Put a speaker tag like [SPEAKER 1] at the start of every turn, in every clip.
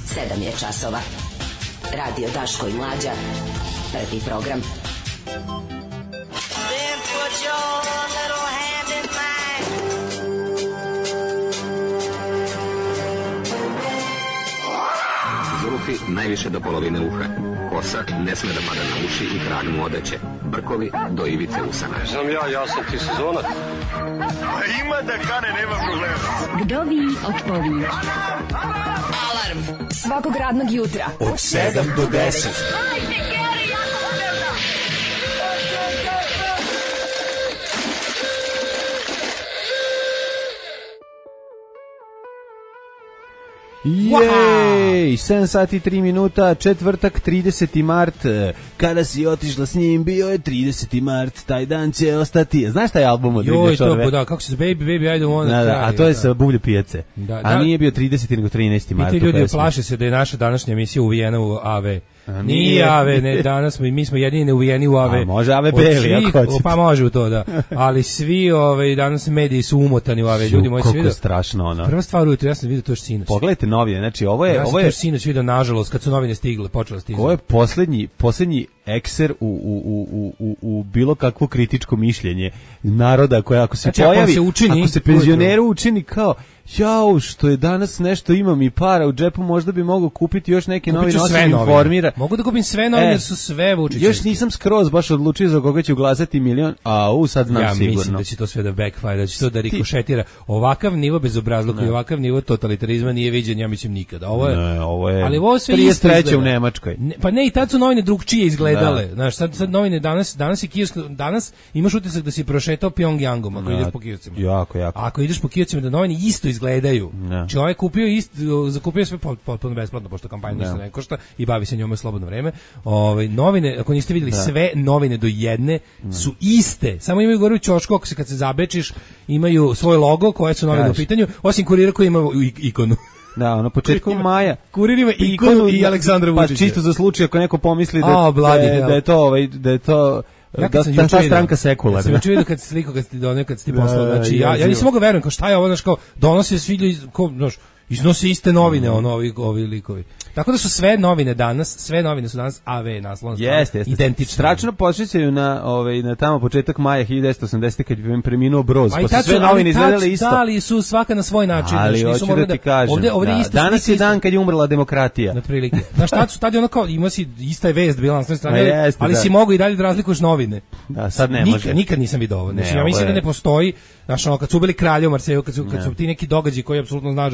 [SPEAKER 1] 7 je časova. Radio Daško i Mlađa. Prvi program.
[SPEAKER 2] Then put your little hand in mine.
[SPEAKER 3] Zurufi najviše do polovine uha. Kosa ne sme da pada na uši i krag mu odeće. Brkovi do ivice usana.
[SPEAKER 4] Znam ja sam ti sezonac.
[SPEAKER 5] Ima da kane, nema problema.
[SPEAKER 6] Vdovi otpovi.
[SPEAKER 7] Alarm svakog radnog jutra
[SPEAKER 5] Od 7 do 10.
[SPEAKER 8] Jej, 7 sati 3 minuta, četvrtak 30. mart, kada si otišla s njim, bio je 30. mart, taj dan će ostati. Znaš taj album od Riblje Čorbe?
[SPEAKER 9] Joj, da, kako se Baby, I don't wanna cry.
[SPEAKER 8] A to je sa Bublje pijace. A nije bio 30. nego 13. mart.
[SPEAKER 9] I ti ljudi plaše se da je naša današnja emisija uvijena u AV. Nije AV, ne, danas mi smo jedini uvijeni u AV.
[SPEAKER 8] A može AV beli, ako hoćete.
[SPEAKER 9] Pa može u to, da. Ali svi danas mediji su umotani u AV. Ljudi moji,
[SPEAKER 8] koliko strašno ono.
[SPEAKER 9] Prva stvar ujutro, ja sam vidio to još sinoć.
[SPEAKER 8] Pogledajte novine, znači ovo je...
[SPEAKER 9] Ja sam to još sinoć vidio, nažalost, kad su novine stigle, počela stizati.
[SPEAKER 8] Ovo je posljednji ekser u bilo kakvo kritičko mišljenje naroda koja ako se
[SPEAKER 9] znači,
[SPEAKER 8] pojavi, ako se penzioneru učini kao jao, što je danas nešto, imam i para u džepu, možda bi mogao kupiti još neke novine, osim informira.
[SPEAKER 9] Mogu da kupim sve novine jer su sve Vučićevske.
[SPEAKER 8] Još nisam skroz baš odlučio za koga ću glasati milion, sad znam sigurno.
[SPEAKER 9] Ja mislim da će to sve da backfire, da će to da rikošetira. Ovakav nivo bezobrazluka i ovakav nivo totalitarizma nije viđen, ja mislim, nikada. Ovo je
[SPEAKER 8] ali ovo sve 33. u Nemačkoj.
[SPEAKER 9] Pa ne, i tad su novine drugčije izgledale. Znaš, sad novine danas je kijevsko, danas imaš utisak da si prošetao Pyongyangom ako ideš po kijevcima.
[SPEAKER 8] Jako.
[SPEAKER 9] Ako ideš po kijevcima da novine isto izgledaju. Čovjek zakupio sve potpuno besplatno, pošto kampanja ništa ne košta i bavi se njome slobodno vreme. Novine, ako niste vidjeli, sve novine do jedne su iste. Samo imaju gore u ćošku, kad se zabečiš, imaju svoj logo, koje su novine u pitanju, osim Kurira koji ima ikonu.
[SPEAKER 8] Da, na početku maja.
[SPEAKER 9] Kurir ima ikonu i Aleksandra Vučića.
[SPEAKER 8] Pa čisto za slučaj ako neko pomisli da je to ta stranka sekularna.
[SPEAKER 9] Ja sam juče vidio kad si ti poslao, znači ja nisam mogao verujem, kao šta je ovo, znači kao donose svi ljudi, iznose iste novine, ovi likovi. Tako da su sve novine su danas AV naslovna strana, identične.
[SPEAKER 8] Strašno podsjećaju na tamo početak maja 1980. kad bi preminuo Broz, pa su sve novine izgledale isto.
[SPEAKER 9] Ali su svaka na svoj način.
[SPEAKER 8] Ali hoću da ti kažem, danas je dan kad je umrla demokratija.
[SPEAKER 9] Na prilike. Znaš, tad je ono kao, ima si, ista je vest bila na svoj strani, ali si mogu i dalje da razlikuješ novine.
[SPEAKER 8] Da, sad ne može.
[SPEAKER 9] Nikad nisam vidio ovo. Znači, ja mislim da ne postoji, znaš, kad su ubili kralja u Marseju, kad su ti neki događaji koji apsolutno znaš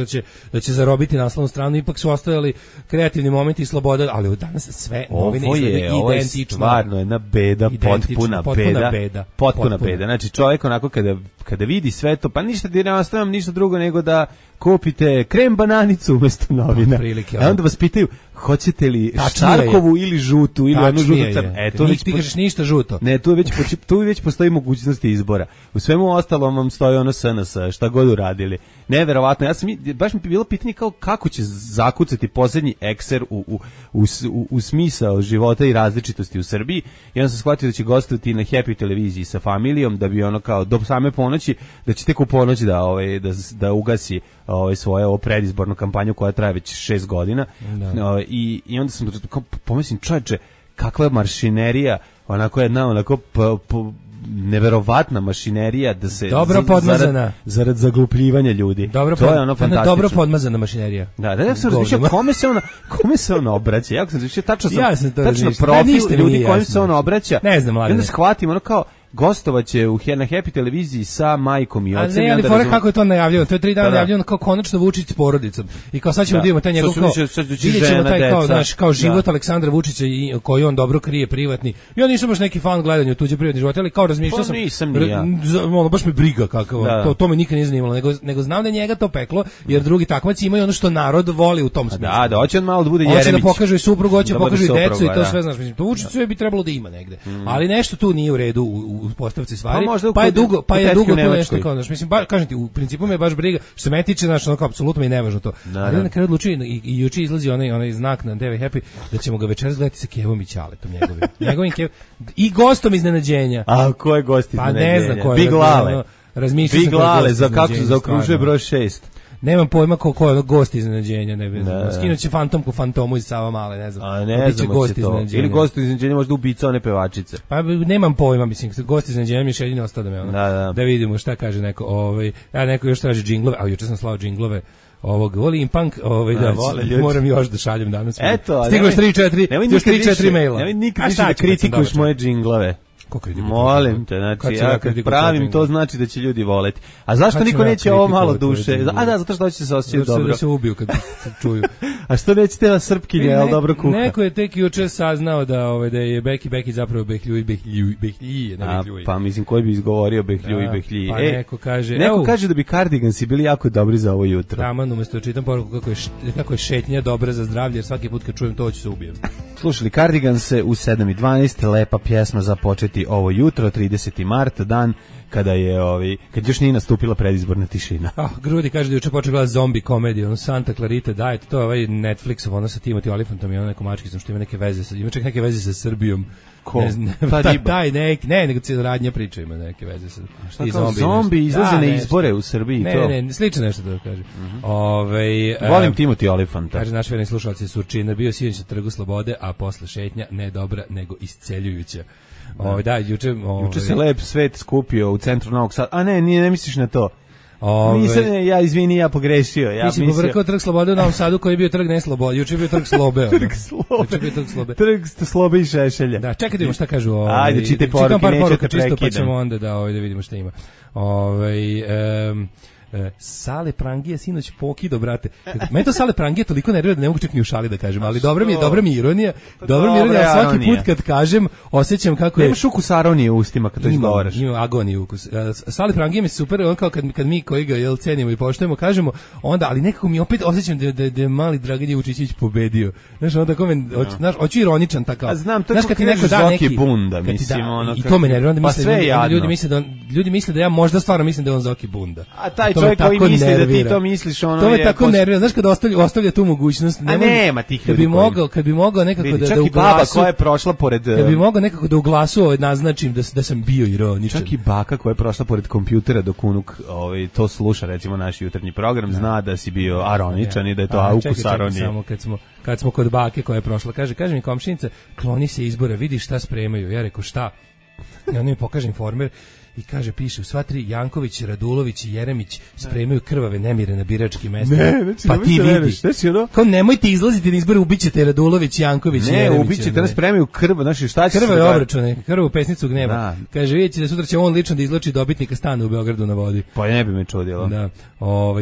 [SPEAKER 9] da će zarobiti naslovnu stranu, ipak su ostajali kreativni momenti i sloboda, ali danas sve novine izgledaju identično. Ovo je
[SPEAKER 8] stvarno jedna beda, potpuna beda. Znači čovjek onako kada vidi sve to, pa ništa ti ne ostavljam ništa drugo nego da kupite krem bananicu umjesto novina. A onda vas pitaju, hoćete li štarkovu ili žutu ili onu žutu crnu?
[SPEAKER 9] Ti kažeš ništa žuto.
[SPEAKER 8] Ne, tu već postoji mogućnosti izbora. U svemu ostalom vam stoji ono SNS, šta god uradili. Neverovatno, baš mi je bilo pitanje kako će zakucati posljednji ekser u smisao života i različitosti u Srbiji. I onda sam shvatio da će gostovati na Happy televiziji sa familijom, da bi ono kao do same ponoći, da će tek u ponoć da ugasi svoju predizbornu kampanju koja traje već 6 godina. I onda sam pomislim, čovječe, kakva je maršinerija, onako jedna neverovatna mašinerija da se
[SPEAKER 9] dobro podmazana
[SPEAKER 8] zarad zaglupljivanja ljudi. To je ono fantastično.
[SPEAKER 9] Dobro podmazana mašinerija.
[SPEAKER 8] Da sam razmišljao kome se on obraća. Ja sam razmišljao tačno profil ljudi kojim se on obraća.
[SPEAKER 9] Ne znam,
[SPEAKER 8] i onda shvatim ono kao gostovaće na Happy televiziji sa majkom i ocem.
[SPEAKER 9] Ali fore kako je to najavljeno, to je 3 dana najavljeno kao konačno Vučić s porodicom. I kao sad ćemo da vidimo taj njegov kao život Aleksandra Vučića koji on dobro krije privatni. Ja nisam baš neki fan gledanja tuđe privatni život, ali kao razmišljao sam. Baš me briga kako, to me nikad nije zanimalo, nego znam da njega to peklo, jer drugi takmaci imaju ono što narod voli u tom smislu.
[SPEAKER 8] Da, hoće on malo da bude Jeremić.
[SPEAKER 9] Hoće da pokaže i suprugu, hoće da pokaže i decu i to sve, znaš, mislim, to Vučić sve bi trebalo da ima negde. Ali nešto tu nije u redu u postavci stvari, pa je dugo to nešto kao, znaš, mislim, kažem ti, u principu me baš briga, što se mene tiče, znaš, onako, apsolutno mi je nevažno to. Ali na kraju odlučio i juče izlazi onaj znak na TV Happy, da ćemo ga večeras gledati sa Kevom i Ćaletom njegovim Kevom, i gostom iznenađenja.
[SPEAKER 8] A ko je gost iznenađenja?
[SPEAKER 9] Pa ne znam ko je.
[SPEAKER 8] Big Lale.
[SPEAKER 9] Big
[SPEAKER 8] Lale, kako se zaokružuje broj 6.
[SPEAKER 9] Nemam pojma ko je gost iznenađenja, ne znam. Skinuće fantomku Fantomu iz Savamale, ne znam.
[SPEAKER 8] A ne znam gost iznenađenja. Ili gost iznenađenja možda ubica one pevačice.
[SPEAKER 9] Pa nemam pojma, mislim, gost iznenađenja mi je jedino ostao da me ono. Da vidimo šta kaže neko, neko još traži džinglove, a juče sam slao džinglove volim punk, da, moram još da šaljem danas.
[SPEAKER 8] Eto,
[SPEAKER 9] stiglo još 3-4 maila.
[SPEAKER 8] Nemoj nikad više da kritikuješ moje džinglove. Molim te, znači, ja kad pravim to znači da će ljudi voleti. A zašto niko neće ovo malo duše? A da, zato što će se osjećati dobro.
[SPEAKER 9] Da se ubiju kad se čuju.
[SPEAKER 8] A što neće tela Srpkinje, ali dobro kuha?
[SPEAKER 9] Neko je tek juče saznao da je Beki zapravo Behljuj.
[SPEAKER 8] Pa mislim, koji bi izgovorio Behljuj.
[SPEAKER 9] Pa neko kaže...
[SPEAKER 8] Neko kaže da bi Cardigansi bili jako dobri za ovo jutro.
[SPEAKER 9] Taman, umesto da čitam poruku kako je šetnja dobra za zdravlje, jer svaki put kad čujem to ću se ubijem.
[SPEAKER 8] Slušali Cardiganse u 7:12, lepa pjesma za početi ovo jutro, 30. mart, dan kada je kad još nije nastupila predizborna tišina.
[SPEAKER 9] Grudi kaže da juče počeo gledati zombi komediju, Santa Clarita Diet, to je Netflixov, sa Timothy Olyphantom i nekom mačkicom što ima neke veze ima čak neke veze sa Srbijom.
[SPEAKER 8] Ko?
[SPEAKER 9] Nego radnja priča ima neke veze sa
[SPEAKER 8] zombi izlaze na izbore u Srbiji.
[SPEAKER 9] Ne, slično nešto da kaže.
[SPEAKER 8] Volim Timothy Olyphanta.
[SPEAKER 9] Kaže naš verni slušalac je Surčina, bio sinoć na Trgu Slobode, a posle šetnja ne dobra nego isceljujuća. Juče
[SPEAKER 8] se lep svet skupio u centru Novog Sada. A ne misliš na to. Nisam, ja pogrešio.
[SPEAKER 9] Ti si povrkao Trg Slobode u Novom Sadu koji je bio Trg Neslobode. Juče je bio Trg Slobe.
[SPEAKER 8] Trg Slobe i Šešelja.
[SPEAKER 9] Da, čekaj da vidimo šta kažu.
[SPEAKER 8] Ajde, čitaj poruke, neću te prekidam.
[SPEAKER 9] Pa ćemo onda da vidimo šta ima. Sale Prangije sinoć pokido, brate. Meni to Sale Prangije toliko nervira da ne mogu čak ni u šali da kažem, ali dobra mi je ironija. Svaki put kad kažem osjećam kako je...
[SPEAKER 8] Nemaš ukus aronije u ustima kad to izgovaraš.
[SPEAKER 9] Ima agoniju ukus. Sale Prangije mi se super, on kao kad mi koji ga cenimo i poštujemo, kažemo, onda, ali nekako mi opet osjećam da je mali Dragan Vučićević pobedio. Znaš, onda tako hoću ironičan takav.
[SPEAKER 8] A znam, to je kako kažeš Zoki Bunda, mislim.
[SPEAKER 9] I to me nervira, ljudi misle da ja možda stvarno mislim da je on Zoki Bunda.
[SPEAKER 8] A taj čovjek koji misli da ti to misliš,
[SPEAKER 9] to me tako nervira, znaš kada ostavlja tu mogućnost.
[SPEAKER 8] Nema tih ljudi.
[SPEAKER 9] Kad bi mogao nekako da
[SPEAKER 8] čak i baba koja je prošla pored...
[SPEAKER 9] Kad bi mogao nekako da u glasu naznačim da sam bio ironičan.
[SPEAKER 8] Čak i baka koja je prošla pored kompjutera dok unuk to sluša, recimo naš jutarnji program, zna da si bio aroničan i da je to ukus aronije.
[SPEAKER 9] Samo kad smo kod bake koja je prošla, kaže mi komšinica, kloni se izbora, vidi šta spremaju. Ja rekao šta? I on mi pokaže Informer. I kaže, piše, u sva tri Janković, Radulović i Jeremić spremaju krvave nemire na biračkim mestima. Pa ti vidi. Kao nemojte izlaziti na izbore, ubićete Radulović, Janković i Jeremić.
[SPEAKER 8] Ne, ubićete, spremaju krv, znači šta će se...
[SPEAKER 9] Krvave obračune, krvu pesnicu gneva. Kaže, vidite da sutra će on lično da izloči dobitnika stana u Beogradu na vodi.
[SPEAKER 8] Pa ne bi me čudilo.
[SPEAKER 9] Da.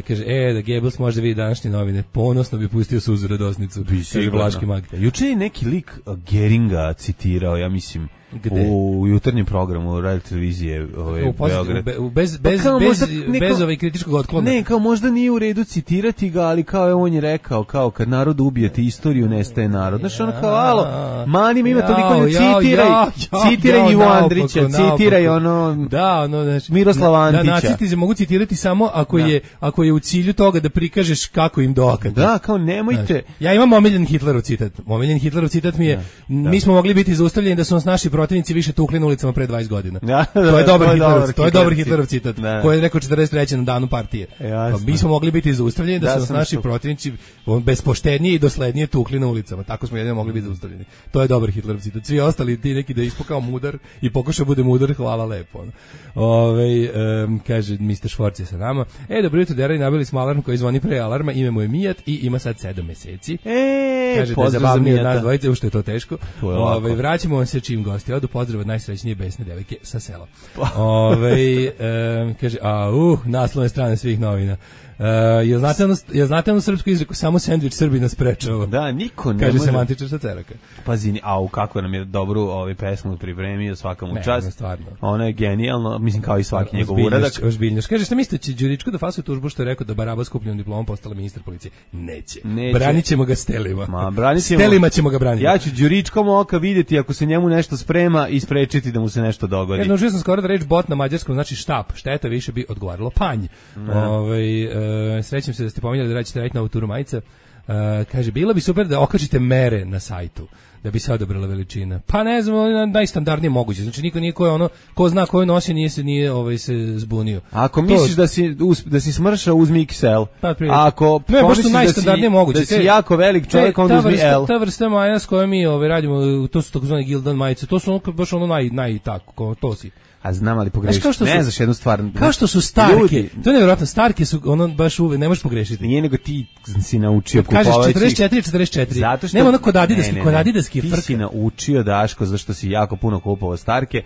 [SPEAKER 9] Kaže, da Goebbels može vidi današnje novine, ponosno bi pustio suzu radosnicu. Kaže Vlaški mag.
[SPEAKER 8] Juče je neki lik Geringa citirao, ja mislim, u jutarnjem programu radio televizije Beograd.
[SPEAKER 9] Bez kritičkog otklona.
[SPEAKER 8] Ne, kao možda nije u redu citirati ga, ali kao on je rekao, kao kad narod ubijete istoriju, nestaje narod. Znaš, ono kao, alo, mani mi ima toliko, citiraj Ivo Andrića, citiraj Miroslava Antića.
[SPEAKER 9] Da, nacisti se mogu citirati samo ako je u cilju toga da prikažeš kako im dokad.
[SPEAKER 8] Da, kao nemojte.
[SPEAKER 9] Ja imam omiljen Hitlerov citat. Omiljen Hitlerov citat mi je, mi smo mogli biti zaustavljeni da su nas naši protivnici više tukli na ulicama pre 20 godina. To je dobar Hitlerov citat, koji je rekao 43. na danu partije. Mi smo mogli biti zaustavljeni da su nas naši protivnici bespoštednije i doslednije tukli na ulicama. Tako smo jedino mogli biti zaustavljeni. To je dobar Hitlerov citat. Svi ostali ti neki da ispokao mudar i pokušao bude mudar, hvala lepo. Kaže Mr. Švorc je sa nama. Dobro jutro, Derali, nabili smo alarm koji zvoni pre alarma, ime mu je Mijat i ima sad 7 meseci. Kaže da je zabavnije od nas dvojice, ušto je to teško. Vraćamo vam se čim gosti odu, pozdrav od najsrećnije besne devojke sa sela. Kaže, naslovne strane svih novina. Jel znate onu srpsku izreku, samo sendvič Srbina sprečava?
[SPEAKER 8] Da, niko ne
[SPEAKER 9] kaže
[SPEAKER 8] može.
[SPEAKER 9] semantičar sa Ceraka.
[SPEAKER 8] Pazi, kako nam je dobru pesmu pripremio, svakamu čast.
[SPEAKER 9] Stvarno.
[SPEAKER 8] Ona je genijalno, mislim kao i svaki njegov uradak.
[SPEAKER 9] Ozbiljno. Kaže, šta mislite, će Đuričko da fasuje tužbu što je rekao da Baraba skupljenom diplomom postala ministar policije? Neće. Branit ćemo ga stelima. Stelima ćemo ga braniti.
[SPEAKER 8] Ja ću Đuričkom oka vidjeti ako se njemu nešto sprema i sprečiti da mu se nešto dogodi.
[SPEAKER 9] Naučio sam skoro da reč bot na mađarskom znači štap. Šteta više bi odgovaralo panj. Srećem se da ste pominjali da ćete raditi novu turu majica. Kaže, bilo bi super da okačite mere na sajtu da bi se odabrala veličina. Pa ne znam, najstandardnije moguće. Znači niko nije ko zna koju nosi nije se zbunio.
[SPEAKER 8] Ako misliš da si smršao, uzmi XL.
[SPEAKER 9] Pa,
[SPEAKER 8] ako
[SPEAKER 9] najstandardnije moguće.
[SPEAKER 8] Da si jako velik čovjek, onda uzmi L.
[SPEAKER 9] Ta vrsta maja s kojom mi radimo, to su takozvane Gildan majice. To su baš naj tako, to si.
[SPEAKER 8] A znam, ali pogrešiš. Ne znaš jednu stvar.
[SPEAKER 9] Kao što su starke. To je nevjerojatno, starke su baš uvek, ne možeš pogrešiti.
[SPEAKER 8] Nije nego ti si naučio kupovati.
[SPEAKER 9] Kažeš 44.
[SPEAKER 8] Zato što
[SPEAKER 9] nema ono kod adidaski
[SPEAKER 8] frka. Ti si naučio, Daško, zašto si jako puno kupovao starke,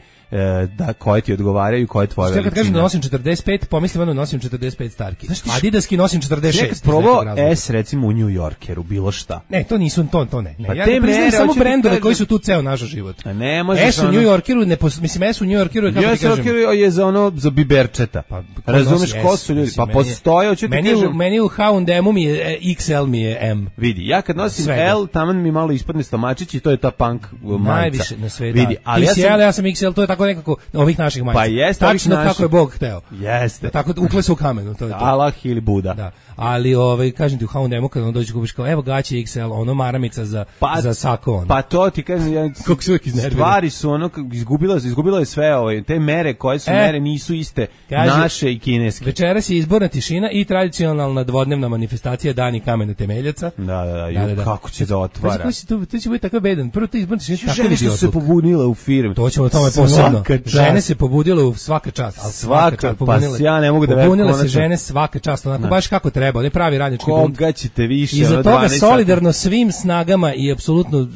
[SPEAKER 8] da koje ti odgovaraju, koje tvoje veličine.
[SPEAKER 9] Kad kažem da nosim 45, pomislim da nosim 45 starki. Adidaski nosim 46.
[SPEAKER 8] Nekad probao S recimo u New Yorkeru, bilo šta.
[SPEAKER 9] Ne, to nisu, to ne. Pa ja priznajem samo brendove koji su tu ceo naš život.
[SPEAKER 8] A ne možeš
[SPEAKER 9] S u New Yorkeru, mislim S u New Yorkeru je kako ti kažem.
[SPEAKER 8] Je za biberčeta.
[SPEAKER 9] Pa,
[SPEAKER 8] razumeš ko su ljudi? Pa postoje, hoću ti kažem.
[SPEAKER 9] Meni u H&M-u mi je XL, mi je M.
[SPEAKER 8] Vidi, ja kad nosim L, taman mi malo ispadne stomačić i to je ta punk majica.
[SPEAKER 9] Najviše na svetu.
[SPEAKER 8] Vidi, ali
[SPEAKER 9] ja sam XL, to je tako nekako ovih naših majica.
[SPEAKER 8] Pa jeste,
[SPEAKER 9] tačno kako je Bog hteo.
[SPEAKER 8] Jeste.
[SPEAKER 9] Tako ukle se u kamenu, to je to.
[SPEAKER 8] Allah ili Buda.
[SPEAKER 9] Da. Ali kažem ti u H&M-u kad on dođe kupiš kao evo gaće XL, ono maramica za sako ono.
[SPEAKER 8] Pa to ti kažem,
[SPEAKER 9] kako se uvijek iznervira.
[SPEAKER 8] Stvari su ono izgubilo je sve te mere koje su mere nisu iste, naše i kineske.
[SPEAKER 9] Večeras je izborna tišina i tradicionalna dvodnevna manifestacija Dani kamena temeljaca.
[SPEAKER 8] Da. Kako će da otvara?
[SPEAKER 9] To će biti tako bedan. Prvo to izborna tišina tako
[SPEAKER 8] žene su se pobunile u firmi.
[SPEAKER 9] To ćemo o tome posebno. Žene se pobudile u svaka čast.
[SPEAKER 8] Svaka, pa ja ne mogu da verujem.
[SPEAKER 9] Pobunile se žene svaka čast, onako baš kako treba, ne pravi radnički bunt.
[SPEAKER 8] Koga ćete više?
[SPEAKER 9] I za toga solidarno svim snagama i apsolutno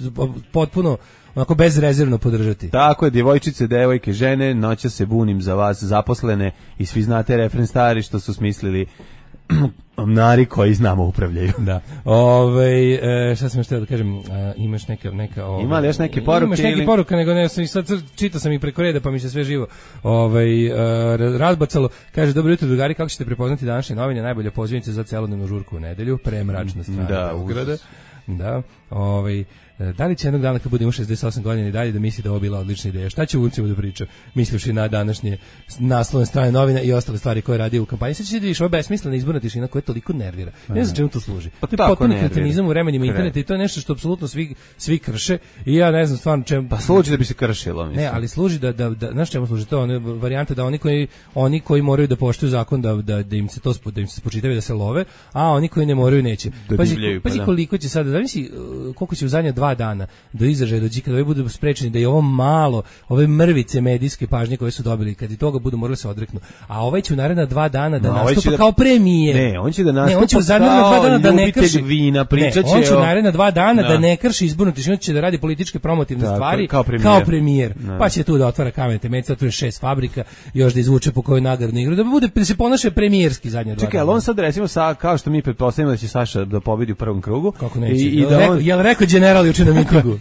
[SPEAKER 9] potpuno onako bezrezervno podržati.
[SPEAKER 8] Tako je, djevojčice, devojke, žene, noća se bunim za vas zaposlene i svi znate refren stari što su smislili omnari koji znamo upravljaju.
[SPEAKER 9] Da. Šta sam još htio da kažem, imaš neka
[SPEAKER 8] ima li još neke poruke?
[SPEAKER 9] Imaš neke poruke, nego ne, sad čitao sam i preko reda, pa mi se sve živo razbacalo. Kaže, dobro jutro, drugari, kako ćete prepoznati današnje novine, najbolja pozivnica za celodnevnu žurku u nedelju, premračna strana Beograda. Da, da li će jednog dana kad budemo 68 godina i dalje da misli da ovo bila odlična ideja? Šta će uncima da priča? Mislivši na današnje naslovne strane novina i ostale stvari koje radi u kampanji. Sad ćeš da vidiš, ovo besmislena izborna tišina koja toliko nervira. Ne znam čemu to služi.
[SPEAKER 8] Pa
[SPEAKER 9] to je potpuno kretenizam u vremenima interneta i to je nešto što apsolutno svi krše i ja ne znam stvarno čemu.
[SPEAKER 8] Pa služi da bi se kršilo, mislim.
[SPEAKER 9] Ne, ali služi da znaš čemu služi to? Varijanta da oni koji moraju da poštuju zakon da im se to spočitava da se love, a oni koji ne moraju neće. Pazi koliko će sada, zavisi koliko će u zadnja 2 dana do izražaja dođi kada budu sprečeni da je ovo malo, ove mrvice medijske pažnje koje su dobili, kad i toga budu morali se odreknu. A ovaj će u naredna 2 dana da nastupa kao premijer.
[SPEAKER 8] Ne, on će da nastupa
[SPEAKER 9] kao 2 dana da ne krši
[SPEAKER 8] vina, pričaće.
[SPEAKER 9] On će u naredna 2 dana da ne krši izbornu tišinu, će da radi političke promotivne stvari kao premijer. Pa će tu da otvara kamene temeljce, otvara 6 fabrika, još da izvuče po kojoj nagradnu igru, da se ponaša premijerski zadnje 2 dana.
[SPEAKER 8] Čekaj, ali on sad recimo kao što mi pretpostavljamo da će Saša da pobedi u prvom krugu.
[SPEAKER 9] Kako neće? Jel rekao general juče na mitingu?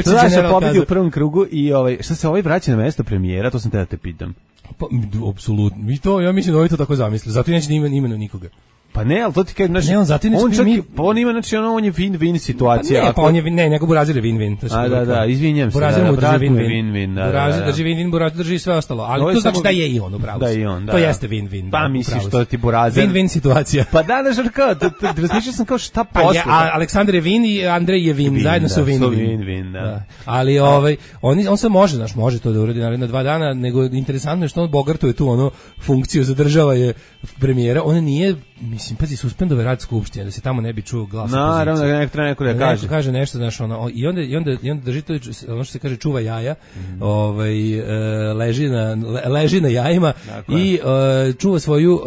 [SPEAKER 8] Saša pobedi u prvom krugu i šta se vraća na mesto premijera, to sam te da te pitam.
[SPEAKER 9] Pa, apsolutno. Ja mislim da ovaj to tako zamisli. Zato neće da imenu nikoga.
[SPEAKER 8] Pa ne, ali to ti kažem, znači,
[SPEAKER 9] ne, on zato ne
[SPEAKER 8] smije, on ima, znači, on je win-win situacija.
[SPEAKER 9] Pa ne, pa on je, nego Burazir je win-win.
[SPEAKER 8] Da, izvinjam se.
[SPEAKER 9] Burazir mu drži
[SPEAKER 8] win-win.
[SPEAKER 9] Burazir drži win-win, Burazir drži sve ostalo. Ali to znači da je i on upravo.
[SPEAKER 8] Da je on, da.
[SPEAKER 9] To jeste win-win.
[SPEAKER 8] Pa misliš što ti Burazir.
[SPEAKER 9] Win-win situacija.
[SPEAKER 8] Pa da, kao, razmišljao sam kao šta posle.
[SPEAKER 9] Aleksandar je win i Andrej je win, zajedno su
[SPEAKER 8] win-win, da.
[SPEAKER 9] Ali on se može to da uradi naredna 2 dana, nego interesantno je što on bogartuje tu ono funkciju, zadržava je premijera, on nije, mislim, pazi, suspendove rad skupštine, da se tamo ne bi čuo glas opozicije. Naravno,
[SPEAKER 8] da neko da kaže.
[SPEAKER 9] Neko kaže nešto, znaš, i onda drži to, ono što se kaže, čuva jaja, leži na jajima i čuva svoju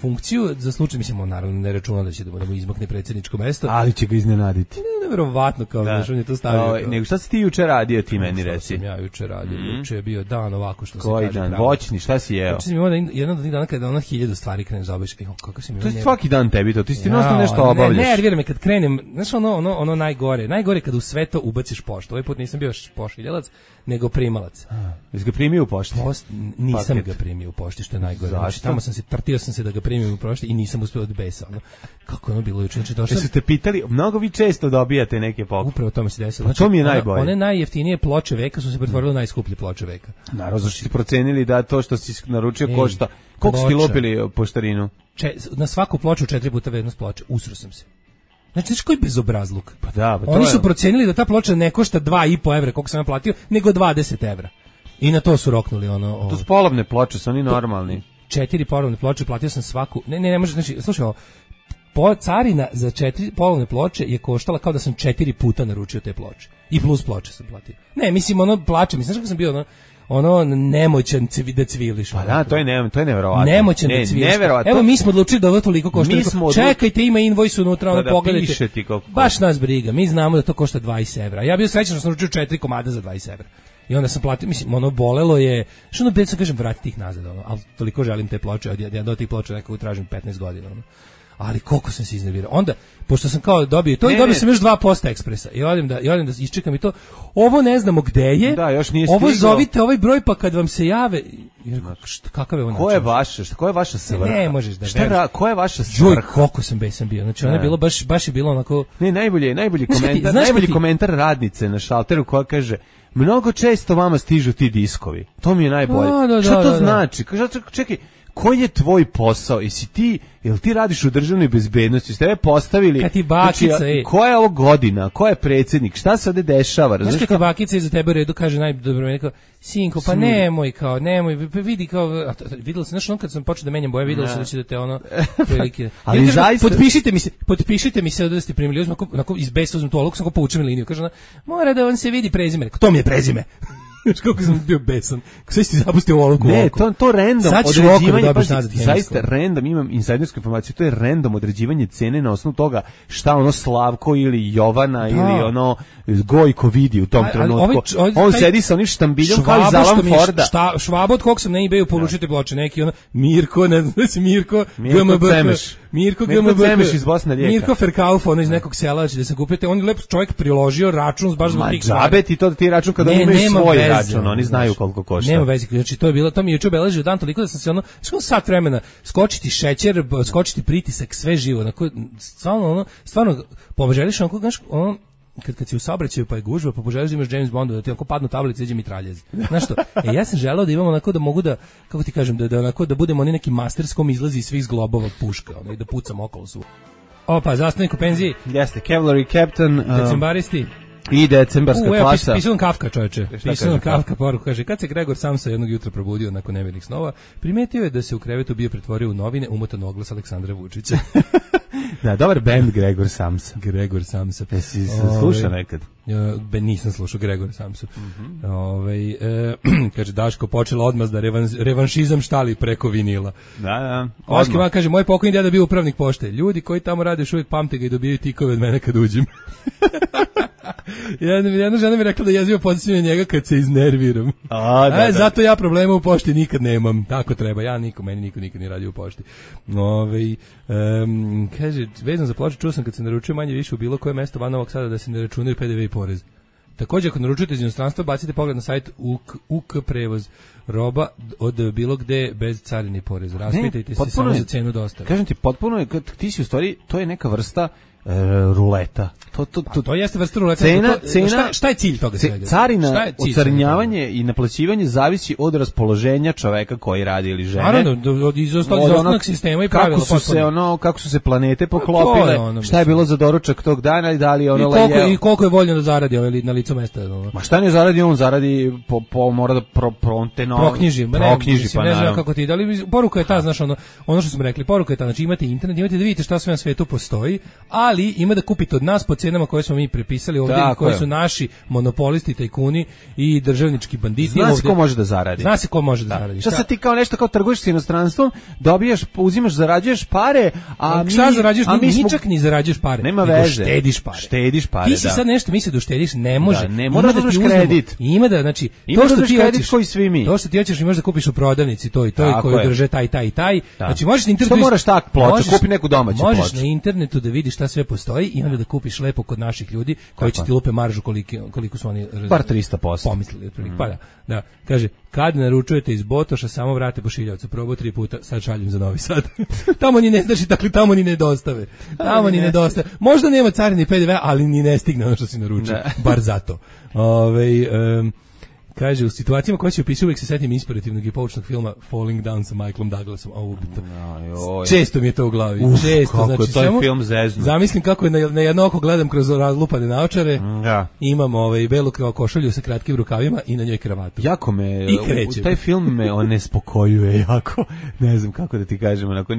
[SPEAKER 9] funkciju za slučaj, mislim, on naravno ne računa da će da mu izmakne predsjedničko mesto.
[SPEAKER 8] Ali će ga iznenaditi.
[SPEAKER 9] Neverovatno, kao da on je to stavio.
[SPEAKER 8] Nego šta si ti juče radio, ti meni reci?
[SPEAKER 9] Ja juče radio, juče je bio dan ovako što se
[SPEAKER 8] kaže.
[SPEAKER 9] Koji
[SPEAKER 8] dan? Voćni, šta si jeo?
[SPEAKER 9] Juče sam imao jedan od tih dana kada 1000 stvari kreneš da obavljaš. Kako si mi
[SPEAKER 8] to je svaki dan tebi to, ti stalno nešto obavljaš.
[SPEAKER 9] Ne, nervira me kad krenem, znaš ono najgore kad u sve to ubaciš poštu. Ovaj put nisam bio pošiljalac, nego primalac.
[SPEAKER 8] Jesi ga primio u pošti?
[SPEAKER 9] Nisam ga primio u pošti, što je najgore. Znači, tamo trtio sam se da ga primim u pošti i nisam uspeo od besa. Kako ono bilo juče?
[SPEAKER 8] Jesu te pitali, mnogo vi često dobijate neke poklone.
[SPEAKER 9] Upravo to mi se desilo.
[SPEAKER 8] Znači, to mi je najbolje.
[SPEAKER 9] One najjeftinije ploče veka su se pretvorile u najskuplje ploče veka.
[SPEAKER 8] Naravno, zašto ste procenili da to što si naručio košta. Koliko ste lopili poštarinu?
[SPEAKER 9] Na svaku ploču 4 puta vrednost ploče. Usro sam se. Znači, znaš koji bezobrazluk?
[SPEAKER 8] Pa da, pa
[SPEAKER 9] oni su procenili da ta ploča ne košta 2,5 evra, koliko sam ja platio, nego 20 evra. I na to su roknuli ono.
[SPEAKER 8] To su polovne ploče, su oni normalni.
[SPEAKER 9] 4 polovne ploče, platio sam svaku. Ne može, znači, slušaj, carina za 4 polovne ploče je koštala kao da sam 4 puta naručio te ploče. I plus ploče sam platio. Ne, mislim, plače, znaš kako sam bio ono nemoćan da cviliš.
[SPEAKER 8] Pa da, to je neverovatno.
[SPEAKER 9] Nemoćan da cviliš. Evo mi smo odlučili da ovo toliko košta. Čekajte, ima invoice unutra, ono pogledajte. Baš nas briga, mi znamo da to košta 20 evra. Ja bio srećan što sam naručio 4 komada za 20 evra. I onda sam platio, mislim, ono bolelo je, što ono sam kažem, vratiti ih nazad, ono, ali toliko želim te ploče, ja do tih ploča nekako tražim 15 godina, ono. Ali koliko sam se iznervirao. Onda, pošto sam kao dobio to, i dobio sam još 2% ekspresa. I odem da isčekam i to. Ovo ne znamo gde je.
[SPEAKER 8] Da, još nije stiglo.
[SPEAKER 9] Ovo zovite ovaj broj pa kad vam se jave. Kakav je ovo način?
[SPEAKER 8] Ko je vaša svrha?
[SPEAKER 9] Ne možeš da veruješ.
[SPEAKER 8] Ko je vaša svrha?
[SPEAKER 9] Đuj, koliko sam besan bio. Znači, ono je bilo, baš je bilo onako...
[SPEAKER 8] Ne, najbolji komentar radnice na šalteru koja kaže: mnogo često vama stižu ti diskovi. To mi je najbolje. Šta to znači? Čekaj, koji je tvoj posao? Jel ti radiš u državnoj bezbednosti? Ste postavili...
[SPEAKER 9] Kad ti bakica,
[SPEAKER 8] koja je ovo godina? Ko je predsjednik? Šta se ovde dešava?
[SPEAKER 9] Znaš kad ti bakica iza tebe u redu kaže najdobro, kao, sinko, pa nemoj, vidi kao, vidjela se, znaš, on kad sam počeo da menjam boje, vidjela se da će da te ono, prilike.
[SPEAKER 8] Ali zaista...
[SPEAKER 9] Potpišite mi se da ste primili, onako iz besa uzmem tu oluku, sam ko poučem liniju, kaže ona, mora da vam se vidi prezime. To mi je prezime. Znaš kako sam bio besan. Sve si zapustio u oluku.
[SPEAKER 8] Ne, to random određivanje, zaista random, imam insajdersku informaciju, to je random određivanje cene na osnovu toga šta ono Slavko ili Jovana ili ono Gojko vidi u tom trenutku. On sedi sa onim štambiljom kao iz Alan Forda.
[SPEAKER 9] Švabo od kog sam na eBayu poručite ploče, neki ono Mirko, ne znam si Mirko
[SPEAKER 8] Cemeš iz Bosne Rijeka.
[SPEAKER 9] Mirko Ferkauf, ono iz nekog sela, da se kupite, on je lep čovjek priložio račun baš zbog tih stvari.
[SPEAKER 8] Džabe ti to da ti račun kada oni imaju svoj račun, oni znaju koliko košta.
[SPEAKER 9] Nema veze, znači to mi je juče obeležio dan toliko da sam se ono, sat vremena skočiti šećer, skočiti pritisak, sve živo, onako stvarno poželiš ono kad si u saobraćaju pa je gužva, pa poželiš da imaš James Bonda, da ti onako padnu tablice, iđe mitraljez. Znaš što? Ja sam želeo da imam onako da mogu da, kako ti kažem, da onako da budemo oni neki masterskom izlazi iz svih zglobova puška, ono, i da pucam okolo svu. Opa, zastavnik u penziji.
[SPEAKER 8] Jeste, Cavalry Captain.
[SPEAKER 9] Decembaristi.
[SPEAKER 8] I decembarska klasa.
[SPEAKER 9] Pisao Kafka, čoveče. Pisao Kafka poruku, kaže, kad se Gregor Samsa jednog jutra probudio nakon nemirnih snova, primetio je da se u krevetu bio pretvorio u novine umotan oglas Aleksandra Vučića.
[SPEAKER 8] Da, dobar band Gregor Samsa.
[SPEAKER 9] Gregor Samsa.
[SPEAKER 8] Jesi slušao nekad?
[SPEAKER 9] Nisam slušao Gregor Samsa. Kaže, Daško, počela odmah da revanšizam štali preko vinila.
[SPEAKER 8] Da.
[SPEAKER 9] Oškiman kaže, moj pokojni deda bio upravnik pošte. Ljudi koji tamo rade još uvijek pamte ga i dobijaju tikove od mene kad uđem. Jedna žena mi rekla da jezivo podsjećam njega kad se iznerviram. Zato ja problema u pošti nikad nemam. Tako treba. Meni niko nikad nije radio u pošti. Kaže, vezano za ploče, čuo sam kad se naručuje manje više u bilo koje mesto van Novog Sada da se ne računaju PDV i porez. Također, ako naručujete iz inostranstva, bacite pogled na sajt UK prevoz roba od bilo gde bez carine i poreza. Raspitajte se samo za cenu dostave.
[SPEAKER 8] Kažem ti, potpuno je, ti si u stvari, to je neka vrsta ruleta.
[SPEAKER 9] To jeste vrsta ruleta.
[SPEAKER 8] Cena,
[SPEAKER 9] šta je cilj toga?
[SPEAKER 8] Carina, ocarinjavanje i naplaćivanje zavisi od raspoloženja čoveka koji radi ili žene.
[SPEAKER 9] Naravno, iz osnovnog sistema i pravila.
[SPEAKER 8] Kako su se planete poklopile, šta je bilo za doručak tog dana i da li ono lejeo.
[SPEAKER 9] I koliko je voljno da zaradi na licu mesta.
[SPEAKER 8] Ma šta ne zaradi, on zaradi mora da
[SPEAKER 9] proknjiži. Ne znam kako ti, da li poruka je ta, znaš, ono što smo rekli, poruka je ta, znači imate internet, imate da vidite šta sve na svetu postoji, ali ima da kupite od nas po cenama koje smo mi prepisali ovdje, koji su naši monopolisti, tajkuni i državnički banditi.
[SPEAKER 8] Zna se ko može da zaradi.
[SPEAKER 9] Zna se ko može da zaradi.
[SPEAKER 8] Šta sad ti kao nešto kao trguješ s inostranstvom, dobijaš, uzimaš, zarađuješ pare, a
[SPEAKER 9] šta zarađuješ? Ničak ni zarađuješ pare.
[SPEAKER 8] Nema veze.
[SPEAKER 9] Štediš pare. Ti si sad nešto misli da uštediš, ne može.
[SPEAKER 8] Ne mora da uzmeš kredit.
[SPEAKER 9] Ima da, znači,
[SPEAKER 8] to što ti hoćeš, koji svi mi.
[SPEAKER 9] To što ti hoćeš, imaš da kupiš u prodavnici to i to i koji drže taj. Znači možeš na internetu.
[SPEAKER 8] Što moraš tak ploču, kupi neku domaću ploču.
[SPEAKER 9] Možeš na internetu da vidiš šta sve postoji i onda da kupiš lepo kod naših ljudi koji će ti lupe maržu koliko su oni
[SPEAKER 8] bar 300%
[SPEAKER 9] pomislili otprilike. Pa da, kaže, kad naručujete iz Botoša, samo vrate pošiljavcu, probao 3 puta, sad šaljem za Novi Sad. Tamo ni ne znači, dakle tamo ni ne dostave. Možda nema carine i PDV, ali ni ne stigne ono što si naručio, bar zato. Kaže, u situacijama koje se opisuju uvijek se setim inspirativnog i poučnog filma Falling Down sa Michaelom Douglasom. Često mi je to u glavi. Često,
[SPEAKER 8] kako
[SPEAKER 9] znači,
[SPEAKER 8] je taj film zeznu.
[SPEAKER 9] Zamislim kako je na jedno oko gledam kroz razlupane naočare. Imam belu košulju sa kratkim rukavima i na njoj kravatu.
[SPEAKER 8] Jako me, taj film me onespokojuje jako. Ne znam kako da ti kažem, onako,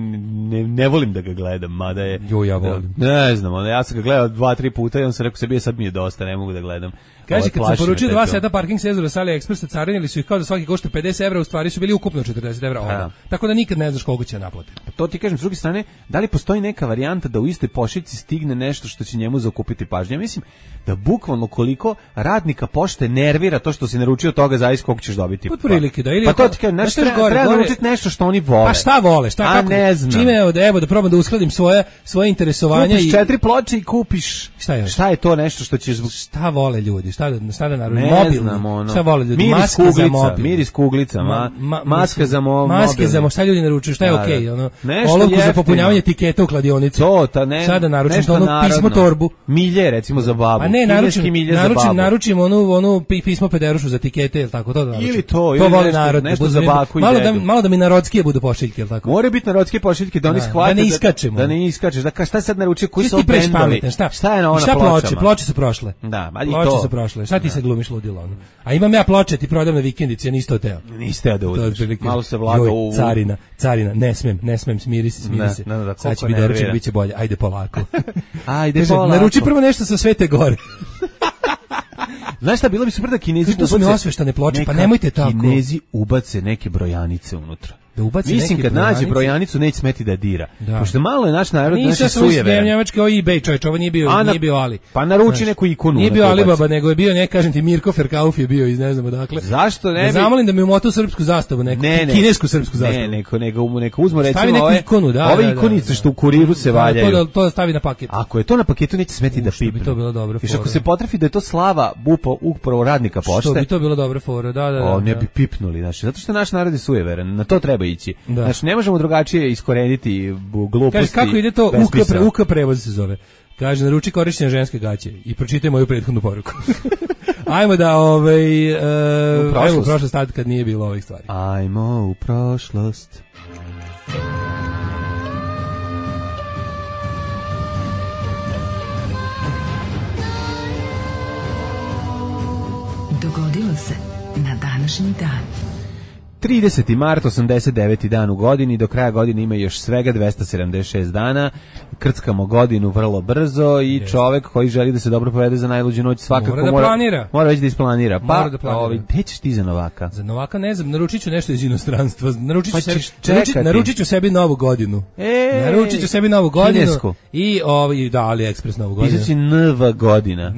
[SPEAKER 8] ne volim da ga gledam, mada je...
[SPEAKER 9] Ja volim.
[SPEAKER 8] Ne znam, ja sam ga gledao 2-3 puta i on sam rekao sebi, sad mi je dosta, ne mogu da gledam.
[SPEAKER 9] Kaže, kad sam poručio 2 seta parking senzora sa AliExpressa, carinili su ih kao da svaki košta 50 €, u stvari su bili ukupno 40 €. Tako da nikad ne znaš koliko će naplatiti.
[SPEAKER 8] To ti kažem, s druge strane, da li postoji neka varijanta da u istoj pošiljci stigne nešto što će njemu zakupiti pažnju? Ja mislim da bukvalno koliko radnika pošte nervira to što si naručio toga zavisi koliko ćeš dobiti.
[SPEAKER 9] Pod prilike da ili
[SPEAKER 8] pa to ti kažem, treba naručiti nešto što oni vole.
[SPEAKER 9] Pa šta vole? Šta kako?
[SPEAKER 8] Ne znam.
[SPEAKER 9] Čime evo da probam da uskladim svoje interesovanja
[SPEAKER 8] kupiš 4 ploče i kupiš. Šta je to nešto što ćeš
[SPEAKER 9] šta vole ljudi? Šta da naručim?
[SPEAKER 8] Mobilno.
[SPEAKER 9] Šta vole ljudi?
[SPEAKER 8] Maska za mobil. Miris kuglica, maska za mobil.
[SPEAKER 9] Maske za šta ljudi naručuju? Šta je okej? Olovku za popunjavanje etiketa u kladionici. Sada naručim to pismo torbu.
[SPEAKER 8] Milje recimo za babu.
[SPEAKER 9] Pa ne, naručim onu pismo pederušu za etikete, je l' tako to da naručim?
[SPEAKER 8] Ili to
[SPEAKER 9] voli narod.
[SPEAKER 8] Nešto za baku i dedu.
[SPEAKER 9] Malo da mi narodskije budu pošiljke, je l' tako?
[SPEAKER 8] More biti narodske pošiljke, da oni shvate.
[SPEAKER 9] Da ne
[SPEAKER 8] iskačeš. Da šta sad naručio, koji su bendovi? Šta je na ona pločama?
[SPEAKER 9] Ploče su prošle.
[SPEAKER 8] Da, ali
[SPEAKER 9] to. Ploče su prošle. Šta ti se glumiš ludilo ono? A imam ja ploče, ti prodam na vikendici, ja nisi teo.
[SPEAKER 8] Nisi teo da uzmeš. Malo se vlaga u...
[SPEAKER 9] Carina, ne smem, smiri se. Sad će biti doručak, bit će bolje. Ajde polako. Naruči prvo nešto sa Svete Gore.
[SPEAKER 8] Znaš šta, bilo bi super da Kinezi
[SPEAKER 9] ubace... To su mi osveštane ploče, pa nemojte tako.
[SPEAKER 8] Kinezi ubace neke brojanice unutra. Mislim kad nađe brojanicu neće smeti da dira. Pošto malo je naš narod naše sujevere.
[SPEAKER 9] Nisam njemački eBay čovječ, ovo nije bio Ali.
[SPEAKER 8] Pa naruči neku ikonu.
[SPEAKER 9] Nije bio Alibaba, nego je bio, kažem ti, Mirko Ferkauf je bio iz ne znamo dakle.
[SPEAKER 8] Zašto ne bi?
[SPEAKER 9] Zamolim da mi umota srpsku zastavu, neku kinesku srpsku zastavu.
[SPEAKER 8] Ne, neko uzmo recimo
[SPEAKER 9] ove
[SPEAKER 8] ikonice što u kuriru se valjaju.
[SPEAKER 9] To stavi na paket.
[SPEAKER 8] Ako je to na paketu neće smeti da pipne.
[SPEAKER 9] Bi to bilo dobro.
[SPEAKER 8] I ako se potrefi da je to slava upravo radnika pošte.
[SPEAKER 9] Što bi to bilo dobro fora, da.
[SPEAKER 8] Ne bi pipnuli, znači, zato što naš narod je sujeveran, na to treba ići. Znači, ne možemo drugačije iskoreniti gluposti.
[SPEAKER 9] Kaže, kako ide to? UK prevoz se zove. Kaže, naruči korišćenje ženske gaće i pročitaj moju prethodnu poruku. Ajmo da, ajmo u prošlost tad kad nije bilo ovih stvari.
[SPEAKER 8] Ajmo u prošlost.
[SPEAKER 1] Dogodilo se na današnji dan.
[SPEAKER 8] 30. mart, 89. dan u godini, do kraja godine ima još svega 276 dana, krckamo godinu vrlo brzo i čovek koji želi da se dobro povede za najluđu noć svakako mora već da isplanira. Pa, gde ćeš ti za Novaka?
[SPEAKER 9] Za Novaka ne znam, naručit ću nešto iz inostranstva, naručit ću sebi novu godinu. Naručit ću sebi novu godinu.
[SPEAKER 8] Kinesku.
[SPEAKER 9] I AliExpress novu godinu.
[SPEAKER 8] Pisaći nova godina.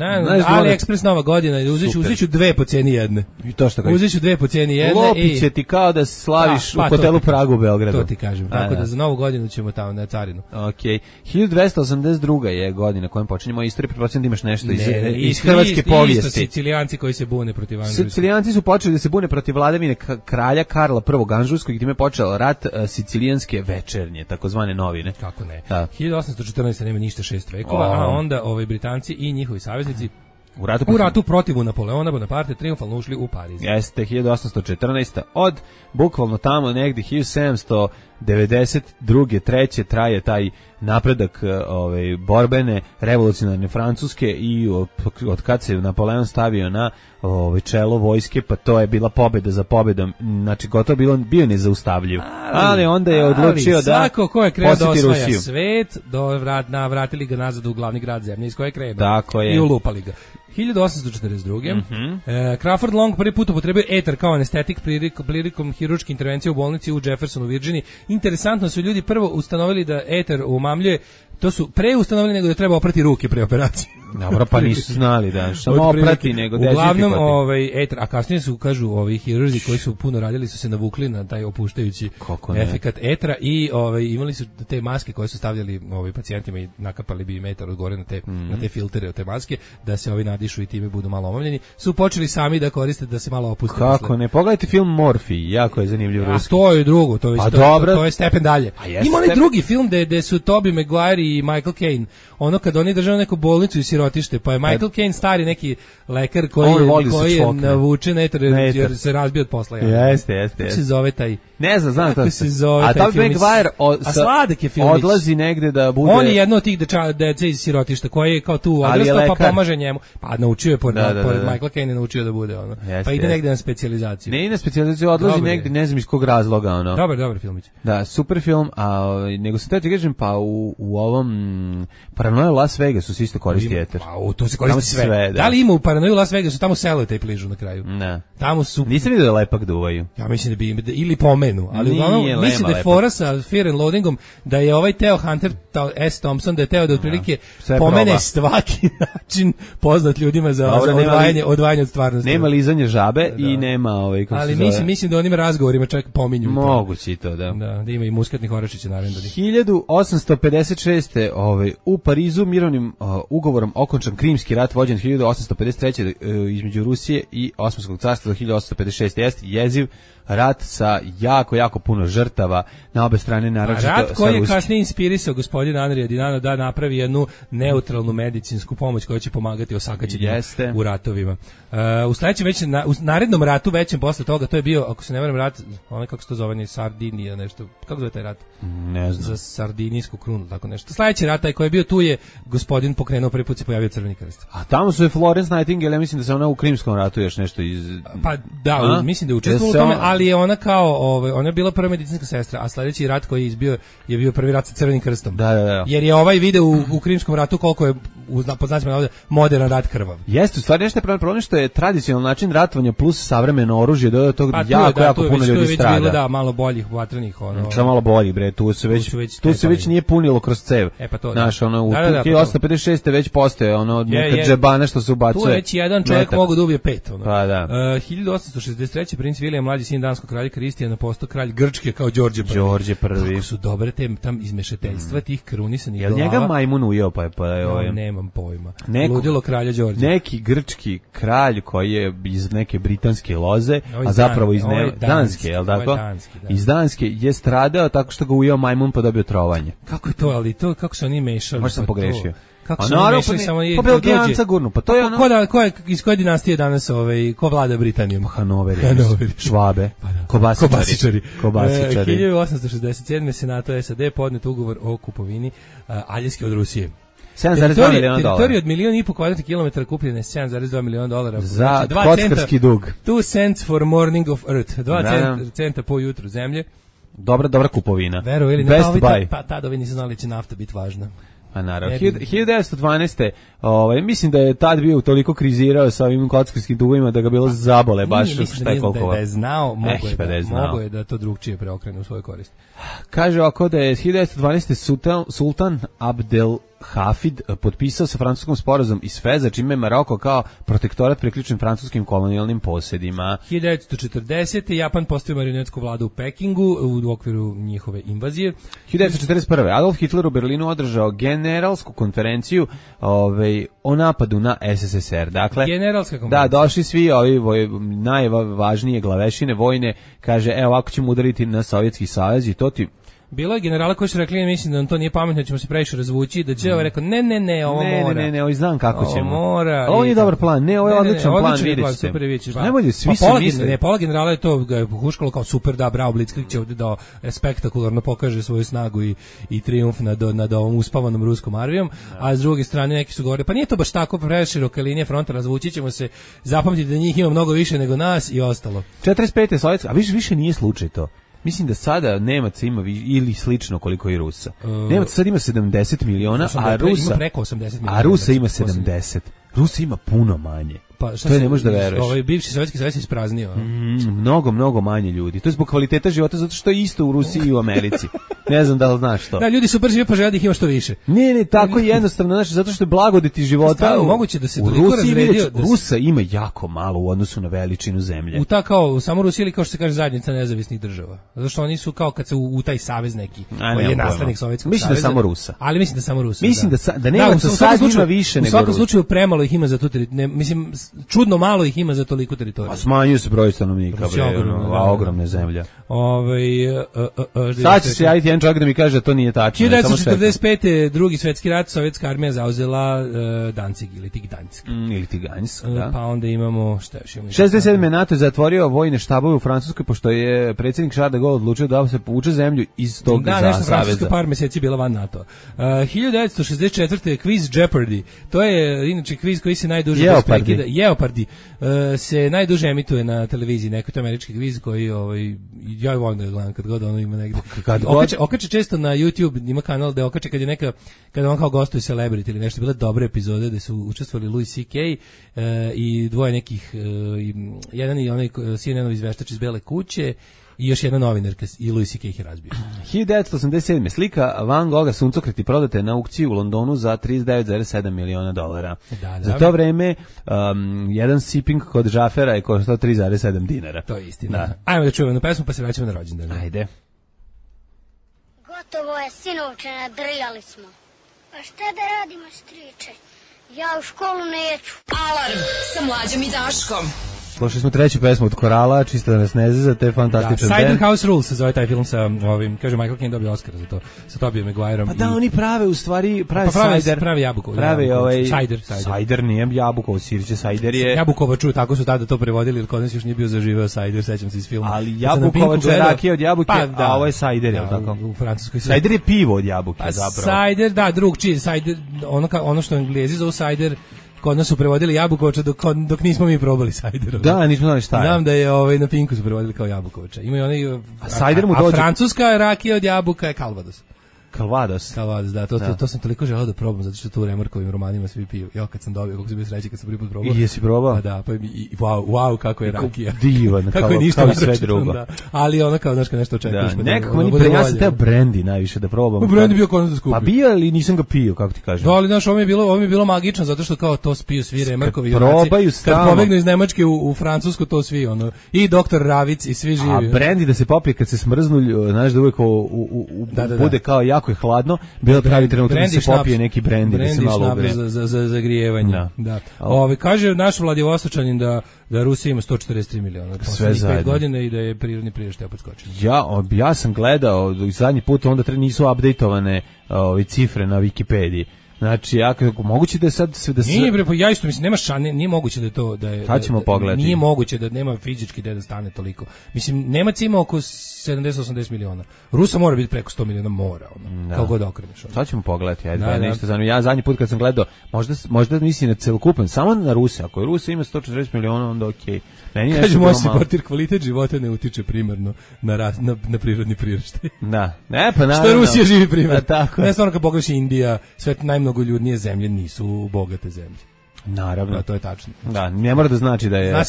[SPEAKER 9] AliExpress nova godina, uzet ću dve po cijeni jedne.
[SPEAKER 8] I to što kažeš.
[SPEAKER 9] Uzet ću dve po cijeni jedne.
[SPEAKER 8] Lopit će ti kao da slaviš u hotelu Pragu u Beogradu.
[SPEAKER 9] To ti kažem. Tako da za novu godinu ćemo tamo na carinu.
[SPEAKER 8] Okej. 1282. je godina kojom počinjemo istoriju, pretpostavljam da imaš nešto iz hrvatske povijesti.
[SPEAKER 9] Isto Sicilijanci koji se bune protiv Anžujskog.
[SPEAKER 8] Sicilijanci su počeli da se bune protiv vladavine kralja Karla I Anžujskog i time je počeo rat Sicilijanske večernje, takozvane novine.
[SPEAKER 9] Kako ne? 1814. nema ništa 6 vekova, a onda Britanci i njihovi saveznici u ratu protiv Napoleona Bonaparte triumfalno ušli u Pariz.
[SPEAKER 8] Jeste, 1814. Od bukvalno tamo negdje 1792. treće traje taj napredak borbene revolucionarne Francuske i od kad se Napoleon stavio na čelo vojske, pa to je bila pobjeda za pobjedom, znači gotovo bio nezaustavljiv. Ali onda je odlučio da
[SPEAKER 9] svako ko je krenuo da osvaja svet, vratili ga nazad u glavni grad zemlje iz koje je krenuo.
[SPEAKER 8] Tako je.
[SPEAKER 9] I ulupali ga. 1842. Crawford Long prvi put upotrebio etar kao anestetik prilikom hirurške intervencije u bolnici u Jeffersonu u Virginiji. Interesantno su ljudi prvo ustanovili da etar umamljuje, to su preustanovili nego da treba oprati ruke pre operacije.
[SPEAKER 8] Dobro, pa nisu znali da samo oprati nego dezinfikovati.
[SPEAKER 9] Uglavnom etar, a kasnije su kažu hirurzi koji su puno radili su se navukli na taj opuštajući efekat etra i imali su te maske koje su stavljali pacijentima i nakapali bi im etar od gore na te filtere od te maske da se nadišu i time budu malo omamljeni. Su počeli sami da koriste da se malo opuste.
[SPEAKER 8] Kako ne? Pogledajte film Morfij, jako je zanimljiv ruski.
[SPEAKER 9] A to je drugo, to je stepen dalje. Ima onaj drugi film gde su Tobey Maguire i Michael Caine. Ono kad oni drže neku bolnicu i sirotište, pa je Michael Caine stari neki lekar koji je navučen jer se razbio od posla.
[SPEAKER 8] Jeste.
[SPEAKER 9] Kako se zove taj?
[SPEAKER 8] Ne znam
[SPEAKER 9] kako se zove
[SPEAKER 8] taj film. A Tobey Maguire
[SPEAKER 9] sladak je film.
[SPEAKER 8] Odlazi negde da bude...
[SPEAKER 9] On je jedno od tih dece iz sirotišta koji je kao tu odrastao pa pomaže njemu. Pa naučio je pored Michaela Caine naučio da bude ono. Pa ide negde na specijalizaciju.
[SPEAKER 8] Ne ide na specijalizaciju, odlazi negde, ne znam iz kog razloga ono.
[SPEAKER 9] Dobar filmić.
[SPEAKER 8] Da, super film, a nego se ti kažem pa u ovom Paranoia Las Vegasu se isto koristi eter.
[SPEAKER 9] Pa to se koristi sve. Da li ima u Paranoia Las Vegasu tamo selotejp ližu na kraju?
[SPEAKER 8] Ne.
[SPEAKER 9] Tamo su.
[SPEAKER 8] Nisam vidio da lepak duvaju.
[SPEAKER 9] Ja mislim da bi ili pomenu, ali uglavnom mislim da je fora sa Fear and Loathingom da je ovaj Theo Hunter S. Thompson da je teo da otprilike pomene svaki način poznat ljudima za odvajanje od stvarnosti.
[SPEAKER 8] Nema lizanje žabe i nema kako
[SPEAKER 9] ali mislim da onim razgovorima čak pominju.
[SPEAKER 8] Moguće i to, da.
[SPEAKER 9] Da ima i muskatnih orašića naravno.
[SPEAKER 8] 1856. U Parizu mirovnim ugovorom okončan Krimski rat vođen 1853. Između Rusije i Osmanskog carstva do 1856. Jeste jeziv rat sa jako puno žrtava na obe strane, naročito
[SPEAKER 9] rat koji je kasnije inspirisao gospodina Andrija Dinano da napravi jednu neutralnu medicinsku pomoć koja će pomagati osakaćenju u ratovima. U sledećem već u narednom ratu većem posle toga, to je bio, ako se ne varam, rat, onaj kako se to zove, Sardinija, nešto, kako zove taj rat?
[SPEAKER 8] Ne znam.
[SPEAKER 9] Za Sardinijsku krunu, tako nešto. Sledeći rat taj koji je bio tu je gospodin pokrenuo, prvi put se pojavio Crveni krst.
[SPEAKER 8] A tamo su je Florence Nightingale, ja mislim da se ona u Krimskom ratu još nešto iz...
[SPEAKER 9] Pa da, mislim da je učestvovala u tome, ali je ona kao, ona je bila prva medicinska sestra, a sledeći rat koji je izbio je bio prvi rat sa Crvenim krstom.
[SPEAKER 8] Da.
[SPEAKER 9] Jer je ovaj video u Krimskom ratu koliko je, pod znacima navoda, moderan rat krvav.
[SPEAKER 8] Jeste, u stvari nešto je problem što je tradicionalni način ratovanja plus savremeno oružje, do tog jako puno ljudi strada.
[SPEAKER 9] Bilo da malo boljih vatrenih
[SPEAKER 8] Samo malo boljih, bre, tu se već nije punilo kroz cev.
[SPEAKER 9] Pa to.
[SPEAKER 8] Znaš, u 1856. već postoje neka džebana što se ubacuje.
[SPEAKER 9] Tu već jedan čovjek mogu da ubije 5.
[SPEAKER 8] Pa da.
[SPEAKER 9] 1863. princ William, mlađi sin danskog kralja Kristijana, postao kralj Grčke kao Đorđe I. Kako su dobre tam izmešateljstva tih krunisanih glava.
[SPEAKER 8] Jel njega majmun ujeo pa je
[SPEAKER 9] nemam pojma. Ludilo kralja Đorđe.
[SPEAKER 8] Neki grčki kralj koji je iz neke britanske loze, a zapravo iz Danske, je li tako? Iz Danske je stradao tako što ga ujeo majmun pa dobio trovanje.
[SPEAKER 9] Kako je to, ali to kako se oni mešali?
[SPEAKER 8] Možda sam pogrešio.
[SPEAKER 9] Kako se oni mešali samo je
[SPEAKER 8] Belgijanca gurnu, pa to je ono...
[SPEAKER 9] Iz koje dinastije danas ko vlada Britanijom?
[SPEAKER 8] Hanoveri, Švabe, Kobasičari.
[SPEAKER 9] 1867. Senato SAD podnet ugovor o kupovini Aljaske od Rusije.
[SPEAKER 8] 7,2 miliona dolara.
[SPEAKER 9] Teritorija od 1,5 kvadratnih kilometara kupljena je 7,2 miliona dolara.
[SPEAKER 8] Za kockarski dug.
[SPEAKER 9] 2 cents for morning of earth. 2 centa po jutru zemlje.
[SPEAKER 8] Dobra kupovina.
[SPEAKER 9] Veruj ili
[SPEAKER 8] Best buy.
[SPEAKER 9] Pa tada ovi nisu znali da će nafta biti važna.
[SPEAKER 8] A naravno. 1912. Mislim da je tad bio toliko krizirao sa ovim kockarskim dugovima da ga bilo zabole baš šta je koliko.
[SPEAKER 9] Da je znao, mogo je da to drugčije preokrene u svoju korist.
[SPEAKER 8] Kaže ovako da je 1912. Sultan Abdel Hafid potpisao sa francuskom sporazum iz Feza, čime je Maroko kao protektorat priključen francuskim kolonijalnim posjedima.
[SPEAKER 9] 1940. Japan postavio marionetsku vladu u Pekingu u okviru njihove invazije.
[SPEAKER 8] 1941. Adolf Hitler u Berlinu održao generalsku konferenciju o napadu na SSSR. Dakle,
[SPEAKER 9] generalska konferencija.
[SPEAKER 8] Da, došli svi ovi najvažnije glavešine vojne, kaže, evo ovako ćemo udariti na Sovjetski savez i to ti...
[SPEAKER 9] Bilo je generala koji su rekli, mislim da to nije pametno, ćemo se previše razvući, da će rekao, ne, ovo mora.
[SPEAKER 8] Ne, ovo znam kako ćemo.
[SPEAKER 9] Mora.
[SPEAKER 8] Ovo nije dobar plan, ovo je odličan plan, vidite. Najbolje, svi su mislili.
[SPEAKER 9] Ne, pola generala je to huškalo kao super, da, bravo, Blitzkrieg će ovdje da spektakularno pokaže svoju snagu i trijumf nad ovom uspavanom ruskom armijom, a s druge strane neki su govorili, pa nije to baš tako, preširoke linije fronta, razvući ćemo se, zapamtiti da njih ima mnogo više nego nas i ostalo.
[SPEAKER 8] 45. Sovjetska, a više nije slučaj to. Mislim da sada Nemaca ima ili slično koliko i Rusa. Nemaca sad ima 70 miliona, a Rusa
[SPEAKER 9] ima preko 80 miliona.
[SPEAKER 8] A Rusa ima 70. Rusa ima puno manje.
[SPEAKER 9] Pa
[SPEAKER 8] to ne možeš da veruješ.
[SPEAKER 9] Bivši Sovjetski savez je ispraznio.
[SPEAKER 8] Mnogo manje ljudi. To je zbog kvaliteta života, zato što je isto u Rusiji i u Americi. Ne znam da li znaš to.
[SPEAKER 9] Da, ljudi su brže pa žele da ih ima što više.
[SPEAKER 8] Ne, tako jednostavno, znači zato što je blagodeti života.
[SPEAKER 9] Moguće da se
[SPEAKER 8] u Rusiji Rusa ima jako malo u odnosu na veličinu zemlje.
[SPEAKER 9] U ta kao samo Rusija ili kao što se kaže zajednica nezavisnih država. Zato što oni su kao kad se u taj savez neki koji je naslednik Sovjetskog saveza.
[SPEAKER 8] Mislim da samo Rusa.
[SPEAKER 9] Ali mislim da samo Rusa.
[SPEAKER 8] Mislim da Nemaca sad ima više nego.
[SPEAKER 9] U svakom slučaju premalo ih ima za tu mislim čudno malo ih ima za toliko teritoriju.
[SPEAKER 8] A smanjuje se broj stanovnika, ogromna zemlja. Sad će se javiti jedan čovjek da mi kaže da to nije tačno.
[SPEAKER 9] 1945. drugi svetski rat, sovjetska armija zauzela Danzig ili Tiganjsk.
[SPEAKER 8] Ili Tiganjsk, da.
[SPEAKER 9] Pa onda imamo, šta još imamo?
[SPEAKER 8] 67. NATO je zatvorio vojne štabove u Francuskoj, pošto je predsjednik Charles de Gaulle odlučio da se povuče zemlju iz tog saveza.
[SPEAKER 9] Francuska par meseci bila van NATO. 1964. Quiz Jeopardy. To je inače kviz koji se najduže Jeopardy se najduže emituje na televiziji, neko to američki kviz koji ja volim da gledam kad god ono ima negde. Okače često na YouTube, ima kanal da okače kada on kao gostuje celebrity ili nešto, bile dobre epizode da su učestvovali Louis C.K. I dvoje nekih, jedan i onaj CNN-ov izveštač iz Bele kuće i još jedna novinarka i Louis C.K. ih je razbio.
[SPEAKER 8] 1987. slika Van Gogha Suncokreti prodate na aukciji u Londonu za $39,7 miliona. Da. Za to vreme jedan siping kod Žafera je koštao $3,7.
[SPEAKER 9] To je istina. Da. Ajmo da čujemo na pesmu pa se vraćamo na rođendan.
[SPEAKER 8] Ajde.
[SPEAKER 6] Gotovo je, sinovče, nadrljali smo. Pa šta da radimo, striče? Ja u školu neću.
[SPEAKER 7] Alarm sa Mlađom i Daškom.
[SPEAKER 8] Slušali smo treću pesmu od Korala, čisto da nas ne zeza, to je fantastičan band.
[SPEAKER 9] Cider House Rules se zove taj film sa ovim, kaže Michael Caine dobio Oscar za to, sa Tobijom Maguireom.
[SPEAKER 8] Pa da, oni prave u stvari, prave cider.
[SPEAKER 9] Pravi jabukovo.
[SPEAKER 8] Cider nije jabukovo sirće, cider je...
[SPEAKER 9] Jabukovaču, tako su tada to prevodili, jer kod nas još nije bio zaživeo cider, sećam se iz filma.
[SPEAKER 8] Ali jabukovač je rakija od jabuke, a ovo je cider, je li tako?
[SPEAKER 9] U Francuskoj
[SPEAKER 8] cider je pivo od jabuke, zapravo.
[SPEAKER 9] Cider, da, drugčije, cider, ono što Englezi zovu cider, kod nas su prevodili jabukovača dok nismo mi probali sajder.
[SPEAKER 8] Da, nismo znali šta je.
[SPEAKER 9] Znam da je na Pinku su prevodili kao jabukovača. Imaju oni a francuska rakija od jabuka je Calvados.
[SPEAKER 8] Calvados,
[SPEAKER 9] da, to sam toliko želeo da probam, zato što tu u Remarkovim romanima svi piju. Ja kad sam dobio, kako sam bio srećan kad sam prvi put probao.
[SPEAKER 8] I jesi probao?
[SPEAKER 9] Pa da, pa wow, kako je rakija.
[SPEAKER 8] Divan, kako je ništa sve drugo.
[SPEAKER 9] Da. Ali ona kao, znaš, kad nešto očekuješ.
[SPEAKER 8] Da, nekako meni ja sam teo brandy najviše da probam.
[SPEAKER 9] Brandy bio kod nas da skupio.
[SPEAKER 8] Pa bio, ali nisam ga pio, kako ti kažem.
[SPEAKER 9] Da, ali znaš, ovo mi je bilo magično, zato što kao to spiju svi Remarkovi
[SPEAKER 8] junaci.
[SPEAKER 9] Kad pobegnu iz Nemačke u Francusku, to svi, i doktor Ravic i svi živi.
[SPEAKER 8] A brandy da se popije kad se smrznu, znaš, da uvek bude kao jako je hladno. Bilo pravi trenutak da se popije neki brandy da se malo ugre.
[SPEAKER 9] za zagrijevanje. Da. Kaže naš Vladivostočanin da Rusija ima 143 miliona.
[SPEAKER 8] Sve zajedno.
[SPEAKER 9] 5 godina i da je prirodni priraštaj opet skočio.
[SPEAKER 8] Ja sam gledao zadnji put, onda nisu updateovane cifre na Wikipediji. Znači, moguće da je sad da se...
[SPEAKER 9] Nije bre, pa ja isto mislim, nema nije moguće da je to...
[SPEAKER 8] Sad ćemo pogledati.
[SPEAKER 9] Nije moguće da nema fizički da stane toliko. Mislim, Nemac ima oko 70-80 miliona. Rusa mora biti preko 100 miliona, mora, kao god okreneš.
[SPEAKER 8] Sad ćemo pogledati, ja zadnji put kad sam gledao, možda misli na celokupan, samo na Ruse. Ako je Rusa ima 140 miliona, onda okej.
[SPEAKER 9] Kaže, moj supporter, kvalitet života ne utiče primarno na prirodni priraštaj.
[SPEAKER 8] Da. Pa naravno.
[SPEAKER 9] Što Rusija živi primjer.
[SPEAKER 8] Tako.
[SPEAKER 9] Ne, stvarno kad pogledaš Indija, sve najmnogo ljudnije zemlje nisu bogate zemlje.
[SPEAKER 8] Naravno.
[SPEAKER 9] To je tačno.
[SPEAKER 8] Da, ne mora da znači da je...
[SPEAKER 9] Zna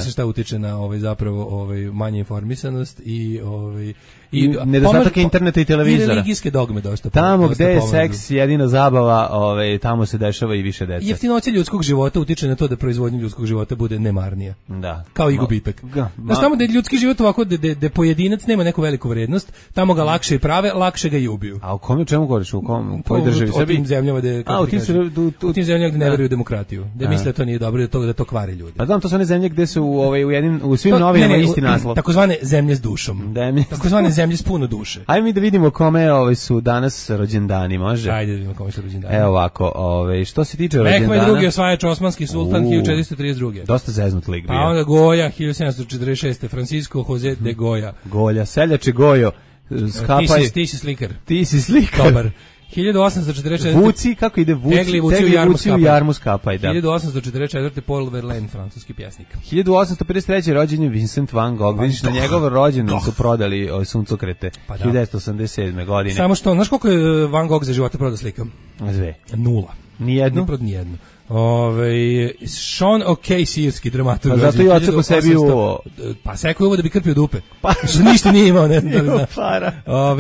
[SPEAKER 9] se šta utiče na zapravo manje informisanost i
[SPEAKER 8] nedostatak interneta i televizora.
[SPEAKER 9] I religijske dogme dosta.
[SPEAKER 8] Tamo gde je seks jedina zabava, tamo se dešava i više dece.
[SPEAKER 9] Jeftinoća ljudskog života utiče na to da proizvodnja ljudskog života bude nemarnija.
[SPEAKER 8] Da.
[SPEAKER 9] Kao i gubitak. Znaš, tamo da je ljudski život ovako, da pojedinac nema neku veliku vrednost, tamo ga lakše i prave, lakše ga i ubiju.
[SPEAKER 8] A u čemu govoriš? U kojoj državi?
[SPEAKER 9] U tim zemljama gde ne veruju u demokratiju. Da misle da to nije dobro, da to kvari ljudi.
[SPEAKER 8] Pa znam, to su one zemlje gde su u svim novinama isti naslov.
[SPEAKER 9] Takozvane zemlje s dušom. Takozvane zemlje s puno duše.
[SPEAKER 8] Ajde mi da vidimo kome su danas rođendani, može?
[SPEAKER 9] Ajde da vidimo kome su rođendani.
[SPEAKER 8] Evo ovako, što se tiče rođendana...
[SPEAKER 9] Mehmed drugi osvajač osmanski sultan 1432.
[SPEAKER 8] Dosta zeznut lik bio.
[SPEAKER 9] A onda Goja 1746. Francisco Jose de Goja.
[SPEAKER 8] Golja, seljače Gojo, skapaj...
[SPEAKER 9] Ti si slikar.
[SPEAKER 8] Ti si slikar.
[SPEAKER 9] Dobar. 1844.
[SPEAKER 8] Vuci, kako ide Vuci?
[SPEAKER 9] Tegli Vuci u
[SPEAKER 8] jarmu skapaj, da.
[SPEAKER 9] 1844. Paul Verlaine, francuski pjesnik.
[SPEAKER 8] 1853. rođen je Vincent van Gogh. Vidiš, na njegov rođendan su prodali suncokrete. 1987. godine.
[SPEAKER 9] Samo što, znaš koliko je Van Gogh za života prodao slika?
[SPEAKER 8] Sve.
[SPEAKER 9] 0.
[SPEAKER 8] Nijednu?
[SPEAKER 9] Ne prodao nijednu. Sean O'Kay, sirski dramaturg.
[SPEAKER 8] Pa zato i odseko sebi uvo.
[SPEAKER 9] Pa seko je uvo da bi krpio dupe. Što ništa nije imao, ne znam da li znaš.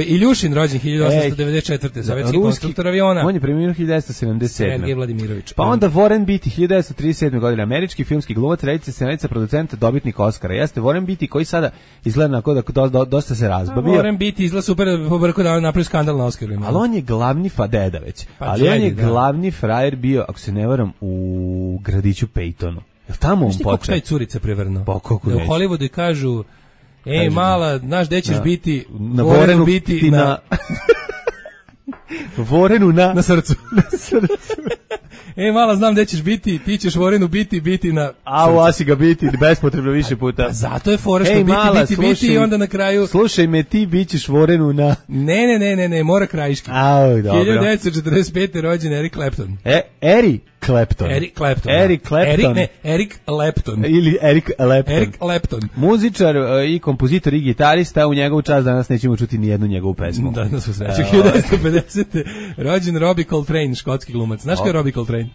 [SPEAKER 9] Iljušin, rođen 1894. Sovjetski konstruktor aviona.
[SPEAKER 8] On je preminuo 1977.
[SPEAKER 9] Sergej Vladimirović.
[SPEAKER 8] Pa onda Warren Beatty, 1937. godine. Američki filmski glumac, reditelj, scenaриca, producent, dobitnik Oscara. Jeste Warren Beatty koji sada izgleda kao da dosta se razbavio.
[SPEAKER 9] Warren Beatty izgleda super po brku da napravi skandal na Oscarima.
[SPEAKER 8] Ali on je glavni deda već. Ali on je glavni frajer bio, ako se ne varam, u gradiću Peytonu. Jel tamo on počeo?
[SPEAKER 9] Kako taj curica prevrno?
[SPEAKER 8] Pa kako
[SPEAKER 9] da u Hollywoodu i kažu, mala, znaš gde ćeš biti,
[SPEAKER 8] na Vorenu biti na... Vorenu na
[SPEAKER 9] srcu. Na srcu. Mala, znam gde ćeš biti, ti ćeš Vorenu biti na...
[SPEAKER 8] A u Asi ga biti, bespotrebno više puta.
[SPEAKER 9] Zato je fora što biti i onda na kraju...
[SPEAKER 8] Slušaj me, ti bit ćeš Vorenu na...
[SPEAKER 9] Ne, mora krajiški.
[SPEAKER 8] Au, dobro.
[SPEAKER 9] 1945. rođen Eric Clapton.
[SPEAKER 8] Eric Clapton.
[SPEAKER 9] Eric Clapton.
[SPEAKER 8] Ili Eric Clapton.
[SPEAKER 9] Eric Clapton.
[SPEAKER 8] Muzičar i kompozitor i gitarista, u njegovu čast danas nećemo čuti ni jednu njegovu pesmu.
[SPEAKER 9] Danas u sreću. 1950. rođen Robbie Coltrane, škotski glumac. Znaš ko je Robbie Coltrane?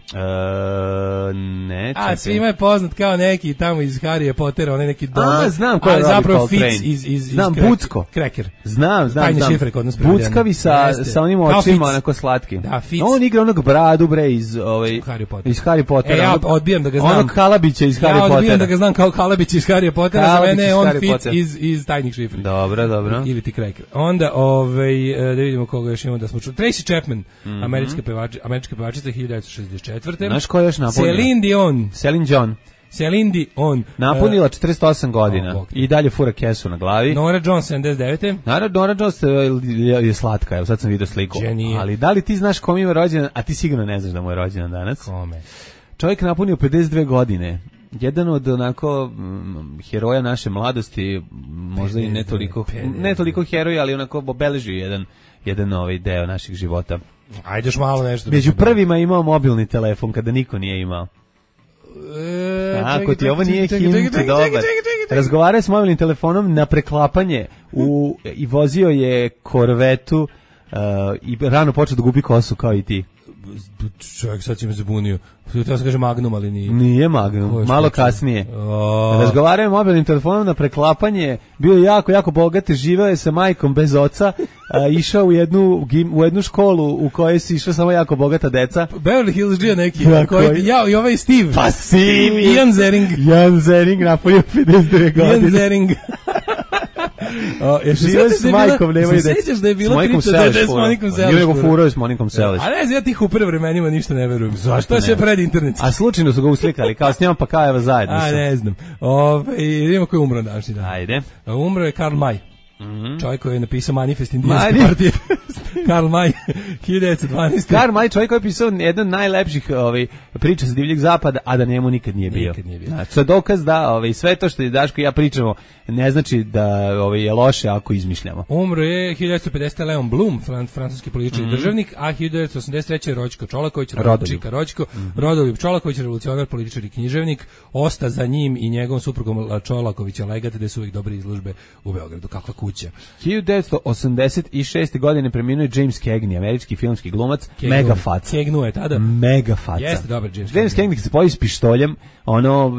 [SPEAKER 8] Ne.
[SPEAKER 9] Svima je poznat kao neki tamo iz Harryja Pottera, onaj neki dobar.
[SPEAKER 8] Znam ko je Robbie Coltrane.
[SPEAKER 9] Iz
[SPEAKER 8] znam Bucko.
[SPEAKER 9] Cracker.
[SPEAKER 8] Znam.
[SPEAKER 9] Tajne šifre kod nas prevedeno.
[SPEAKER 8] Buckavi sa onim očima, onako slatki.
[SPEAKER 9] Da, Fitz.
[SPEAKER 8] On igra onog bradu, bre, iz Harry Pottera.
[SPEAKER 9] Ja odbijam da ga znam.
[SPEAKER 8] Onog Kalabića iz Harry Pottera.
[SPEAKER 9] Ja odbijam da ga znam kao Kalabić iz Harry Pottera, za mene je on Fitz iz tajnih šifri.
[SPEAKER 8] Dobro.
[SPEAKER 9] Ili ti Cracker. Onda, da vidimo koga još imamo da smo čuli. Tracy Chapman, američka pevačica 1964.
[SPEAKER 8] Znaš ko je još napunila? Celine Dion. Napunila 48 godina i dalje fura kesu na glavi.
[SPEAKER 9] Nora Jones 79.
[SPEAKER 8] Nora Jones je slatka, evo sad sam vidio sliku.
[SPEAKER 9] Genije.
[SPEAKER 8] Ali da li ti znaš kom ima rođendan, a ti sigurno ne znaš da mu je rođendan danas?
[SPEAKER 9] Kome?
[SPEAKER 8] Čovjek napunio 52 godine. Jedan od onako heroja naše mladosti, možda i ne toliko heroja, ali onako obeleži jedan ovaj deo naših života.
[SPEAKER 9] Ajde još malo nešto.
[SPEAKER 8] Među prvima imao mobilni telefon kada niko nije imao. Ako ti ovo nije hint, dobar. Razgovarao s mobilnim telefonom na preklapanje i vozio je korvetu i rano počeo da gubi kosu kao i ti.
[SPEAKER 9] Čovjek sad će me zabunio. Htio se kaže Magnum, ali nije.
[SPEAKER 8] Nije Magnum, malo kasnije. Razgovarao je mobilnim telefonom na preklapanje, bio je jako bogat, živeo je sa majkom bez oca, išao u jednu školu u kojoj si išao samo jako bogata deca.
[SPEAKER 9] Beverly Hills G neki, i ovaj Steve.
[SPEAKER 8] Pa Steve.
[SPEAKER 9] Ian
[SPEAKER 8] Zering napunio 52 godine.
[SPEAKER 9] Ian Zering.
[SPEAKER 8] Živeo s majkom, nemaju deca.
[SPEAKER 9] Sećaš da je bilo priča s Monikom Seliš?
[SPEAKER 8] Nije nego furao s Monikom Seliš.
[SPEAKER 9] A ne, ja tih u prve vremenima ništa ne verujem.
[SPEAKER 8] Zašto
[SPEAKER 9] to je sve pred internet.
[SPEAKER 8] A slučajno su ga uslikali, kao s njom pa kao evo zajedno.
[SPEAKER 9] A ne znam. Idemo ko je umro današnji dan.
[SPEAKER 8] Ajde.
[SPEAKER 9] Umro je Karl May. Čovjek koji je napisao Manifest indijanske partije. Karl May, 1912.
[SPEAKER 8] Karl May, čovjek koji je pisao jedan najlepših priča sa divljeg zapada, a da njemu nikad nije bio. Znači, to je dokaz da sve to što je Daško i ja pričamo ne znači da je loše ako izmišljamo.
[SPEAKER 9] Umro je 1950. Leon Blum, francuski politički državnik, a 1983. Rođko Čolaković, Rodoljub Čolaković, revolucionar, političar i književnik, osta za njim i njegovom suprugom Čolakovića legat, gde su uvijek dobre izložbe u Beogradu, kakva kuća.
[SPEAKER 8] 1986. godine preminuo je James Cagney, američki filmski glumac, mega faca.
[SPEAKER 9] Kegnuo je tada.
[SPEAKER 8] Mega faca.
[SPEAKER 9] Jeste dobar
[SPEAKER 8] James Cagney se pojavi s pištoljem,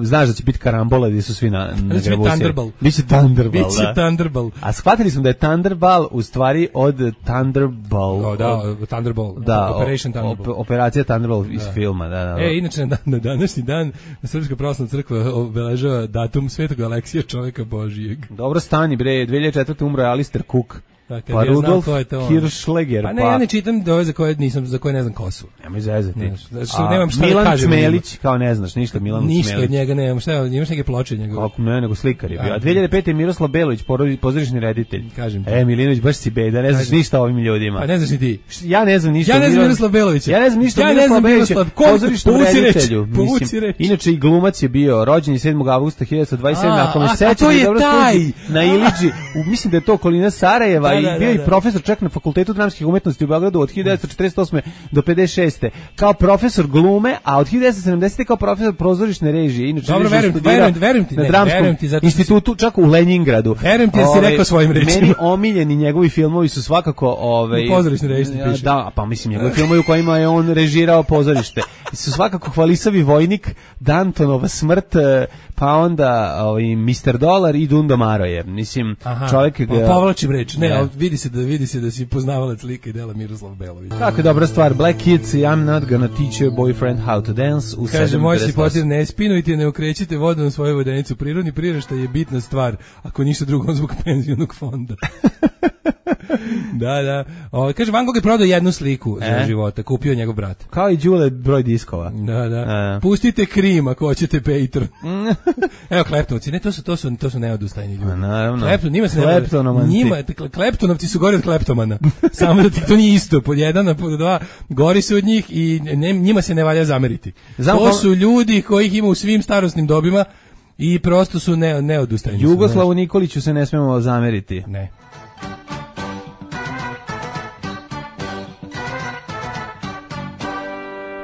[SPEAKER 8] znaš da će biti karambola gdje su svi na grebu. Biće Thunderball. A shvatili smo da je Thunderball u stvari od Thunderball.
[SPEAKER 9] Thunderball.
[SPEAKER 8] Da,
[SPEAKER 9] Operation Thunderball.
[SPEAKER 8] Operacija Thunderball iz filma. Da.
[SPEAKER 9] Inače na današnji dan Srpska pravoslavna crkva obeležava datum Svetog Aleksija, čovjeka Božijeg.
[SPEAKER 8] Dobro stani bre, 2004. umro je Alistair Cook. Pa Rudolf Hirschleger.
[SPEAKER 9] Pa ne, ja ne čitam ove za koje ne znam ko su.
[SPEAKER 8] Nemoj zezati.
[SPEAKER 9] Milan
[SPEAKER 8] Čmelić, kao ne znaš ništa, Milan Čmelić.
[SPEAKER 9] Ništa od njega nemam, imaš neke ploče njegove.
[SPEAKER 8] Ne, nego slikar je bio. A 2005. je Miroslav Belović, pozorišni reditelj.
[SPEAKER 9] Kažem ti.
[SPEAKER 8] Milinović, baš si beda, ne znaš ništa o ovim ljudima.
[SPEAKER 9] Pa ne znaš ni ti.
[SPEAKER 8] Ja ne znam ništa.
[SPEAKER 9] Ja ne znam Miroslav Belovića.
[SPEAKER 8] Ja ne znam ništa o Miroslav Beloviću, pozorišnom reditelju. Inače i glumac je bio, rođen je 7. avgusta 1927. Ako me sećate dobro na Iliđi, mislim da je to okolina Sarajeva i bio je profesor čak na Fakultetu dramskih umetnosti u Beogradu od 1948. do 56. kao profesor glume, a od 1970. kao profesor pozorišne režije. Inače,
[SPEAKER 9] dobro, verujem ti,
[SPEAKER 8] na Dramskom institutu, čak u Lenjingradu.
[SPEAKER 9] Verujem ti jer si rekao svojim rečima.
[SPEAKER 8] Meni omiljeni njegovi filmovi su svakako...
[SPEAKER 9] pozorišne režije piše.
[SPEAKER 8] Da, pa mislim, njegovi filmovi u kojima je on režirao pozorište. Su svakako Hvalisavi vojnik, Dantonova smrt, pa onda Mr. Dolar i Dundo Maroje. Mislim, čovjek...
[SPEAKER 9] Povlačim reč, ne, vidi se da si poznavalac lika i dela Miroslav Belović.
[SPEAKER 8] Kako je dobra stvar, Black Kids, I'm not gonna teach your boyfriend how to dance.
[SPEAKER 9] Kaže, moj si potir, ne spinujte, ne okrećite vodom svoju vodenicu. Prirodni priraštaj je bitna stvar, ako ništa drugo zbog penzionog fonda. Da. Kaže, Van Gogh je prodao jednu sliku za života, kupio njegov brat.
[SPEAKER 8] Kao i Đule broj diskova.
[SPEAKER 9] Da. Pustite Krim ako hoćete Patreon. Evo Kleptonovci, ne, to su neodustajni ljudi.
[SPEAKER 8] Naravno.
[SPEAKER 9] Kleptonovci su gori od kleptomana. Samo da ti to nije isto. Pod jedan, pod dva, gori su od njih i njima se ne valja zameriti. To su ljudi kojih ima u svim starosnim dobima i prosto su neodustajni.
[SPEAKER 8] Jugoslavu Nikoliću se ne smemo zameriti.
[SPEAKER 9] Ne.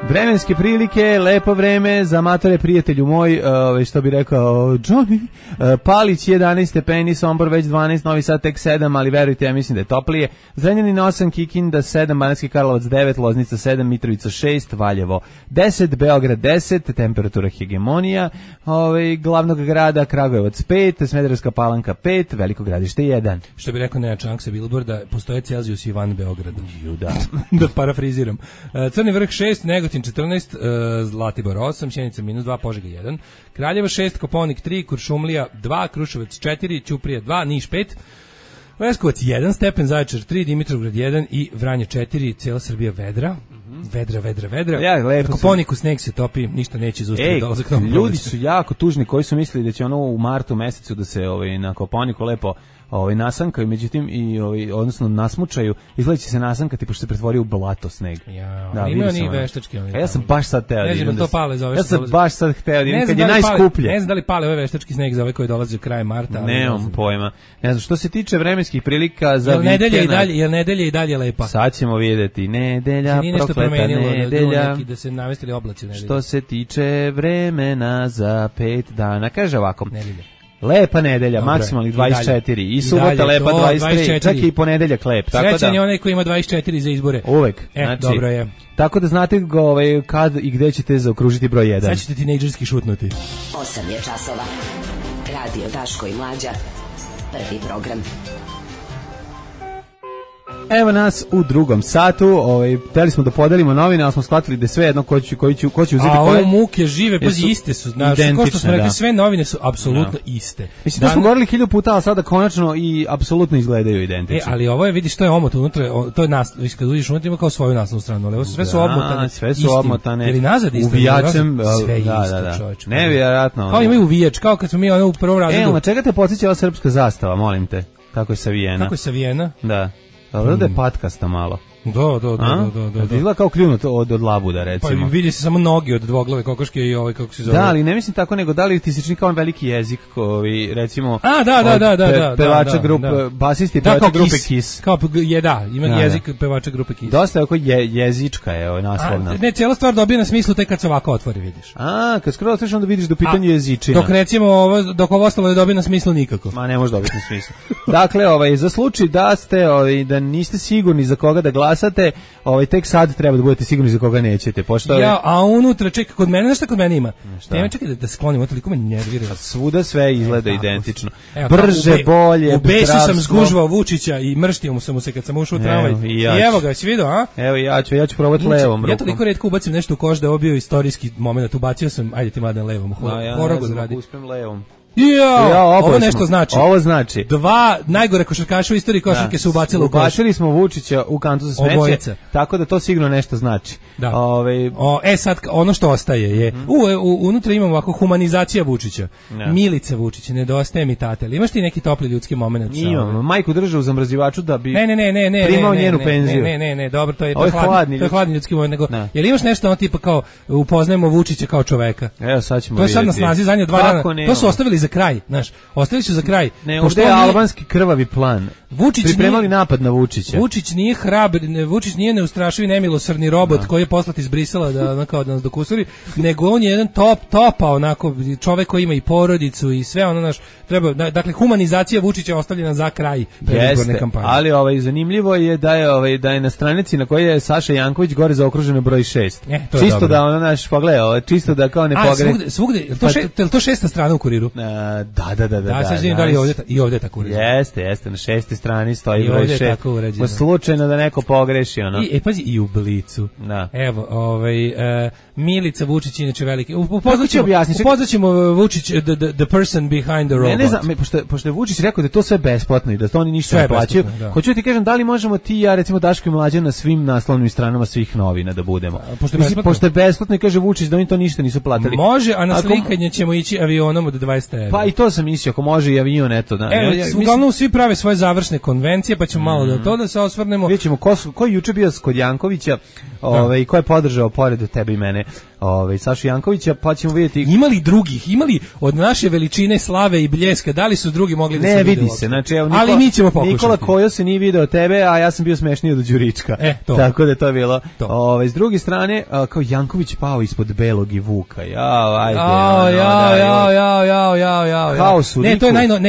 [SPEAKER 8] Vremenske prilike, lepo vreme, za amatore prijatelju moj, što bi rekao Johnny, Palić 11 stepeni, Sombor već 12, Novi Sad tek 7, ali verujte, ja mislim da je toplije. Zrenjanin 8, Kikinda 7, Banatski Karlovac 9, Loznica 7, Mitrovica 6, Valjevo 10, Beograd 10, temperatura hegemonija, glavnog grada Kragujevac 5, Smederevska Palanka 5, Veliko Gradište 1.
[SPEAKER 9] Što bi rekao Nenad Čanak sa Bilborda, postoje Celzijus i van Beograda. Da parafriziram. Crni vrh 6, Negotin 14, Zlatibor 8, Sjenica -2, Požega 1, Kraljevo 6, Koponik 3, Kuršumlija 2, Kruševac 4, Ćuprija 2, Niš 5, Leskovac 1 stepen, Zaječar 3, Dimitrovgrad 1 i Vranje 4, cijela Srbija vedra. Vedra.
[SPEAKER 8] Ja,
[SPEAKER 9] na Koponiku sneg se topi, ništa neće zaustaviti dolazak novog
[SPEAKER 8] ljudi su jako tužni koji su mislili da će ono u martu mesecu da se na Koponiku lepo nasankaju, međutim odnosno nasmučaju, izgleda će se nasankati pošto se pretvorio u blato sneg.
[SPEAKER 9] Ima oni veštački.
[SPEAKER 8] Ja sam baš sad teo
[SPEAKER 9] da idem.
[SPEAKER 8] Ja sam baš sad hteo da idem kad je najskuplje.
[SPEAKER 9] Ne znam da li pale ovaj veštački sneg za ove koji dolaze u kraj marta.
[SPEAKER 8] Nemam pojma. Ne znam, što se tiče vremenskih prilika za vikend.
[SPEAKER 9] Jel nedelja i dalje lepa?
[SPEAKER 8] Sad ćemo vidjeti. Nedelja, prokleta nedelja.
[SPEAKER 9] Da se navestili oblaci nedelja.
[SPEAKER 8] Što se tiče vremena za 5 dana, kaže ovako. Nedelja. Lepa nedelja, maksimalnih 24 i subota lepa 23, čak i ponedeljak lep.
[SPEAKER 9] Srećan je onaj koji ima 24 za izbore.
[SPEAKER 8] Uvek.
[SPEAKER 9] Znači, dobro je.
[SPEAKER 8] Tako da znate kad i gde ćete zaokružiti broj 1.
[SPEAKER 9] Sad ćete tinejdžerski šutnuti.
[SPEAKER 1] 8 je časova. Radio Daško i Mlađa. Prvi program.
[SPEAKER 8] Evo nas u drugom satu, hteli smo da podelimo novine, ali smo shvatili da sve jedno ko će uzeti koje.
[SPEAKER 9] A ovo muke žive, pazi, iste su, znaš, ko što smo rekli, sve novine su apsolutno iste.
[SPEAKER 8] Mislim da smo govorili 1000 puta, ali sada konačno i apsolutno izgledaju identično.
[SPEAKER 9] Ali ovo je, vidiš, to je omot unutra, to je kad uđeš unutra ima kao svoju naslovnu stranu, ali ovo sve su omotane.
[SPEAKER 8] Sve su omotane.
[SPEAKER 9] Ili nazad isto.
[SPEAKER 8] Uvijačem,
[SPEAKER 9] sve isto, čovječ.
[SPEAKER 8] Nevjerojatno.
[SPEAKER 9] Kao imaju uvijač, kao kad smo mi u prvom razredu.
[SPEAKER 8] Na čega te podsjeća ova srpska zastava, molim te? Kako je savijena? Da. Dobro da je patkasta malo.
[SPEAKER 9] Da.
[SPEAKER 8] Izgleda kao kljunut od labuda, recimo.
[SPEAKER 9] Pa vidi se samo noge od dvoglave kokoške i kako se zove.
[SPEAKER 8] Da, ali ne mislim tako, nego da li ti se čini kao veliki jezik koji, recimo,
[SPEAKER 9] da,
[SPEAKER 8] pevača grupe, basisti pevača grupe Kiss.
[SPEAKER 9] Kao ima jezik pevača grupe Kiss.
[SPEAKER 8] Dosta je oko jezička je naslovna.
[SPEAKER 9] Ne, cijela stvar dobije na smislu tek kad se ovako otvori, vidiš.
[SPEAKER 8] Kad skoro otvoriš onda vidiš da u pitanju jezičina.
[SPEAKER 9] Dok ovo ostalo ne dobije na smislu nikako.
[SPEAKER 8] Ma ne može dobiti na smislu. Dakle, za slučaj da ste, da niste sigurni za koga da glasate, tek sad treba da budete sigurni za koga nećete.
[SPEAKER 9] A unutra, čekaj, kod mene, nešto kod mene ima. Nema, čekaj da sklonim, toliko me nervira.
[SPEAKER 8] Svuda sve izgleda identično. Brže, bolje,
[SPEAKER 9] u besu sam zgužvao Vučića i mrštio sam mu se kad sam ušao u tramvaj. I evo ga, si vidio, a?
[SPEAKER 8] Evo ja ću probati levom rukom.
[SPEAKER 9] Ja toliko retko ubacim nešto u koš da je ovo bio istorijski moment. Ubacio sam, ajde ti Mladen levom.
[SPEAKER 8] Horogon radi. Uspem levom.
[SPEAKER 9] Ovo nešto znači.
[SPEAKER 8] Ovo znači.
[SPEAKER 9] 2 najgore košarkaša u istoriji košarke su ubacili u koš.
[SPEAKER 8] Ubacili smo Vučića u kantu za smeće. Tako da to sigurno nešto znači.
[SPEAKER 9] Da. Sad ono što ostaje je unutra imamo ovako humanizacija Vučića. Milica Vučića, nedostaje mi tata. Ali imaš ti neki topli ljudski momenat?
[SPEAKER 8] Imam. Majku drže u zamrzivaču da bi
[SPEAKER 9] ne,
[SPEAKER 8] primao njenu penziju.
[SPEAKER 9] Ne, dobro, to je hladni ljudski moment. Nego, jel imaš nešto ono tipa kao upoznajemo Vučića kao čoveka?
[SPEAKER 8] Evo sad ćemo
[SPEAKER 9] vidjeti. To je sad na snazi zadnje 2 dana. To su ostavili za kraj, znaš. Ostavili su za kraj.
[SPEAKER 8] Ne, ovdje je albanski krvavi plan. Pripremali napad na Vučića.
[SPEAKER 9] Vučić nije hrabar, Vučić nije neustrašivi nemilosrdni robot koji je poslat iz Brisela da nas dokusuri, nego on je jedan topa onako čovek koji ima i porodicu i sve ono naš treba, dakle humanizacija Vučića ostavljena za kraj predizborne kampanje.
[SPEAKER 8] Ali zanimljivo je da je na stranici na kojoj je Saša Janković gore zaokruženo broj 6. Čisto da ono naš pogledaj, čisto da kao ne pogre.
[SPEAKER 9] Svugde, je to 6. strana u Kuriru?
[SPEAKER 8] Da,
[SPEAKER 9] sad vidim da li i ovdje je tako urađeno.
[SPEAKER 8] Jeste, na 6. strani stoji broj 6. Slučajno da neko pogreši, ono.
[SPEAKER 9] Pazi, i u Blicu.
[SPEAKER 8] Da.
[SPEAKER 9] Evo, Milica Vučić, inače veliki. Upoznaćemo Vučić, the person behind the robot.
[SPEAKER 8] Ne znam, pošto je Vučić rekao da je to sve besplatno i da to oni ništa ne plaćaju. Hoću ti kažem, da li možemo ti i ja, recimo Daško i Mlađa, na svim naslovnim stranama svih novina da budemo? Pošto je besplatno i kaže Vučić da oni to ništa nisu platili.
[SPEAKER 9] Može, a na slikanje ćemo ići avionom od 20 €.
[SPEAKER 8] Pa i to sam mislio, ako može i avion, eto. Da.
[SPEAKER 9] Uglavnom svi prave svoje završne konvencije, pa ćemo malo da to da se osvrnemo.
[SPEAKER 8] Vidjet ćemo ko je juče bio kod Jankovića, ko je podržao pored tebe i mene, Sašu Jankovića, pa ćemo vidjeti.
[SPEAKER 9] Imali drugih, imali od naše veličine, slave i bljeska, da li su drugi mogli da se vide?
[SPEAKER 8] Ne vidi se, znači evo
[SPEAKER 9] ali mi ćemo pokušati.
[SPEAKER 8] Nikola Kojo se nije video tebe, a ja sam bio smešniji od Đurička. Tako da to je bilo. S druge strane, kao Janković pao ispod Belog i Vuka.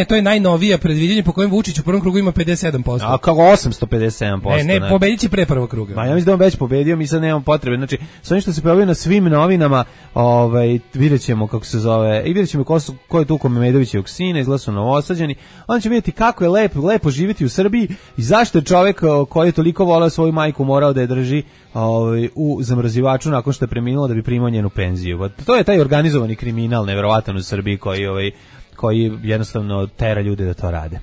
[SPEAKER 9] To je najnovije predviđanje po kojem Vučić u prvom krugu ima 57%.
[SPEAKER 8] A kako 857%?
[SPEAKER 9] Ne, pobedit će pre prvog kruga.
[SPEAKER 8] Ma ja mislim da on već pobedio, mi sad nemamo potrebe. Znači, s onim što se pojavio na svim novinama, vidjet ćemo kako se zove, i vidjet ćemo ko je tu Memedovićevog sina, izgleda su novosađeni, onda ćemo vidjeti kako je lepo živjeti u Srbiji i zašto je čovjek koji je toliko volao svoju majku morao da je drži u zamrzivaču nakon što je preminula da bi primao njenu penziju. To je taj organizovani kriminal nevjerovatan u Srbiji koji jednostavno tera ljude da to rade.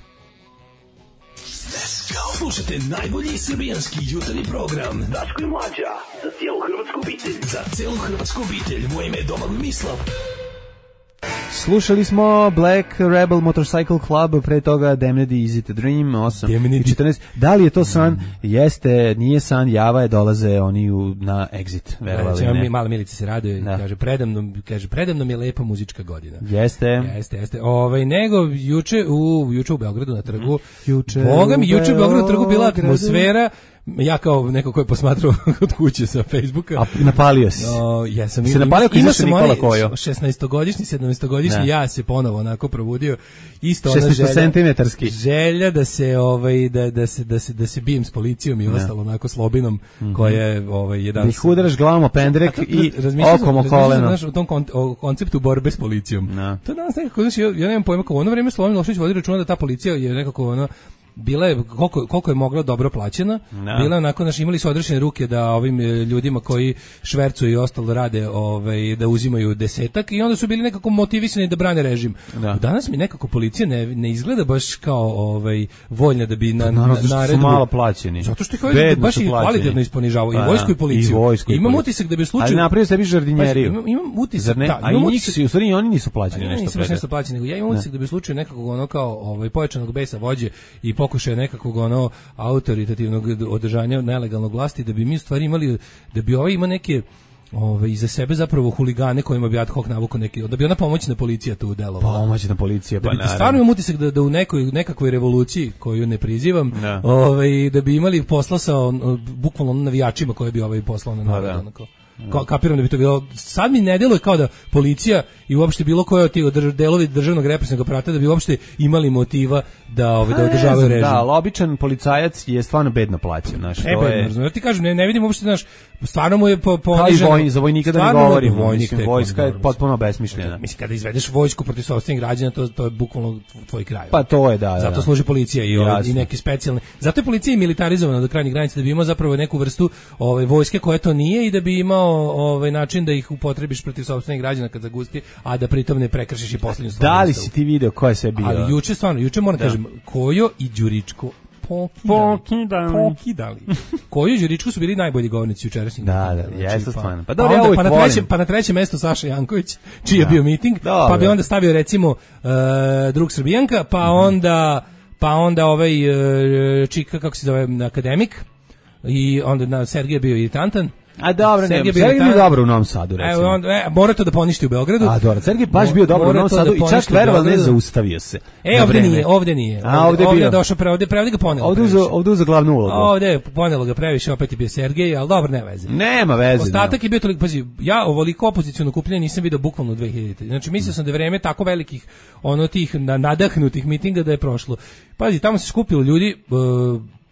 [SPEAKER 10] Slušajte najbolji srbijanski jutarnji program Daško i Mlađa, za cijelu hrvatsku obitelj. Za cijelu hrvatsku obitelj, moje ime je Domagoj Mislav.
[SPEAKER 8] Slušali smo Black Rebel Motorcycle Club, pre toga Damned Easy to Dream, 8:14. Da li je to san? Jeste, nije san, java je, dolaze oni na Exit, verovali ne.
[SPEAKER 9] Mala Milica se raduje, kaže, predamnom je lepa muzička godina.
[SPEAKER 8] Jeste.
[SPEAKER 9] Nego, juče u Beogradu na trgu, Boga mi, juče u Beogradu na trgu bila atmosfera. Ja kao neko ko je posmatrao od kuće sa Facebooka.
[SPEAKER 8] A napalio si?
[SPEAKER 9] Jesam.
[SPEAKER 8] Se napalio koji zašto Nikola Kojo?
[SPEAKER 9] 16-godišnji, 17-godišnji, ja se ponovo onako probudio. Isto ona
[SPEAKER 8] 16
[SPEAKER 9] želja da se da se bijem s policijom i ostalo onako slobinom koja je jedan.
[SPEAKER 8] Da ih udaraš glavom o pendrek i okom o koleno.
[SPEAKER 9] Znaš, u tom konceptu borbe s policijom. To danas nekako, ja nemam pojma, kao u ono vreme Slobodan Milošević vodi računa da ta policija je nekako ono bila je koliko je mogla dobro plaćena, bila je onako, imali su odrešene ruke da ovim ljudima koji švercuju i ostalo rade da uzimaju desetak i onda su bili nekako motivisani da brane režim. Danas mi nekako policija ne izgleda baš kao voljna da bi
[SPEAKER 8] naredbu. Su malo plaćeni.
[SPEAKER 9] Zato što ih baš i kvalitetno isponižavaju i vojsku i policiju.
[SPEAKER 8] Imam
[SPEAKER 9] utisak da bi slučaj.
[SPEAKER 8] Ali napravio sebi žardinjeriju.
[SPEAKER 9] Imam utisak,
[SPEAKER 8] u stvari oni nisu plaćeni nešto
[SPEAKER 9] plaćeni, nego ja imam utisak da bi slučaj nekakvog ono kao pojačanog besa vođe i pokušaja nekakvog autoritativnog održanja nelegalnog vlasti, da bi mi u stvari imali, da bi imao neke iza sebe zapravo huligane kojima bi ad hoc navukao neki, da bi ona pomoćna policija tu delovala.
[SPEAKER 8] Pomoćna policija, pa naravno.
[SPEAKER 9] Stvarno imam utisak da u nekakvoj revoluciji, koju ne prizivam, da bi imali posla sa bukvalno navijačima koje bi poslao na narod. Kapiram da bi to bilo. Sad mi ne deluje kao da policija i uopšte bilo koje od tih delovi državnog represivnog aparata da bi uopšte imali motiva da održavaju režim.
[SPEAKER 8] Da, ali običan policajac je stvarno bedno plaćen, znaš, to je.
[SPEAKER 9] Ja ti kažem, ne vidim uopšte, znaš, stvarno mu je poniženo.
[SPEAKER 8] Kao i za vojnika da ne govorim, vojska je potpuno besmišljena.
[SPEAKER 9] Mislim, kada izvedeš vojsku protiv sopstvenih građana, to je bukvalno tvoj kraj.
[SPEAKER 8] Pa to je, da.
[SPEAKER 9] Zato služi policija i neki specijalni. Zato je policija militarizovana do krajnjih granica, da bi imao zapravo neku vrstu vojske koja to nije i da bi imao način da ih upotrebiš protiv sopstvenih građana kad zagusti, a da pritom ne prekršiš i poslednju stvar.
[SPEAKER 8] Da li si ti video ko je sve bio?
[SPEAKER 9] Ali juče moram kažem, Kojo i Đuričko pokidali. Kojo i Đuričko su bili najbolji govornici jučerašnjeg.
[SPEAKER 8] Da, jeste stvarno.
[SPEAKER 9] Pa na trećem mestu Saša Janković, čiji je bio miting, pa bi onda stavio recimo drug Srbijanka, pa onda čika, kako se zove, akademik, i onda Sergej bio iritantan.
[SPEAKER 8] A dobro, Sergej bio dobro u Novom Sadu, recimo.
[SPEAKER 9] Mora to da poništi u Beogradu.
[SPEAKER 8] A dobro, Sergej baš bio dobro u Novom Sadu i čak veroval ne zaustavio se.
[SPEAKER 9] Ovde nije.
[SPEAKER 8] Ovde je
[SPEAKER 9] došao prevodi ga ponelo.
[SPEAKER 8] Ovde za glavnu ulogu.
[SPEAKER 9] Ovde ponelo ga previše, opet je bio Sergej, al dobro, ne veze.
[SPEAKER 8] Nema veze.
[SPEAKER 9] Ostatak je bio toliko, pazi, ja ovoliko opoziciono okupljanje nisam video bukvalno u 2000. Znači mislio sam da je vreme tako velikih tih nadahnutih mitinga da je prošlo. Pazi, tamo se skupilo ljudi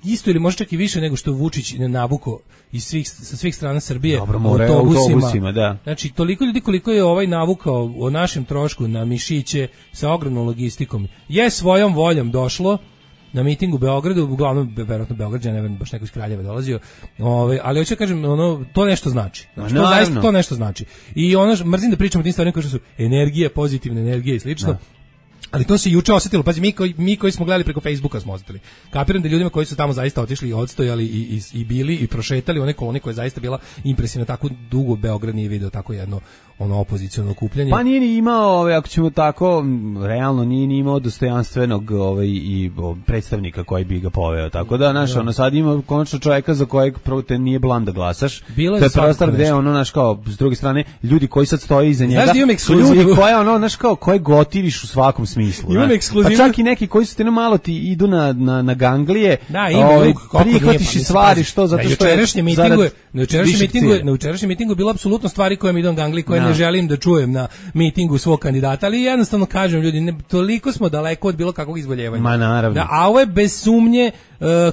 [SPEAKER 9] isto ili možda čak i više nego što Vučić navuko sa svih strana Srbije.
[SPEAKER 8] Dobro, autobusima, da.
[SPEAKER 9] Znači, toliko ljudi koliko je ovaj navukao o našem trošku na mišiće sa ogromnom logistikom, je svojom voljom došlo na miting u Beogradu, uglavnom verovatno Beograđan, ne znam, baš neko iz Kraljeva dolazio, ali hoću da kažem, to nešto znači. Znači, to zaista to nešto znači. I mrzim da pričamo o tim stvarima kao što su energija, pozitivna energija i slično. Da. Ali to se juče osetilo, pazi, mi koji smo gledali preko Facebooka smo osetili. Kapiram da ljudima koji su tamo zaista otišli i odstojali i bili i prošetali one kolone koje je zaista bila impresivna, tako dugo Beograd nije video tako jedno opoziciono okupljanje.
[SPEAKER 8] Pa nije ni imao, ako ćemo tako, realno nije ni imao dostojanstvenog i predstavnika koji bi ga poveo. Tako da, sad ima konačno čovjeka za kojeg prvo te nije blam da glasaš.
[SPEAKER 9] Bilo
[SPEAKER 8] to je prostor gde kao, s druge strane, ljudi koji sad stoje iza njega,
[SPEAKER 9] su ljudi
[SPEAKER 8] koje koje gotiviš u svakom smislu. Pa čak i neki koji su te malo ti idu na ganglije, prihvatiš i stvari, što zato što je
[SPEAKER 9] na jučerašnjem mitingu bilo apsolutno stvari koje mi idu na ganglije, koje ne želim da čujem na mitingu svog kandidata, ali jednostavno kažem ljudi, toliko smo daleko od bilo kakvog izvoljevanja.
[SPEAKER 8] Ma naravno.
[SPEAKER 9] A ovo je bez sumnje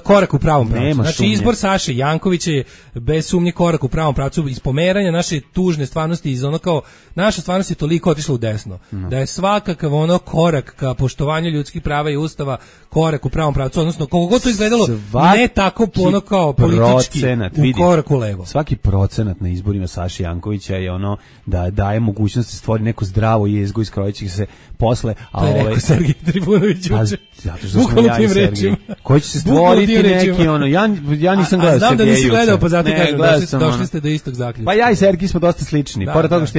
[SPEAKER 9] korak u pravom pravcu. Znači izbor Saše Jankovića je bez sumnje korak u pravom pravcu, iz pomeranja naše tužne stvarnosti, iz kao naša stvarnost je toliko otišla u desno, da je svakakav korak ka poštovanju ljudskih prava i ustava korak u pravom pravcu, odnosno koliko god to izgledalo ne tako kao politički u korak u levo.
[SPEAKER 8] Svaki procenat na izborima Saše Jankovića je da daje mogućnost da stvori neko zdravo jezgo iz koje će se posle...
[SPEAKER 9] To je rekao Sergej Trifunović juče.
[SPEAKER 8] Zato što smo ja i Sergej. Koji će se stvoriti neki ja nisam gledao Sergeja.
[SPEAKER 9] Znam da nisi gledao, pa zato kažem, došli ste do istog zaključka.
[SPEAKER 8] Pa ja i Sergej smo dosta slični. Pored toga što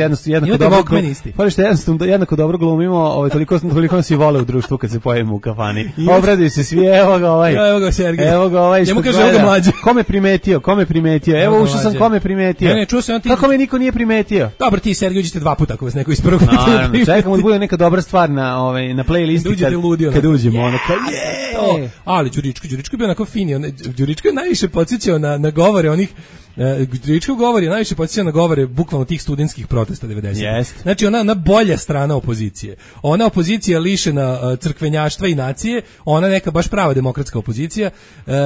[SPEAKER 8] jednako dobro glumimo, toliko nas i vole u društvu kad se pojavimo u kafani. Obraduju se svi, evo ga ovaj.
[SPEAKER 9] Evo ga Sergej.
[SPEAKER 8] Evo ga ovaj što
[SPEAKER 9] kaže, evo ga mlađe.
[SPEAKER 8] Kome primetio? Evo ušao sam, kome primetio?
[SPEAKER 9] Ne, čuo sam ti.
[SPEAKER 8] Kako me niko nije primetio?
[SPEAKER 9] Dobro, ti Sergej uđete 2 puta ako vas neko iz prvog
[SPEAKER 8] čekamo da bude neka dobra stvar na playlisti kad uđemo ali Đuričko je bio onako fini, Đuričko je najviše podsjećao na govore onih Đuričko govori najviše podsjeća na govore bukvalno tih studentskih protesta 90. Znači ona bolja strana opozicije. Ona opozicija lišena crkvenjaštva i nacije, ona neka baš prava demokratska opozicija.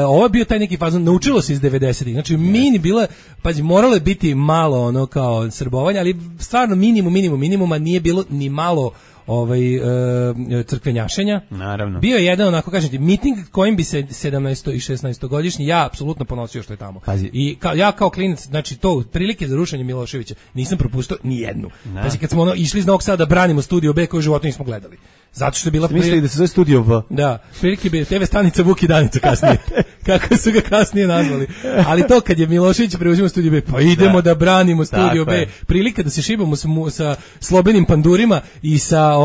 [SPEAKER 8] Ovo je bio taj neki fazon, naučilo se iz 90-ih. Znači mini bila, pazi, moralo je biti malo kao srbovanja, ali stvarno minimuma nije bilo ni malo crkvenjašenja. Naravno.
[SPEAKER 9] Bio je jedan, onako kažem ti, miting kojim bi se 17. i 16. godišnji ja apsolutno ponosio što je tamo.
[SPEAKER 8] Pazi.
[SPEAKER 9] I ja kao klinac, znači to prilike za rušenje Miloševića nisam propustio ni jednu. Pazi, kad smo išli iz Novog Sada da branimo Studio B koju u životu nismo gledali. Zato što je bila
[SPEAKER 8] mislili da se zove Studio V.
[SPEAKER 9] Da, prilike bi TV stanica Vuk i Danica kasnije. Kako su ga kasnije nazvali. Ali to kad je Milošević preuzimao Studio B, pa idemo da branimo Studio B. Prilika da se šibamo sa slobenim pandurima i sa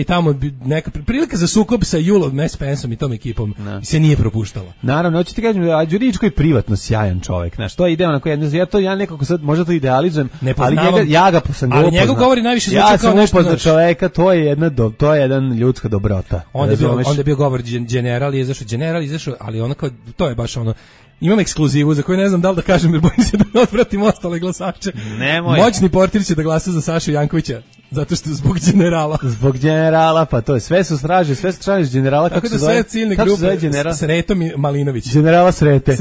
[SPEAKER 9] tamo neka prilika za sukob sa Julom Pensom i tom ekipom se nije propuštala.
[SPEAKER 8] Naravno, hoću ti kažem da Đuričko je privatno sjajan čovjek. Znaš, to je ide onako ja nekako sad možda to idealizujem, ali ja ga sam
[SPEAKER 9] ali njegov govori najviše zvuči kao nešto
[SPEAKER 8] za čoveka, to je jedan ljudska dobrota.
[SPEAKER 9] Onda je bio govor general izašao, ali onako to je baš imam ekskluzivu za koju ne znam da li da kažem jer bojim se da ne odvratim ostale glasače.
[SPEAKER 8] Nemoj.
[SPEAKER 9] Moćni portir će da glasa za Sašu Jankovića zato što zbog generala.
[SPEAKER 8] Zbog generala, pa to je sve su straže generala.
[SPEAKER 9] Kako se zove ciljne grupe? Sreto Malinović.
[SPEAKER 8] Generala Sreto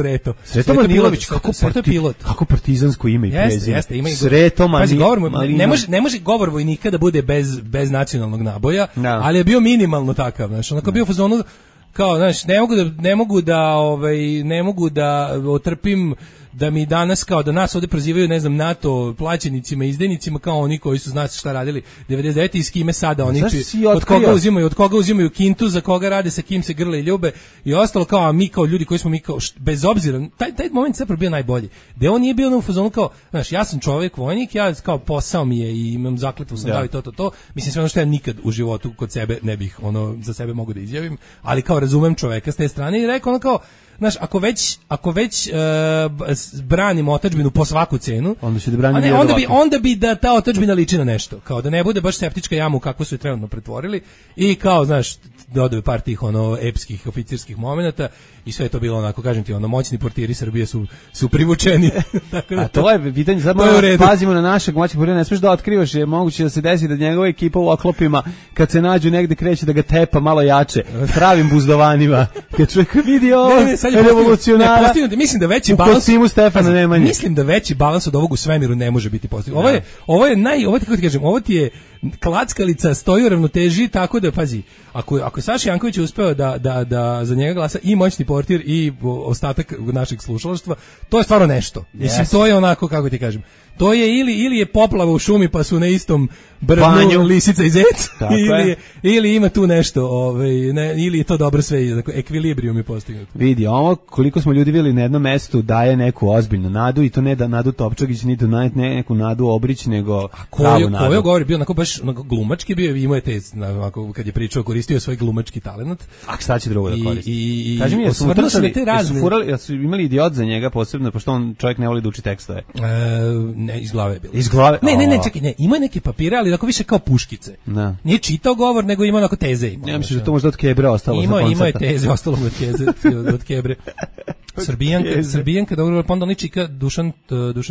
[SPEAKER 9] Malinović.
[SPEAKER 8] Sreto pilot. Kako partizansko ime i prezime.
[SPEAKER 9] Sreto Malinović. Ne može govor vojnika da bude bez nacionalnog naboja, ali je bio minimalno takav. Znači, onako bio fazonu kao, znaš, ne mogu da otrpim da mi danas kao da nas ovdje prozivaju, ne znam, NATO plaćenicima, izdajnicima kao oni koji su znate šta radili 99 i s kime sada oni od koga uzimaju kintu, za koga rade, sa kim se grle i ljube i ostalo, kao a mi kao ljudi koji smo bez obzira, taj moment zapravo bio najbolji. Da on nije bio u fazonu kao, znaš, ja sam čovjek vojnik, ja kao posao mi je i imam zakletvu sam dao i to. Mislim sve ono što ja nikad u životu kod sebe ne bih za sebe mogu da izjavim, ali kao razumem čovjeka s te strane i rekao ono kao, znaš, ako već branimo otadžbinu po svaku cenu, onda bi da ta otadžbina liči na nešto, kao da ne bude baš septička jama u kakvu su je trenutno pretvorili i kao, znaš, dodaju par tih epskih oficirskih momenata i sve je to bilo onako, kažem ti, moćni portiri Srbije su privučeni.
[SPEAKER 8] A to je pitanje, sad pazimo na našeg moćnog portira, ne smiješ da otkrivaš, je moguće da se desi da njegova ekipa u oklopima, kad se nađu negde kreće da ga tepa malo jače, pravim buzdovanima, kad čovjek vidi ovo,
[SPEAKER 9] sad je
[SPEAKER 8] revolucionara.
[SPEAKER 9] Mislim da veći
[SPEAKER 8] u
[SPEAKER 9] balans
[SPEAKER 8] kostimu Stefana Nemanje.
[SPEAKER 9] Mislim da veći balans od ovog u svemiru ne može biti postignut. Ovo je kako ti kažem, ovo ti je klackalica, stoji u ravnoteži, tako da pazi, ako Saša Janković je uspeo da za njega glasa i moćni portir i ostatak našeg slušalaštva, to je stvarno nešto. Mislim, to je onako, kako ti kažem, to je ili je poplava u šumi pa su na istom brvnu lisica i zec, ili ima tu nešto, ili je to dobro sve, ekvilibrijum je postignut.
[SPEAKER 8] Vidi, ovo koliko smo ljudi bili na jednom mestu daje neku ozbiljnu nadu i to ne da Nadu Topčagić, ni da neku Nadu Obrić, nego pravu nadu.
[SPEAKER 9] Kojo govori, bio onako baš glumački bio, imao je te, kad je pričao, koristio svoj glumački talent.
[SPEAKER 8] A šta će drugo da koristi?
[SPEAKER 9] Kaži mi,
[SPEAKER 8] jesu imali idiot za njega posebno, pošto on čovjek ne voli da uči tekstove?
[SPEAKER 9] Ne, iz glave je bilo.
[SPEAKER 8] Iz glave?
[SPEAKER 9] Ne, čekaj, ima neke papire, ali onako više kao puškice. Da. Nije čitao govor, nego ima onako teze.
[SPEAKER 8] Ja mislim da to možda od Kebre ostalo.
[SPEAKER 9] Ima je teze, ostalo od Kebre. Srbijanka, dobro, pa onda čika Dušan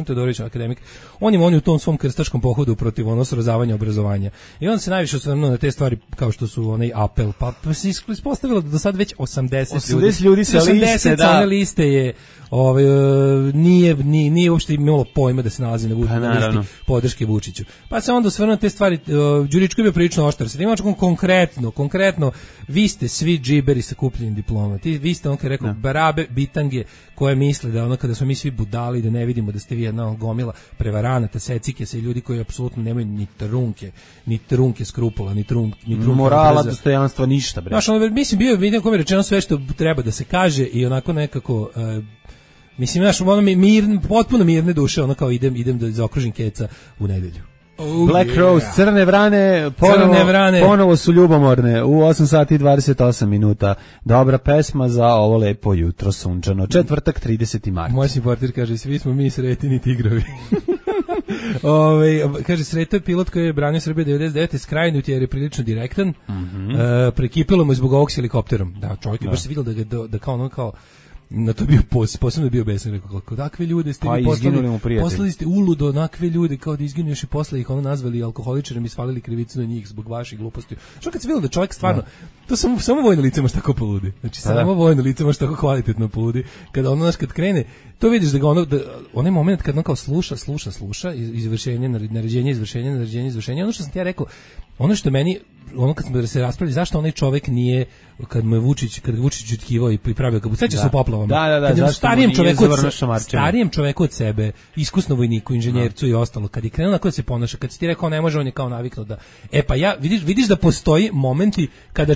[SPEAKER 9] Todorović, akademik. On je u tom svom krstaškom pohodu protiv srozavanja obrazovanja. I on se najviše osvrnuo na te stvari kao što su onaj apel, pa se ispostavilo da do sad već 80
[SPEAKER 8] ljudi sa liste, da.
[SPEAKER 9] One liste je nije uopšte imalo pojma da se nalazi na listi podrške Vučiću. Pa se onda osvrnuo na te stvari. Đuričko je bio prilično oštar. Sad imaš konkretno, vi ste svi džiberi sa kupljenim diplomama. Vi ste, on kad rekao, barabe, bitange, koje misle da kada smo mi svi budali, da ne vidimo da ste vi jedna gomila prevaranata, secike se i ljudi koji apsolutno nemaju ni trunke skrupula, ni trunke
[SPEAKER 8] morala, dostojanstva, ništa, bre.
[SPEAKER 9] Znaš, mislim, vidim kome je rečeno sve što treba da se kaže i onako nekako... Mislim, znaš, potpuno mirne duše, ono kao idem da zaokružim keca u nedelju.
[SPEAKER 8] Black Rose, Crne vrane, ponovo su ljubomorne u 8 sati i 28 minuta. Dobra pesma za ovo lepo jutro sunčano. Četvrtak, 30. mart.
[SPEAKER 9] Moj portir kaže, svi smo mi sretini tigrovi. Kaže, Sreto je pilot koji je branio Srbije 99. skrajnut jer je prilično direktan. Prekipilo mu zbog ovog s helikopterom. Da, čovjek je baš se vidio da kao na to bio posebno bio besan, rekao kako takve ljude ste poslali ste uludo onakve ljude kao da izginu još i posle ih nazvali alkoholičarima i svalili krivicu na njih zbog vaših gluposti. Što kad se vidio da čovjek stvarno to samo vojno lice može tako poludi. Znači samo vojno lice može tako kvalitetno poludi. Kada kad krene, to vidiš da ga onaj moment kad on kao sluša izvršenje, naređenje, izvršenje, ono što sam ti ja rekao, ono što meni kad smo se raspravili zašto onaj čovjek nije kad Vučić utkivao i pravio kabuc, seća se u poplavama.
[SPEAKER 8] Da,
[SPEAKER 9] starijem čoveku od sebe, iskusno vojniku, inženjercu i ostalo, kad je krenuo na koje se ponaša, kad si ti rekao ne može, on je kao naviknuo da vidiš da postoji momenti kada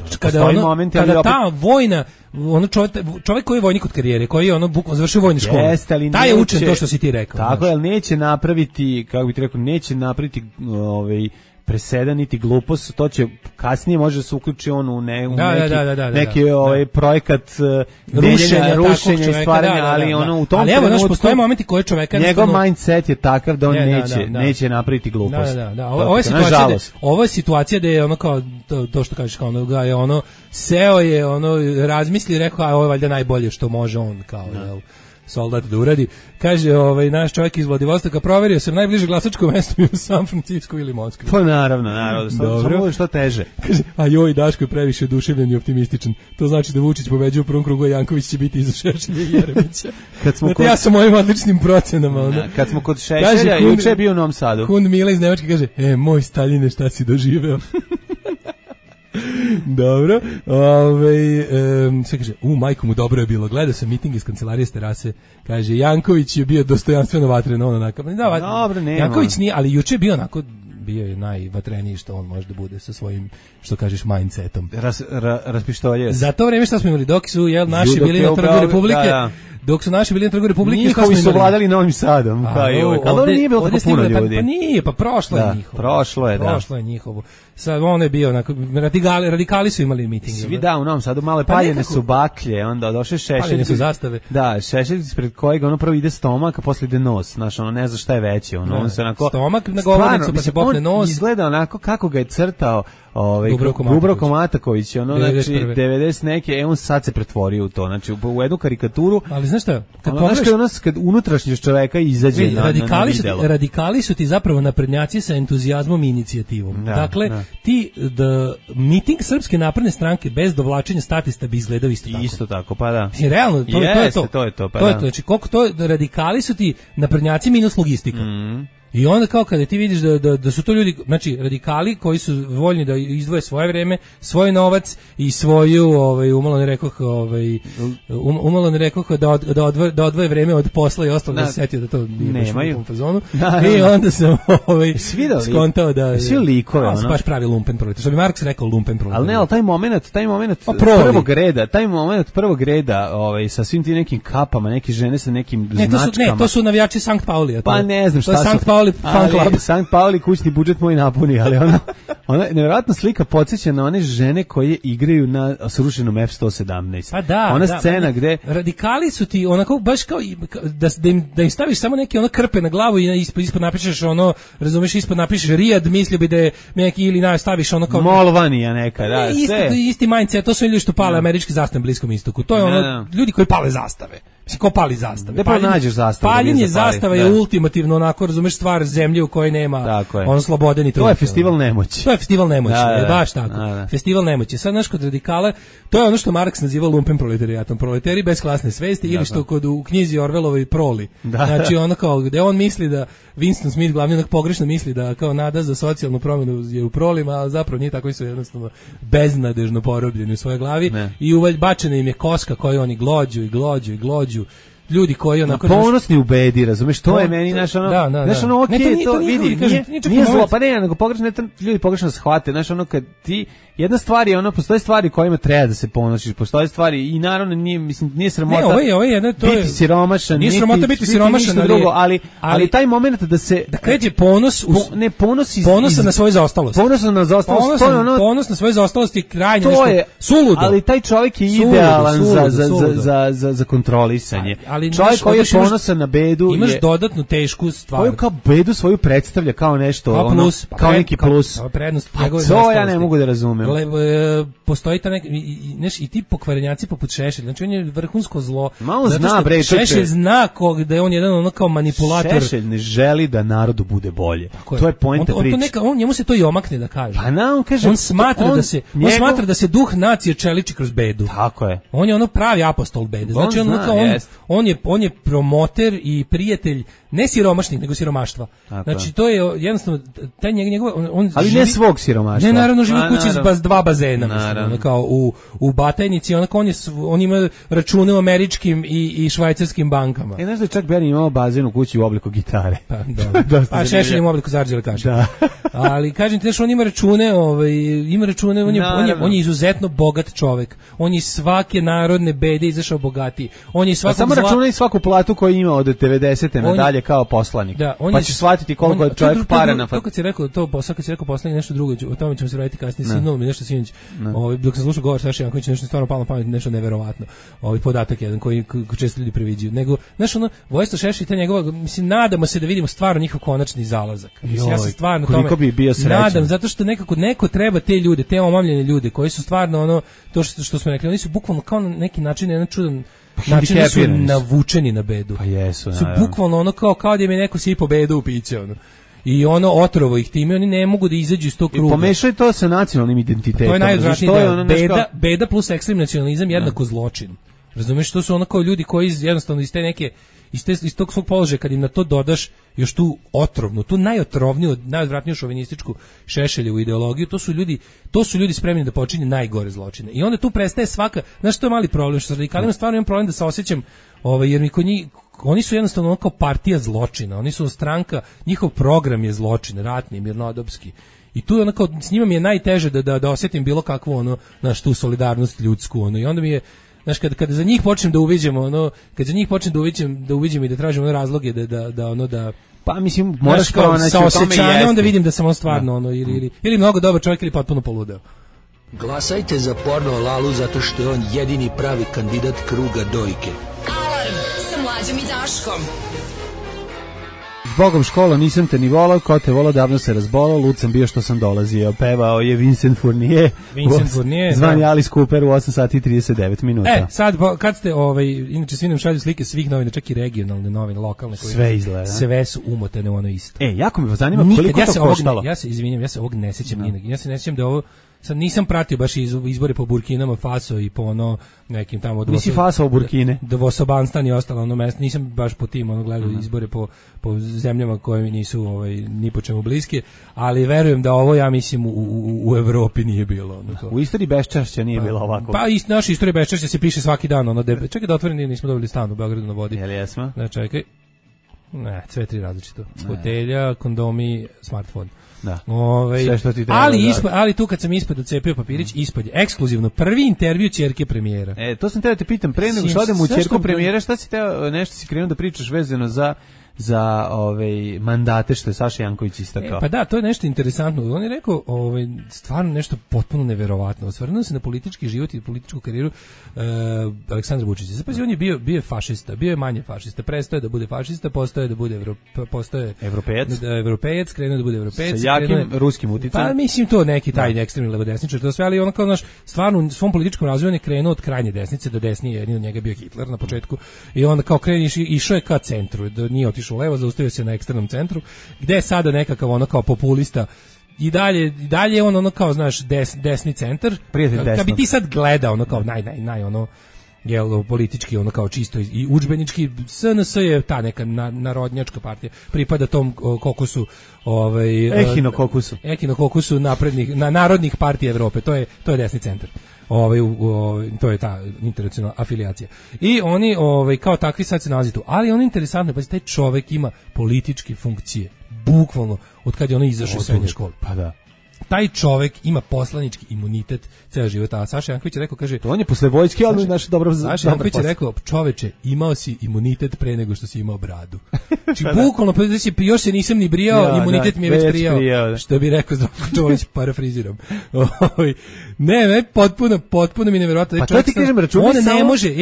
[SPEAKER 9] ta vojna čovjek koji je vojnik od karijere, koji je bukvalno završio vojnu školu, taj je učen to što si ti rekao.
[SPEAKER 8] Tako je, neće napraviti, kako bih ti rekao, presedan niti glupost, to će kasnije može se uključi on u neki projekat rušenja i stvaranja, ali u tom trenutku
[SPEAKER 9] postoje momenti koje čoveka
[SPEAKER 8] njegov mindset je takav da on neće napraviti glupost.
[SPEAKER 9] Ovo je situacija da je kao to što kažeš, kao ga je seo je razmisli i rekao ovo je valjda najbolje što može on kao soldat da uradi. Kaže, naš čovjek iz Vladivostoka, proverio sam najbliže glasačko mesto u San Francisco ili Moskvi.
[SPEAKER 8] Pa naravno. Samo što teže.
[SPEAKER 9] Kaže, a joj, Daško je previše oduševljen i optimističan. To znači da Vučić pobeđuje u prvom krugu, a Janković će biti iza Šešelja i Jeremića. Ja sam mojim odličnim procenama.
[SPEAKER 8] Kad smo kod Šešelja, juče je bio u Novom Sadu.
[SPEAKER 9] Kund Mila iz Nemačke kaže, moj Staljine, šta si doživeo? Dobro, sve kaže, majko mu dobro je bilo, gledao sam miting iz kancelarije s terase, kaže, Janković je bio dostojanstveno vatren,
[SPEAKER 8] dobro, nema.
[SPEAKER 9] Janković nije, ali juče je bio onako, bio je najvatreniji što on može da bude sa svojim, što kažeš, mindsetom.
[SPEAKER 8] Raspištolje.
[SPEAKER 9] Za to vreme što smo imali, dok su naši bili na Trgu Republike, dok su naši bili na Trgu Republike,
[SPEAKER 8] njihovi su vladali Novim Sadom, ali nije bilo tako puno ljudi.
[SPEAKER 9] Pa nije, pa prošlo je njihovo. Prošlo je njihovo. Sad on je bio onako, radikali su imali miting.
[SPEAKER 8] Svi u Novom Sadu, male paljene su baklje, onda došle Šešelj.
[SPEAKER 9] Paljene su zastave.
[SPEAKER 8] Da, Šešelj pred kojega prvo ide stomak, a posle ide nos, znaš, ne zna šta je veće, on se onako...
[SPEAKER 9] Stomak na govornicu, pa se popne nos.
[SPEAKER 8] On izgleda onako kako ga je crtao Dubravko Mataković, znači 90 neke, on sad se pretvorio u to, znači u jednu karikaturu,
[SPEAKER 9] znaš šta,
[SPEAKER 8] kad unutrašnjost čoveka izađe na videlo.
[SPEAKER 9] Radikali su ti zapravo naprednjaci sa entuzijazmom i inicijativom. Dakle, ti miting Srpske napredne stranke bez dovlačenja statista bi izgledao isto tako.
[SPEAKER 8] Isto tako, pa da.
[SPEAKER 9] Realno, to je to.
[SPEAKER 8] To je to, pa
[SPEAKER 9] to
[SPEAKER 8] da.
[SPEAKER 9] je to. Znači, koliko to radikali su ti naprednjaci minus logistika. I onda kao kada ti vidiš da su to ljudi, znači radikali koji su voljni da izdvoje svoje vreme, svoj novac i svoju umalo ne rekoh da odvoje vreme od posla i ostalo, da se setio da to nije baš u tom fazonu. I onda sam skontao da
[SPEAKER 8] svi likove,
[SPEAKER 9] baš pravi lumpen proletar. Što bi Marks rekao, lumpen proletar.
[SPEAKER 8] Ali ne, ali taj moment prvog reda, sa svim tim nekim kapama, neke žene sa nekim značkama.
[SPEAKER 9] Ne, to su navijači Sankt Paulija.
[SPEAKER 8] Pa ne znam šta su. Sankt Pauli kućni budžet moj napuni, ali ona nevjerojatna slika podsjeća na one žene koje igraju na srušenom F-117.
[SPEAKER 9] Pa da,
[SPEAKER 8] ona scena gde
[SPEAKER 9] radikali su ti onako baš kao da im staviš samo neke krpe na glavu i ispod napišeš razumeš, ispod napišeš Rijad, mislio bi da je neki ili staviš kao
[SPEAKER 8] Molvanija neka, da,
[SPEAKER 9] isti mindset, to su ljudi što pale američke zastave na Bliskom istoku. To je ljudi koji pale zastave. Ko pali zastave?
[SPEAKER 8] Ne pa nađeš zastave.
[SPEAKER 9] Paljenje zastava je ultimativno onako, razumeš, stvar zemlje u kojoj nema slobodan i
[SPEAKER 8] to je festival nemoći.
[SPEAKER 9] To je festival nemoći, baš tako. Festival nemoći. Sad znaš, kod radikala, to je ono što Marks naziva lumpen proletarijatom. Proletari bez klasne svesti ili što kod u knjizi Orwellovoj Proli. Znači ono kao gde on misli da Winston Smith glavni onak pogrešno misli da kao nada za socijalnu promjenu je u prolima, a zapravo nije tako, su jednostavno beznadežno porobljeni u svojoj glavi i bačena im je koska koju oni glođu. Ljudi koji onako
[SPEAKER 8] ponosni u bedi, razumeš, to je meni znaš ono okej, to vidi, nije zlo, pa ne, nego pogrešno, ljudi pogrešno shvate, znaš ono kad ti jedna stvar je postoje stvari kojima treba da se ponosiš, postoje stvari i naravno nije sramota.
[SPEAKER 9] Ne, ovo je
[SPEAKER 8] biti siromašan,
[SPEAKER 9] nije sramota biti siromašan,
[SPEAKER 8] drugo, ali taj moment
[SPEAKER 9] da kreće ponos ponosa na svoju zaostalost. Ponos na svoju zaostalost je krajnje nešto suludo.
[SPEAKER 8] Ali taj čovjek je idealan za kontrolisanje. Čovjek koji je ponosan na bedu
[SPEAKER 9] imaš dodatnu tešku stvar.
[SPEAKER 8] Koju kao bedu svoju predstavlja kao nešto, kao neki plus. To ja ne mogu da razumem.
[SPEAKER 9] Postoji ta i ti pokvarenjaci poput Šešelja, znači on je vrhunsko zlo.
[SPEAKER 8] Malo zna, bre,
[SPEAKER 9] Šešelj zna da je on jedan kao manipulator.
[SPEAKER 8] Šešelj ne želi da narodu bude bolje. To je poenta priče.
[SPEAKER 9] Njemu se to i omakne da kaže.
[SPEAKER 8] Pa on kaže,
[SPEAKER 9] on smatra da se duh nacije čeliči kroz bedu.
[SPEAKER 8] Tako je.
[SPEAKER 9] On je pravi apostol bede. Znači on je promoter i prijatelj ne siromašnih, nego siromaštva. Znači to je jednostavno taj
[SPEAKER 8] ali ne svog siromaštva.
[SPEAKER 9] Ne, naravno živi u kući s dva bazena, mislim, kao u Batajnici, on ima račune u američkim i švajcarskim bankama.
[SPEAKER 8] Znaš da je čak Bernie imao bazen u kući u obliku gitare.
[SPEAKER 9] Pa Šešelj ima u obliku zarđele kaše. Ali kažem ti, on ima račune, on je izuzetno bogat čovek. On je svake narodne bede izašao bogatiji. On je
[SPEAKER 8] samo računaj svaku platu koju ima od 90. nadalje kao poslanik. Pa ćeš shvatiti koliko je čovjek para na
[SPEAKER 9] to kad si rekao poslanik nešto drugo, o tome ćemo se vratiti kasnije. Sinulo mi nešto sinoć. Dok sam slušao govor Saše Jankovića, nešto stvarno palo na pamet, nešto neverovatno. Podatak jedan koji često ljudi previđaju. Nego, znaš, Vojislav Šešelj i ta njegova, mislim, nadamo se da vidimo stvarno njihov konačni zalazak. Ja se stvarno tome nadam, zato što neko treba te ljude, te omamljene ljude koji su stvarno to što smo rekli, oni su bukvalno kao na neki način jedan čudan način su navučeni na bedu.
[SPEAKER 8] Pa jesu,
[SPEAKER 9] su bukvalno kao da im je neko sipao bedu u piće, I otrovo ih time, oni ne mogu da izađu iz tog kruga.
[SPEAKER 8] I pomešaj to sa nacionalnim identitetom.
[SPEAKER 9] To je najodvratnije, beda plus ekstrem nacionalizam jednako zločin. Razumeš, to su kao ljudi koji jednostavno iz te neke iz tog svog položaja, kad im na to dodaš još tu otrovnu, tu najotrovniju, najodvratniju šovinističku Šešeljevu ideologiju, to su ljudi spremni da počinje najgore zločine. I onda tu prestaje svaka, znaš što je mali problem, što sa radikalima stvarno imam problem da se osjećam, jer mi kod njih, oni su jednostavno kao partija zločina, oni su stranka, njihov program je zločin, ratni, mirnodopski. I tu je s njima mi je najteže da osjetim bilo kakvu tu solidarnost ljudsku, i onda mi je, znaš, kada za njih počnem da uviđemo, kad za njih počnem da uviđemo i da tražimo razloge da
[SPEAKER 8] pa mislim moraš kao
[SPEAKER 9] sa osjećanjem, onda vidim da sam stvarno ili mnogo dobar čovjek ili potpuno poludeo.
[SPEAKER 10] Glasajte za Porno Lalu zato što je on jedini pravi kandidat kruga dojke.
[SPEAKER 7] Alarm sa Mlađom i Daškom.
[SPEAKER 8] Bogom škola, nisam te ni volao, ko te volao, davno se razbolao, lud sam bio što sam dolazio. Pevao je Vincent Fournier, zvani Alice Cooper u 8 sati i 39 minuta.
[SPEAKER 9] Sad, kad ste, inače svi nam šalju slike svih novina, čak i regionalne novine, lokalne, koje
[SPEAKER 8] sve izgleda.
[SPEAKER 9] Sve su umotane u ono isto.
[SPEAKER 8] Jako me zanima koliko to koštalo.
[SPEAKER 9] Ja se izvinjam, ja se ovog ne sećam ni. Ja se ne sećam da ovo sad nisam pratio baš izbore po Burkinama Faso i po ono nekim tamo
[SPEAKER 8] Nisi Faso u Burkine.
[SPEAKER 9] Dvosobanstan i ostalo ono mesto. Nisam baš po tim gledao izbore po zemljama koje mi nisu ni po čemu bliske, ali verujem da ovo ja mislim u Evropi nije bilo.
[SPEAKER 8] U istoriji beščašća nije bilo ovako.
[SPEAKER 9] Pa naša istorija beščašća se piše svaki dan. Čekaj da otvorim, nismo dobili stan u Beogradu na vodi.
[SPEAKER 8] Jel jesmo?
[SPEAKER 9] Ne, čekaj. Ne, sve tri različito. Fotelja, kondomi, smartfon.
[SPEAKER 8] Da.
[SPEAKER 9] Sve što ti treba, ali tu kad sam ispod ocepio papirić, ispod je ekskluzivno prvi intervju ćerke premijera.
[SPEAKER 8] To sam teo da te pitam pre nego što odem u ćerku premijera, šta si teo, nešto si krenuo da pričaš vezano za mandate što je Saša Janković istakao.
[SPEAKER 9] Pa da, to je nešto interesantno. On je rekao stvarno nešto potpuno neverovatno. Osvrnuo se na politički život i političku karijeru Aleksandra Vučića. Zapazi, on je bio fašista, bio je manje fašista, prestao je da bude fašista, postao je da bude evropejac, krenuo da bude evropejac.
[SPEAKER 8] Sa jakim ruskim uticajem.
[SPEAKER 9] Pa mislim to neki taj ekstremni levodesničar, to sve, ali on kao stvarno u svom političkom razvoju je krenuo od krajnje desnice do desnije, jedini od njega bio Hitler na početku i onda kao išao je ka centru, nije otišao levo, zaustavio se na ekstremnom centru, gde je sada nekakav kao populista i dalje on kao, znaš, desni centar. Kad bi ti sad gledao kao naj politički politički kao čisto i udžbenički, SNS je ta neka narodnjačka partija, pripada tom kokusu ehinokokusu narodnih partija Evrope, to je desni centar. To je ta internacionalna afilijacija. I oni kao takvi sad se nalazi tu. Ali ono interesantno, pa taj čovek ima političke funkcije, bukvalno od kad je ono izašao iz srednje škole.
[SPEAKER 8] Pa da.
[SPEAKER 9] Taj čovek ima poslanički imunitet ceo život. A Saša Janković je rekao, kaže...
[SPEAKER 8] To on je posle vojske, ali naš dobro...
[SPEAKER 9] Saša Janković je rekao, čoveče, imao si imunitet pre nego što si imao bradu. Znači, bukvalno, još se nisam ni brijao, imunitet mi je već prijao. Što bi rekao Zdravko Čolić, parafriziram. Ne, potpuno mi neverovatno.
[SPEAKER 8] Pa to ti kažem, računi
[SPEAKER 9] on ne može,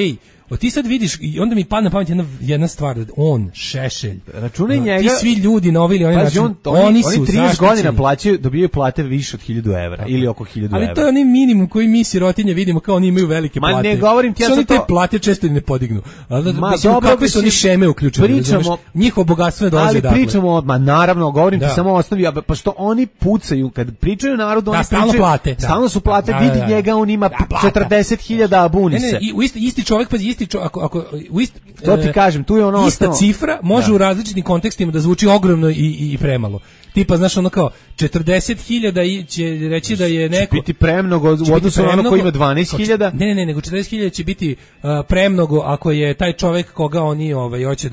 [SPEAKER 9] ti sad vidiš, i onda mi padne na pamet jedna stvar, on, Šešelj,
[SPEAKER 8] računaj njega,
[SPEAKER 9] ti svi ljudi na ovaj ili onaj način, oni su
[SPEAKER 8] 30 godina plaćaju, dobijaju plate više od 1000 evra, ili oko 1000 evra.
[SPEAKER 9] Ali to je onaj minimum koji mi sirotinje vidimo, kao oni imaju velike plate.
[SPEAKER 8] Ma ne govorim ti, ja sam to...
[SPEAKER 9] te plate često ne podignu. Mislim, kakve su oni šeme uključene,
[SPEAKER 8] pričamo,
[SPEAKER 9] njihovo bogatstvo ne dolazi dakle.
[SPEAKER 8] Ali pričamo, naravno, govorim ti samo osnovi, pa što oni pucaju, kad pričaju narodu, oni
[SPEAKER 9] pričaju,
[SPEAKER 8] stalno su plate, vidi njega, on ima 40.000 buni se.
[SPEAKER 9] Isti čovjek, pa
[SPEAKER 8] to ti kažem, tu je ono
[SPEAKER 9] ista cifra može u različitim kontekstima da zvuči ogromno i premalo. Tipa, znaš, ono kao 40.000 će reći da je neko...
[SPEAKER 8] Će biti premnogo u odnosu na ono koji ima 12.000?
[SPEAKER 9] Ne, nego 40.000 će biti premnogo ako je taj čovek koga oni hoće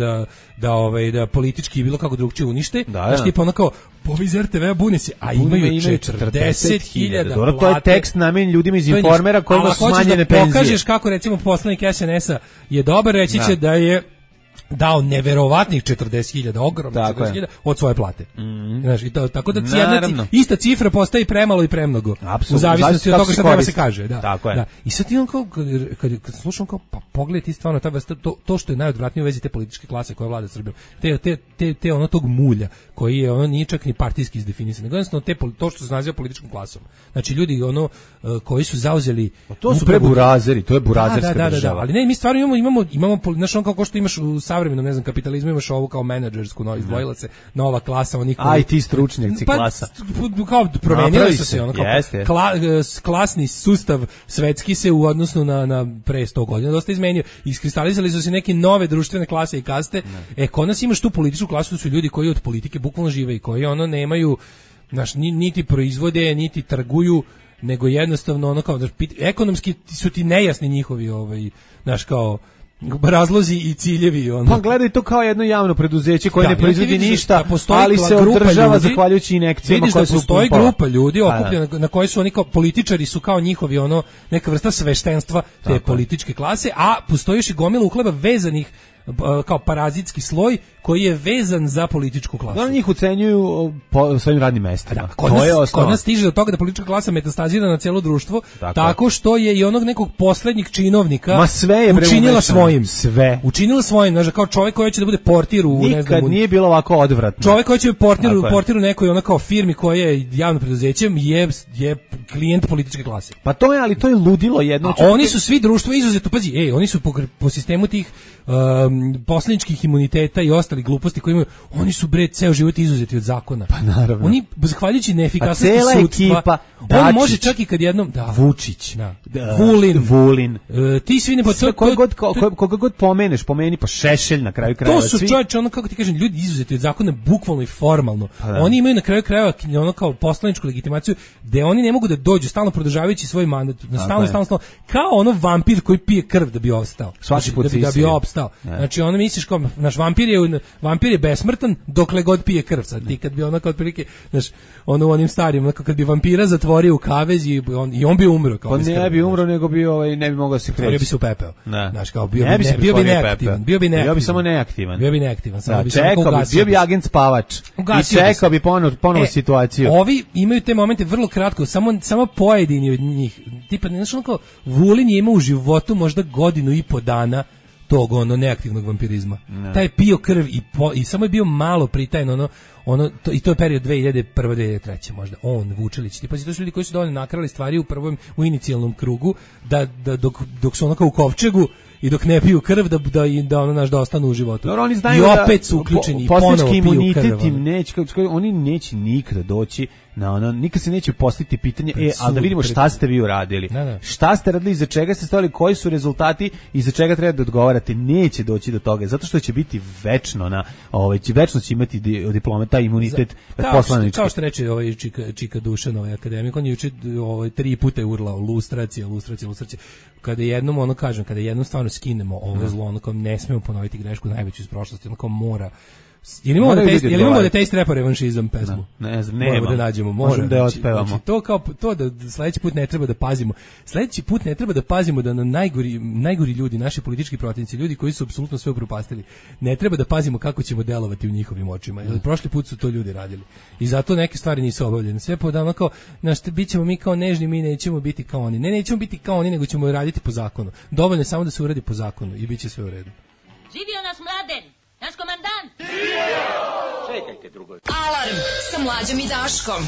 [SPEAKER 9] da politički bilo kako drugčije unište. Znaš, tipa ono kao, povi iz RTV-a bune se, a imaju 40.000
[SPEAKER 8] plate. To je tekst namenjen ljudima iz Informera kojima su smanjene penzije.
[SPEAKER 9] Pokažeš kako, recimo, poslanik SNS-a je dobar, reći će da je dao neverovatnih 40.000, ogromno 40.000 od svoje plate. Znaš, tako da ista cifra postaje premalo i premnogo. U zavisnosti od toga što treba se kaže. Da. I sad ti on kao, kad slušam kao, pa pogledaj ti stvarno to što je najodvratnije u vezi te političke klase koja vlada Srbijom. Te ono tog mulja koji je ono nije čak ni partijski izdefinisan, nego jednostavno to što se naziva političkom klasom. Znači ljudi ono koji su zauzeli,
[SPEAKER 8] to su preburazeri, to je burazerska država.
[SPEAKER 9] Ali ne, mi stvarno imamo znaš, on kao što imaš u savremenom, ne znam, kapitalizmu, imaš ovo kao menadžersku, izdvojila se nova klasa, oni koji...
[SPEAKER 8] IT stručnjaci klasa.
[SPEAKER 9] Kao promenili su se, ono kao klasni sustav svetski se u odnosu na pre 100 godina dosta izmenio. Iskristalizali su se neke nove društvene klase i kaste. Kod nas imaš tu političku klasu, su ljudi koji od politike bukvalno žive i koji ono nemaju, znaš, niti proizvode, niti trguju, nego jednostavno ono kao, ekonomski su ti nejasni njihovi, znaš, kao razlozi i ciljevi.
[SPEAKER 8] Pa gledaj to kao jedno javno preduzeće koje ne proizvodi ništa, ali se održava zahvaljujući injekcijama koje su
[SPEAKER 9] postoji grupa ljudi okupljena na kojoj su oni kao političari, su kao njihovi neka vrsta sveštenstva te političke klase, a postoji još i gomila uhleba vezanih kao parazitski sloj koji je vezan za političku klasu.
[SPEAKER 8] Oni njih ucenjuju po svojim radnim mestima.
[SPEAKER 9] Kod nas stiže do toga da politička klasa metastazira na cijelo društvo tako što je i onog nekog poslednjeg činovnika učinila svojim.
[SPEAKER 8] Sve.
[SPEAKER 9] Učinila svojim, znači kao čovjek koji će da bude portir u ne znam,
[SPEAKER 8] nije bilo ovako odvratno.
[SPEAKER 9] Čovjek koji će portir u nekoj ona kao firmi koja je javno preduzećem je klijent političke klase.
[SPEAKER 8] Pa to je, ali to je ludilo jedno.
[SPEAKER 9] A oni su svi društvo izuzetno, pazi, oni su po sistemu tih poslaničkih imuniteta i ostali gluposti koje imaju, oni su bre ceo život izuzeti od zakona.
[SPEAKER 8] Pa naravno.
[SPEAKER 9] Oni zahvaljujući neefikasnosti sudstva,
[SPEAKER 8] ekipa,
[SPEAKER 9] on može čak i kad jednom
[SPEAKER 8] Vučić,
[SPEAKER 9] Vulin. Ti svi ne
[SPEAKER 8] koga god pomeni pa Šešelj na kraju krajeva.
[SPEAKER 9] To su čovječe, ono kako ti kažem, ljudi izuzeti od zakona bukvalno i formalno. Oni imaju na kraju krajeva ono kao poslaničku legitimaciju gde oni ne mogu da dođu stalno produžavajući svoj mandat, stalno kao ono vampir koji pije krv da bi ostao. Da bi opstao. Znači ono misliš kao naš vampir je besmrtan dokle god pije krv. Sad ti kad bi ono kao otprilike, znaš, ono u onim starim, kad bi vampira zatvorio u kavez i on bi umro kao.
[SPEAKER 8] Pa ne bi umro, nego bi ne bi mogao se kreći.
[SPEAKER 9] Bio bi se upepeo. Znaš, kao bio bi neaktivan.
[SPEAKER 8] Bio bi samo neaktivan.
[SPEAKER 9] Bio
[SPEAKER 8] bi agent spavač. I čekao bi ponovo situaciju.
[SPEAKER 9] Ovi imaju te momente vrlo kratko, samo pojedini od njih. Tipa, znaš, ono kao Vulin je imao u životu možda godinu i po dana tog neaktivnog vampirizma. Taj je pio krv i samo je bio malo pritajen i to je period 2001. 2003. možda. Vučelić. Tipa, to su ljudi koji su dovoljno nakrali stvari u inicijalnom krugu da dok su kao u kovčegu i dok ne piju krv da ostanu u životu.
[SPEAKER 8] Dobro, oni znaju
[SPEAKER 9] i opet su uključeni i ponovo piju krv.
[SPEAKER 8] Oni neće nikada doći nikad se neće postaviti pitanje, ali da vidimo šta ste vi uradili. Šta ste radili, iza čega ste stojali, koji su rezultati, iza čega treba da odgovarate. Neće doći do toga, zato što će biti večno večno će imati diplome, taj imunitet poslanički.
[SPEAKER 9] Kao što reče Čika Dušan, akademik, on je juče 3 puta je urlao lustracija. Kada jednom kada jednom stvarno skinemo ovo zlo, kao ne smemo ponoviti grešku najveću iz prošlosti, kao mora. Jel imamo da taste rap revanšizam pesmu?
[SPEAKER 8] Ne znam,
[SPEAKER 9] moramo da nađemo,
[SPEAKER 8] možemo da je otpevamo.
[SPEAKER 9] Znači, to da sledeći put ne treba da pazimo. Sledeći put ne treba da pazimo da na najgori ljudi, naši politički protivnici, ljudi koji su apsolutno sve upropastili, ne treba da pazimo kako ćemo delovati u njihovim očima. Jer prošli put su to ljudi radili. I zato neke stvari nisu obavljene. Sve podavno kao, bićemo mi kao nežni, mi nećemo biti kao oni. Ne, nećemo biti kao oni, nego ćemo raditi po zakonu. Dovoljno je samo da se uradi po zakonu i bit će sve u redu.
[SPEAKER 11] Živio nas Mladen! Naš komandant!
[SPEAKER 10] Čekajte drugo.
[SPEAKER 7] Alarm sa Mlađom i Daškom.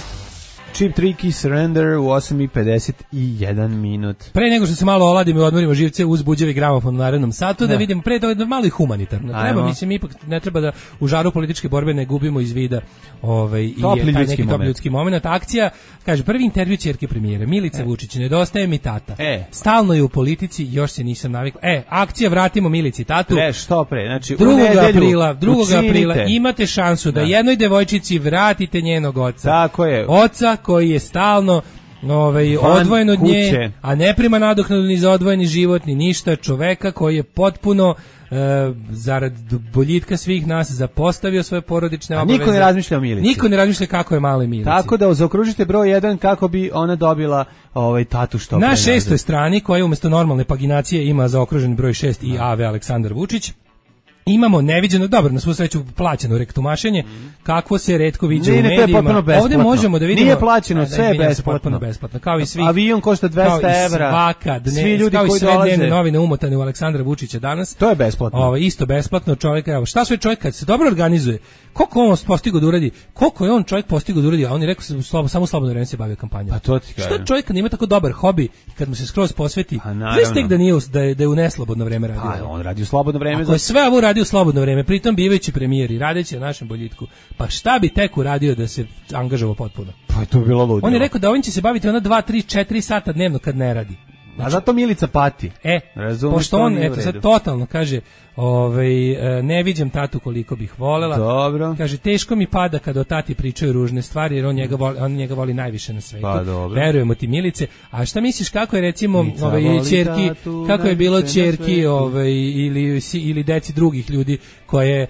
[SPEAKER 8] Cheap Tricky Surrender u 8:51 minut.
[SPEAKER 9] Pre nego što se malo oladimo i odmorimo živce uz buđevi gramofon u narednom satu, da vidimo pre toga malo i humanitarno. Ipak ne treba da u žaru političke borbe ne gubimo iz vida i taj neki top ljudski moment. Akcija, kaže, prvi intervju ćerke premijera, Milica Vučić, nedostaje mi tata. Stalno je u politici, još se nisam navikla. Akcija vratimo Milici tatu.
[SPEAKER 8] Što pre? Znači,
[SPEAKER 9] 2. aprila imate šansu da jednoj devojčici vratite njenog oca.
[SPEAKER 8] Tako je.
[SPEAKER 9] Oca koji je stalno odvojen od nje, a ne prima nadoknadu ni za odvojeni život, ni ništa, čoveka koji je potpuno zarad boljitka svih nas zapostavio svoje porodične obaveze.
[SPEAKER 8] Niko ne razmišlja o Milici.
[SPEAKER 9] Niko ne razmišlja kako je maloj Milici.
[SPEAKER 8] Tako da zaokružite broj 1 kako bi ona dobila tatu što pre.
[SPEAKER 9] Na 6. strani, koja umjesto normalne paginacije ima zaokružen broj 6 i AV Aleksandar Vučić, imamo neviđeno, dobro, na svu sreću plaćeno rektumašenje, kakvo se retko viđa u medijima. Ovdje možemo da vidimo.
[SPEAKER 8] Nije plaćeno, sve je besplatno.
[SPEAKER 9] Kao i svi.
[SPEAKER 8] Avion košta 200 evra.
[SPEAKER 9] Svi ljudi koji dolaze. Dnevne novine umotane u Aleksandra Vučića danas.
[SPEAKER 8] To je besplatno.
[SPEAKER 9] Isto besplatno, čovjek, evo, šta sve čovjek kad se dobro organizuje, koliko on postigao da uradi, koliko je on čovjek postigao da uradi, a on je rekao samo slobodno vreme se bavio kampanjom.
[SPEAKER 8] Pa to ti kažem.
[SPEAKER 9] Šta čovjek kad ima tako dobar hobi, kad mu se skroz posveti, tek da je u neslobodno vreme radio.
[SPEAKER 8] On radi u slobodno vreme.
[SPEAKER 9] Ako je sve ovo radio u slobodno vreme, pritom bivajući premijer i radeći na našem boljitku, pa šta bi tek uradio da se angažovao potpuno?
[SPEAKER 8] Pa to bi bilo ludilo.
[SPEAKER 9] On je rekao da ovim će se baviti 2, 3, 4 sata dnevno kad ne radi.
[SPEAKER 8] Znači, a zato Milica pati.
[SPEAKER 9] Pošto on, sad totalno kaže, ne viđem tatu koliko bih volela.
[SPEAKER 8] Dobro.
[SPEAKER 9] Kaže, teško mi pada kada o tati pričaju ružne stvari, jer on njega voli najviše na svetu.
[SPEAKER 8] Pa, dobro.
[SPEAKER 9] Verujemo ti, Milice. A šta misliš kako je recimo ćerki, kako je bilo ćerki ili deci drugih ljudi koje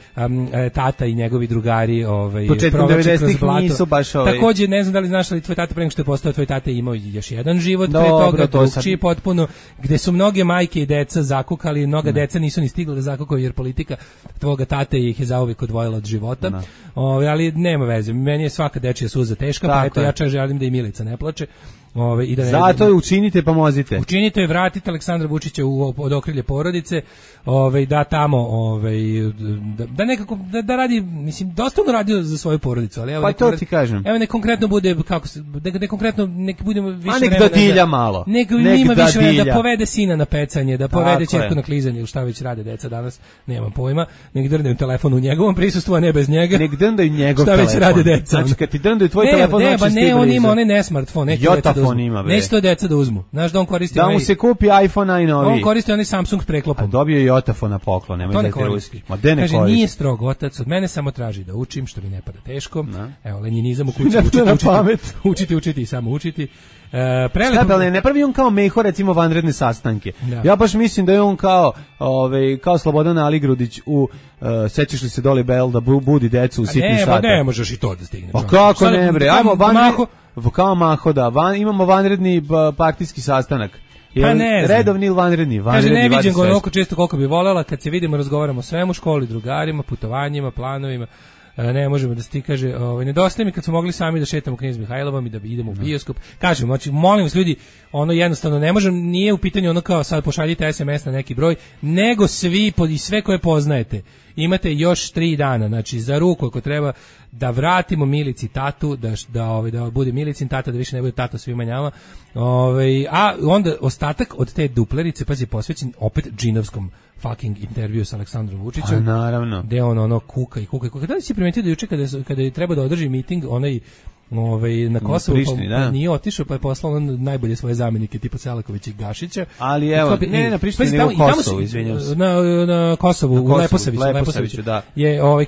[SPEAKER 9] tata i njegovi drugari
[SPEAKER 8] početkom 90-ih nisu baš
[SPEAKER 9] Takođe, ne znam da li znaš, ali tvoj tata pre nego što je postao tvoj tata imao još jedan život pre toga, drugčiji potpuno, gde su mnoge majke i deca zakukali, mnoga deca nisu ni stigla da zakukaju jer politika tvoga tate ih je zauvijek odvojila od života. Ali nema veze, meni je svaka dečija suza teška, pa eto ja čak želim da i Milica ne plače. I da
[SPEAKER 8] zato učinite, pomozite.
[SPEAKER 9] Učinite i vratite Aleksandra Vučića od okrilje porodice, da tamo, da nekako, da radi, mislim, dosta on radio za svoju porodicu, ali evo,
[SPEAKER 8] pa to ti kažem.
[SPEAKER 9] Evo, ne konkretno bude, kako se, ne konkretno, nek budemo više vremena.
[SPEAKER 8] A nek dadilja malo.
[SPEAKER 9] Nek ima više vremena da povede sina na pecanje, da povede ćerku na klizanje, ili šta već rade deca danas, nemam pojma, nek drndaju telefon u njegovom prisustvu, a ne bez njega.
[SPEAKER 8] Nek drndaju njegov telefon.
[SPEAKER 9] Šta već rade deca.
[SPEAKER 8] Znači, kad ti drndaju tvoj telefon, znači
[SPEAKER 9] ne, on ima onaj ne smartfon, neće to deca da uzmu. Znaš da on koristi
[SPEAKER 8] da mu se kupi iPhone najnoviji.
[SPEAKER 9] On koristi onaj Samsung s preklopom.
[SPEAKER 8] A dobio je Jotafon na poklon, nemoj da te ruski. Ma de ne
[SPEAKER 9] kaže,
[SPEAKER 8] koristi.
[SPEAKER 9] Nije strog otac, od mene samo traži da učim, što mi ne pada teško. No. Evo, lenjinizam u kući, učiti i samo učiti.
[SPEAKER 8] Ne pravi on kao Meho, recimo, vanredne sastanke. Da. Ja baš mislim da je on kao Slobodan Aligrudić u sećaš li se Doli Bell da budi decu u sitnim satima.
[SPEAKER 9] Ne možeš i to da stigne.
[SPEAKER 8] Pa kako ne bre, ajmo kao Maho, da, imamo vanredni partijski sastanak.
[SPEAKER 9] Pa ne
[SPEAKER 8] redovni ili vanredni?
[SPEAKER 9] Kaže, ne vidim ga onoliko često koliko bi voljela, kad se vidimo razgovaramo o svemu, školi, drugarima, putovanjima, planovima, ne možemo da se ti kaže, nedostaje mi kad smo mogli sami da šetamo Knez Mihajlovom i da idemo u bioskop. Kažem, znači, molim vas ljudi, jednostavno ne možem, nije u pitanju ono kao sad pošaljite SMS na neki broj, nego svi i sve koje poznajete. Imate još 3 dana, znači za ruku ako treba da vratimo Milici tatu, da bude Milicin tata, da više ne bude tato svima njama. A onda ostatak od te duplerice, pazi, posvećen opet džinovskom fucking intervju sa Aleksandrom Vučićem.
[SPEAKER 8] A naravno.
[SPEAKER 9] Gde on kuka. Da li si primetio da juče kada je treba da održi miting, onaj na Kosovu, pa nije otišao, pa je poslao on najbolje svoje zamenike tipa Selakovića i Gašića.
[SPEAKER 8] Ali evo, ne na Prištini, nego u Kosovu, izvinjam se.
[SPEAKER 9] Na Kosovu, u Leposaviću,
[SPEAKER 8] da.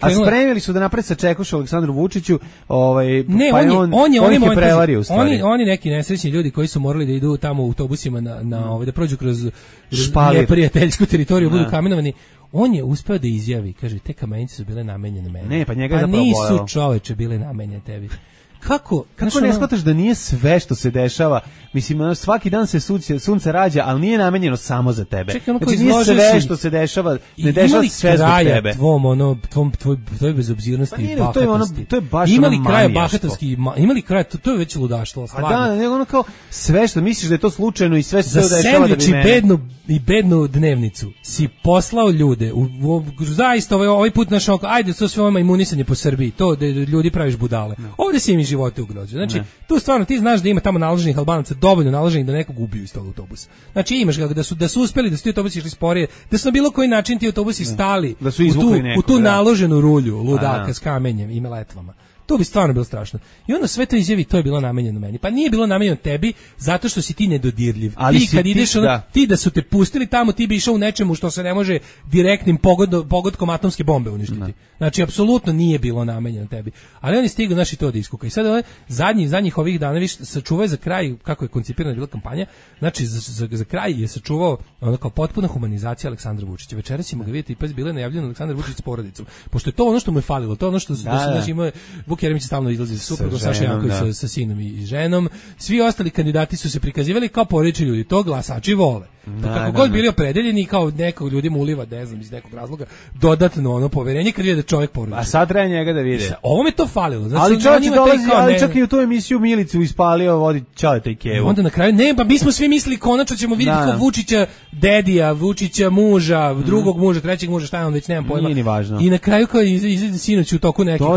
[SPEAKER 8] A spremili su da napred sa Čekušu Aleksandru Vučiću, pa on ih je prevario u stvari.
[SPEAKER 9] Oni neki nesrećni ljudi koji su morali da idu tamo u autobusima da prođu kroz neprijateljsku teritoriju, budu kamenovani. On je uspeo da izjavi, kaže, te kamenice su bile namenjene meni.
[SPEAKER 8] Ne, pa njega je zapravo bojao.
[SPEAKER 9] Nisu, čoveče, bile namenjene tebi. Kako
[SPEAKER 8] ne shvataš da nije sve što se dešava, mislim, svaki dan se sunce rađa, ali nije namenjeno samo za tebe. Znači nije sve što se dešava, ne dešava se sve zbog tebe.
[SPEAKER 9] Tvoj bezobzirnosti i bahatosti.
[SPEAKER 8] To je baš
[SPEAKER 9] imali kraja bahatosti, imali kraja, to je već ludaštvo, stvarno.
[SPEAKER 8] A da, nego ono kao sve što misliš da je to slučajno i sve se dešava da bi mene.
[SPEAKER 9] I bednu dnevnicu si poslao ljude, zaista ovaj put našao, ajde, to sve ovo imunisanje po Srbiji, to da ljudi praviš budale. Ovdje si im živote ugrožio. Znači, tu stvarno ti znaš da ima tamo naloženih Albanaca dovoljno naloženih da nekog ubiju iz tog autobusa. Znači, imaš ga da su uspeli da su ti autobusi išli sporije, da su na bilo koji način ti autobusi stali u tu naloženu rulju ludaka s kamenjem i meletvama. To bi stvarno bilo strašno. I onda sve to izjavi, to je bilo namenjeno meni. Pa nije bilo namenjeno tebi, zato što si ti nedodirljiv.
[SPEAKER 8] Ali
[SPEAKER 9] ti kad ideš, ti da su te pustili tamo, ti bi išao u nečemu što se ne može direktnim pogodkom atomske bombe uništiti. Znači, apsolutno nije bilo namenjeno tebi. Ali oni stigli, znači, to da iskuka. I sad zadnjih ovih dana, viš, sačuvao za kraj, kako je koncipirana bila kampanja, znači, za kraj je sačuvao ono kao potpuna humanizacija Aleksandra Vučića. Večeras ćemo ga vidjeti, pa je bilo najavljeno Aleksandar Vučić s porodicom. Pošto je to ono što mu je falilo, to je ono što znači ima Vuk Jeremić stalno izlazi sa suprugom, Saša Janković sa sinom i ženom. Svi ostali kandidati su se prikazivali kao porodični ljudi, to glasači vole. Kako god bili opredeljeni, kao nekog ljudima uliva, ne znam, iz nekog razloga, dodatno poverenje kad vide da čovjek porodičan.
[SPEAKER 8] A sad treba njega da vide.
[SPEAKER 9] Ovo mi to falilo. Znači,
[SPEAKER 8] ali čovjek dolazi, ali čak i u tu emisiju Milicu ispalio, vodi Ćaleta i Kevu.
[SPEAKER 9] Onda na kraju, pa mi smo svi mislili konačno ćemo vidjeti kao Vučića dedija, Vučića muža, drugog muža, trećeg muža, šta je on već, nemam pojma.
[SPEAKER 8] Nije ni važno.
[SPEAKER 9] I na kraju kao izlazi sinoć u toku nekih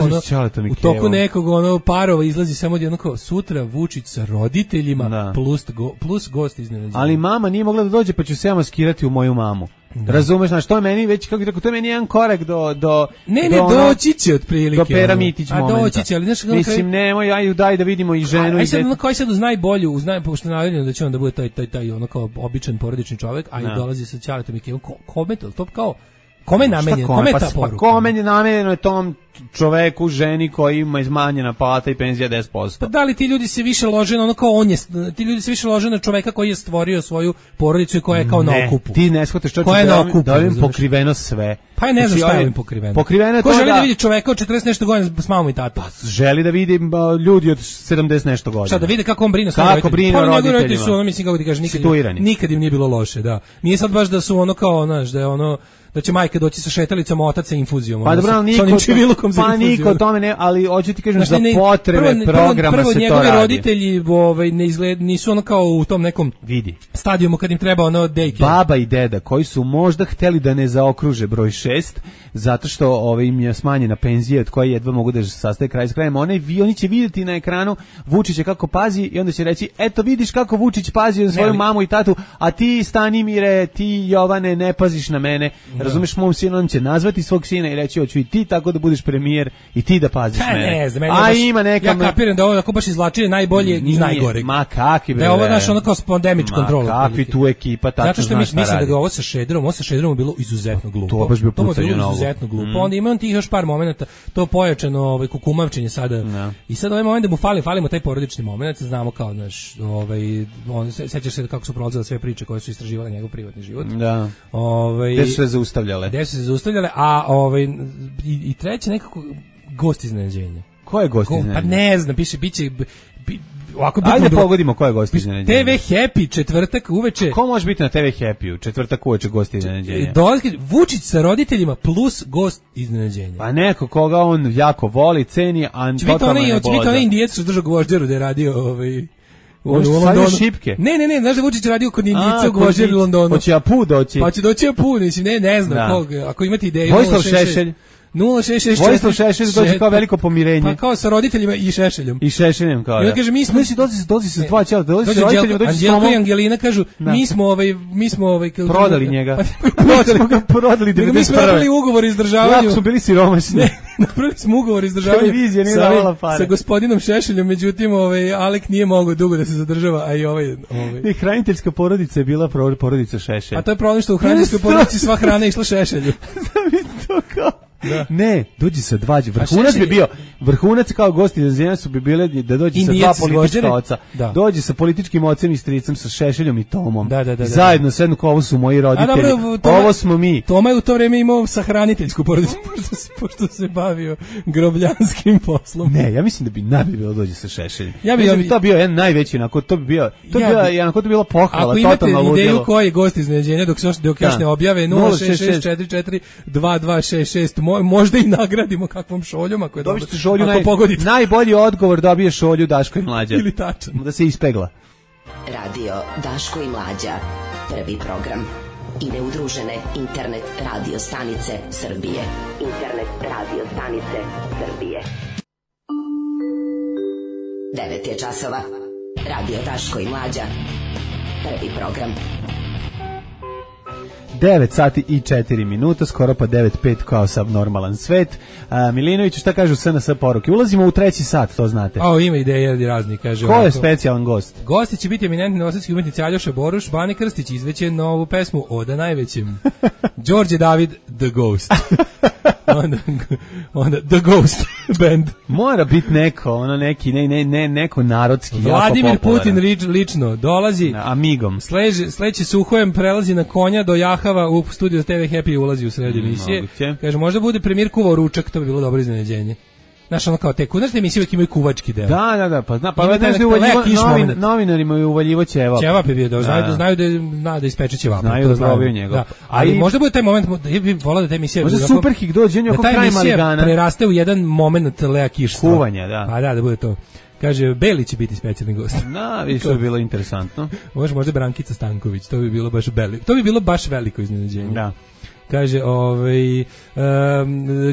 [SPEAKER 9] nekog parova izlazi samo jedno kao sutra Vučić sa roditeljima plus gost iznenađenja.
[SPEAKER 8] Ali mama nije mogla da dođe, pa ću se ja maskirati u moju mamu. Razumeš, znači to je meni već, kako rekao, to je meni jedan korak do
[SPEAKER 9] doći će otprilike.
[SPEAKER 8] Do Pera Mitić momenta.
[SPEAKER 9] A doći će, ali znaš kako...
[SPEAKER 8] Mislim, nemoj, ajde daj da vidimo i ženu.
[SPEAKER 9] Aj sad, koji sad uz najbolju, pošto je navedeno da će on da bude taj ono kao običan porodični čovjek, a i dolazi sa Ćaletom i Kevom, kome to kao... Kome je namenjeno? Kome je ta poruka?
[SPEAKER 8] Kome je namenjeno je tom čoveku, ženi koji ima izmanjena plata i penzija 10%.
[SPEAKER 9] Pa da li ti ljudi se više lože na ono kao on je, ti ljudi se više lože na čoveka koji je stvorio svoju porodicu i koja je kao na okupu.
[SPEAKER 8] Ti ne shvataš što da ovim pokriveno sve.
[SPEAKER 9] Pa je ne znam šta je ovim pokriveno.
[SPEAKER 8] Pokriveno je to
[SPEAKER 9] ko želi da vidi čoveka od 40 nešto godina s mamom i tatom?
[SPEAKER 8] Pa želi da vidi ljudi od 70 nešto godina.
[SPEAKER 9] Šta da vidi kako on brine
[SPEAKER 8] svojim roditeljima? Kako brine o roditeljima?
[SPEAKER 9] Su ono, mislim kako ti kažeš, nikad im nije bilo loše, da. Nije sad baš da su ono kao, znaš, da je ono da će majka doći sa šetalicom, otac sa infuzijom.
[SPEAKER 8] Pa dobro, niko tome ne, ali hoću ti kažem za potrebe programa se to radi. Prvo
[SPEAKER 9] njegovi roditelji nisu ono kao u tom nekom stadijumu kad im treba ono daycare.
[SPEAKER 8] Baba i deda koji su možda hteli da ne zaokruže broj 6, zato što im je smanjena penzija od koje jedva mogu da sastaje kraj s krajem. Oni će vidjeti na ekranu Vučića kako pazi i onda će reći, eto vidiš kako Vučić pazi na svoju mamu i tatu, a ti Stanimire, ti Jovane ne paziš na mene. Razumeš, mom sinu, on će nazvati svog sina i reći, hoću i ti tako da budeš premijer i ti da paziš mene. Ima neka...
[SPEAKER 9] Ja kapiram da ovo ako baš izvlačili najbolje iz najgoreg.
[SPEAKER 8] Ma kakvi bre.
[SPEAKER 9] Da je ovo naš ono kao pandemic control.
[SPEAKER 8] Ma kakvi tu ekipa tačno
[SPEAKER 9] zato što mislim da ga ovo sa Šederom bilo izuzetno glupo.
[SPEAKER 8] To baš bio pucanje novo.
[SPEAKER 9] Izuzetno glupo. Onda ima on tih još par momenata, to pojačano kukumavčenje sada. No. I sad ovaj moment da mu falimo taj porodični moment, znamo kao naš on sećaš se kako su prolazile sve priče koje su istraživale njegov privatni život.
[SPEAKER 8] Da. Gde su se zaustavljale.
[SPEAKER 9] A i treće nekako gost iznenađenja.
[SPEAKER 8] Ko je gost iznenađenja?
[SPEAKER 9] Pa ne znam, piše biće
[SPEAKER 8] ajde pogodimo ko je gost iznenađenja.
[SPEAKER 9] TV Happy četvrtak uveče.
[SPEAKER 8] Ko može biti na TV Happy četvrtak uveče gost iznenađenja?
[SPEAKER 9] Vučić sa roditeljima plus gost iznenađenja.
[SPEAKER 8] Pa neko koga on jako voli, ceni, a totalno ne boza. Će
[SPEAKER 9] biti onaj Indijac što držao gvožđeru da je radio
[SPEAKER 8] u Londonu. Šipke.
[SPEAKER 9] Ne, znaš da Vučić radio kod Indijica u Gvožđeru u Londonu.
[SPEAKER 8] Hoće Apu doći.
[SPEAKER 9] Pa će doći Apu, mislim, ne znam kog. Ako imate ideju,
[SPEAKER 8] Vojislav Šešelj.
[SPEAKER 9] 0664.
[SPEAKER 8] Vojislav Šešelj dođe kao veliko pomirenje.
[SPEAKER 9] Pa kao sa roditeljima i Šešeljom.
[SPEAKER 8] I Šešeljem kao.
[SPEAKER 9] I on kaže mi smo
[SPEAKER 8] dođi se dva čela, dođi sa roditeljima, dođi sa
[SPEAKER 9] Anđelko i Angelina kažu mi smo
[SPEAKER 8] prodali njega. Prodali 91.
[SPEAKER 9] Mi smo napravili ugovor o izdržavanju.
[SPEAKER 8] Jako smo bili siromašni.
[SPEAKER 9] Napravili smo ugovor o izdržavanju.
[SPEAKER 8] Televizija nije davala pare.
[SPEAKER 9] Sa gospodinom Šešeljom, međutim Alek nije mogao dugo da se zadržava, a i
[SPEAKER 8] I hraniteljska porodica je bila porodica Šešelj.
[SPEAKER 9] A to je problem što u hraniteljskoj porodici sva hrana išla Šešelju.
[SPEAKER 8] To kao da. Ne, dođi sa dva, vrhunac bi bio, vrhunac kao gosti iznenađenja su bi bile da dođe sa dva politička oca, dođe sa političkim ocem i stricem, sa Šešeljom i Tomom, zajedno sednu kao ovo su moji roditelji, ovo smo mi.
[SPEAKER 9] Toma je u to vreme imao sahraniteljsku porodicu, pošto se bavio grobljanskim poslom.
[SPEAKER 8] Ne, ja mislim da bi najbolje bilo dođe sa Šešeljem. To bio jedan najveći, to bi bila pohvala, totalna ludilo.
[SPEAKER 9] Ako imate ideju koji je gost iznenađenja, dok još ne objave 066442266, možda i nagradimo kakvom šoljom ako je dobro.
[SPEAKER 8] Dobijete šolju, najbolji odgovor dobije šolju Daško i Mlađa.
[SPEAKER 9] Ili tačan.
[SPEAKER 8] Da se ispegla.
[SPEAKER 1] Radio Daško i Mlađa, prvi program. Ide udružene internet radio stanice Srbije. Internet radio stanice Srbije. 9 je časova. Radio Daško i Mlađa, prvi program.
[SPEAKER 8] 9 sati i 4 minuta, skoro pa 9:05 kao sav normalan svet. Milinović, šta kažu SNS poruke? Ulazimo u treći sat, to znate.
[SPEAKER 9] Ima ideje razni, kaže.
[SPEAKER 8] Ko je specijalan gost?
[SPEAKER 9] Gosti će biti eminentni novosadski umetnici Aljoša Boruš, Bane Krstić izveće novu pesmu Oda najvećem. Đorđe David, The Ghost. onda The Ghost Band.
[SPEAKER 8] Mora biti neko, neko narodski.
[SPEAKER 9] Vladimir Putin lično dolazi.
[SPEAKER 8] Amigom.
[SPEAKER 9] Sledeći Suhojem prelazi na konja do Jahava u studiju TV Happy, ulazi u sred emisije. Kaže, možda bude premijer kuvao ručak, to bi bilo dobro iznenađenje. Znaš, ono kao znaš da emisije uvijek imaju kuvački deo.
[SPEAKER 8] Da, pa znaš da novinarima je uvaljivo ćevap.
[SPEAKER 9] Ćevap je bio, znaju da ispeče ćevap.
[SPEAKER 8] Znaju da probaju njegov.
[SPEAKER 9] Ali možda bude taj moment, ja bih volao da ta emisija...
[SPEAKER 8] Možda Superhik dođe, oko kraj Maligana. Da ta emisija
[SPEAKER 9] preraste u jedan moment Lea Kišstva.
[SPEAKER 8] Kuvanja, da.
[SPEAKER 9] Pa da bude to. Kaže, Beli će biti specijalni gost.
[SPEAKER 8] Vidiš, to bi bilo interesantno.
[SPEAKER 9] Možda Brankica Stanković, to bi bilo baš veliko iznenađenje.
[SPEAKER 8] Da.
[SPEAKER 9] Kaže,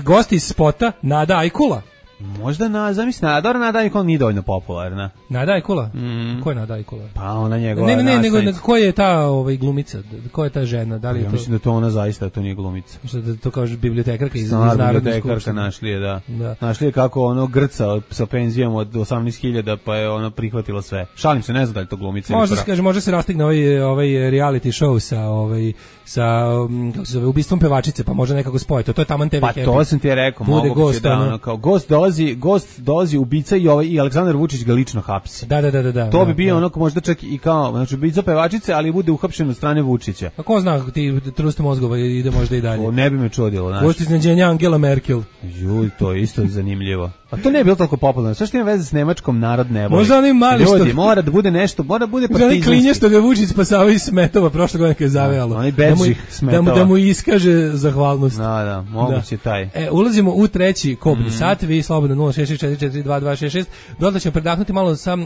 [SPEAKER 9] gosti iz spota, Nada Ajkula.
[SPEAKER 8] Možda zamisli, dobro, Nada Ajkula nije dovoljno popularna.
[SPEAKER 9] Nada Ajkula? Ko je Nada Ajkula?
[SPEAKER 8] Pa ona njegova
[SPEAKER 9] Ne, nego ko je ta glumica? Ko je ta žena? Da li je
[SPEAKER 8] ja mislim da to ona zaista, to nije glumica.
[SPEAKER 9] Što da to kaže bibliotekarka iz Narodne
[SPEAKER 8] bibliotekarka našli je, da. Našli je kako ono grca sa penzijom od 18.000, pa je ona prihvatila sve. Šalim se, ne znam da li to glumica.
[SPEAKER 9] Može se rastigne ovaj reality show sa kako se zove, ubistvom pevačice, pa može nekako spojiti. To je taman TV Happy.
[SPEAKER 8] Pa to sam ti je rekao,
[SPEAKER 9] bude gost,
[SPEAKER 8] da, ono, kao gost dolazi ubica i Aleksandar Vučić ga lično hapsi.
[SPEAKER 9] Da.
[SPEAKER 8] To bi bio ono možda čak i kao, znači ubica pevačice, ali bude uhapšen od strane Vučića.
[SPEAKER 9] A ko zna, ti trust mozgova ide možda i dalje.
[SPEAKER 8] O, ne bi me čudilo, znači.
[SPEAKER 9] Gost iznenađenja Angela Merkel.
[SPEAKER 8] Juj, to je isto zanimljivo. A to ne je bilo toliko popularno. Sve što ima veze s Nemačkom narod ne voli.
[SPEAKER 9] Možda oni mali što...
[SPEAKER 8] Ljudi, mora da bude nešto, mora da bude partizanski.
[SPEAKER 9] Možda oni klinje što ga Vučić spasao iz Smetova prošle godine kad je zavejalo.
[SPEAKER 8] Oni bežih Smetova.
[SPEAKER 9] Da mu iskaže zahvalnost.
[SPEAKER 8] Da, moguće taj.
[SPEAKER 9] Ulazimo u treći kobni sat, vi slobodno 066442266. Dodatno ćemo predahnuti malo sa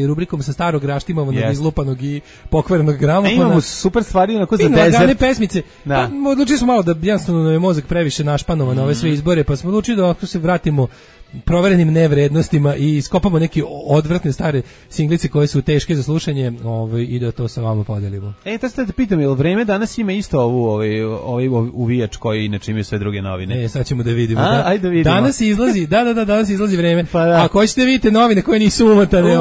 [SPEAKER 9] rubrikom sa starog raštimovanog, izlupanog i pokvarenog gramofona.
[SPEAKER 8] Imamo super stvari onako za desert.
[SPEAKER 9] Lagane pesmice. Pa, odlučili smo malo da jednostavno je mozak previše našpanovan na ove sve izbore, pa smo odlučili da ako se vratimo proverenim nevrednostima i skopamo neke odvratne stare singlice koje su teške za slušanje, i da to sa vama podelimo.
[SPEAKER 8] To ste da pitam, je li vreme danas ima isto ovaj uvijač koji inače imaju sve druge novine?
[SPEAKER 9] Sad ćemo da vidimo.
[SPEAKER 8] Ajde da vidimo.
[SPEAKER 9] Danas izlazi, danas izlazi vreme.
[SPEAKER 8] Pa da.
[SPEAKER 9] Ako hoćete vidite novine koje nisu umotane,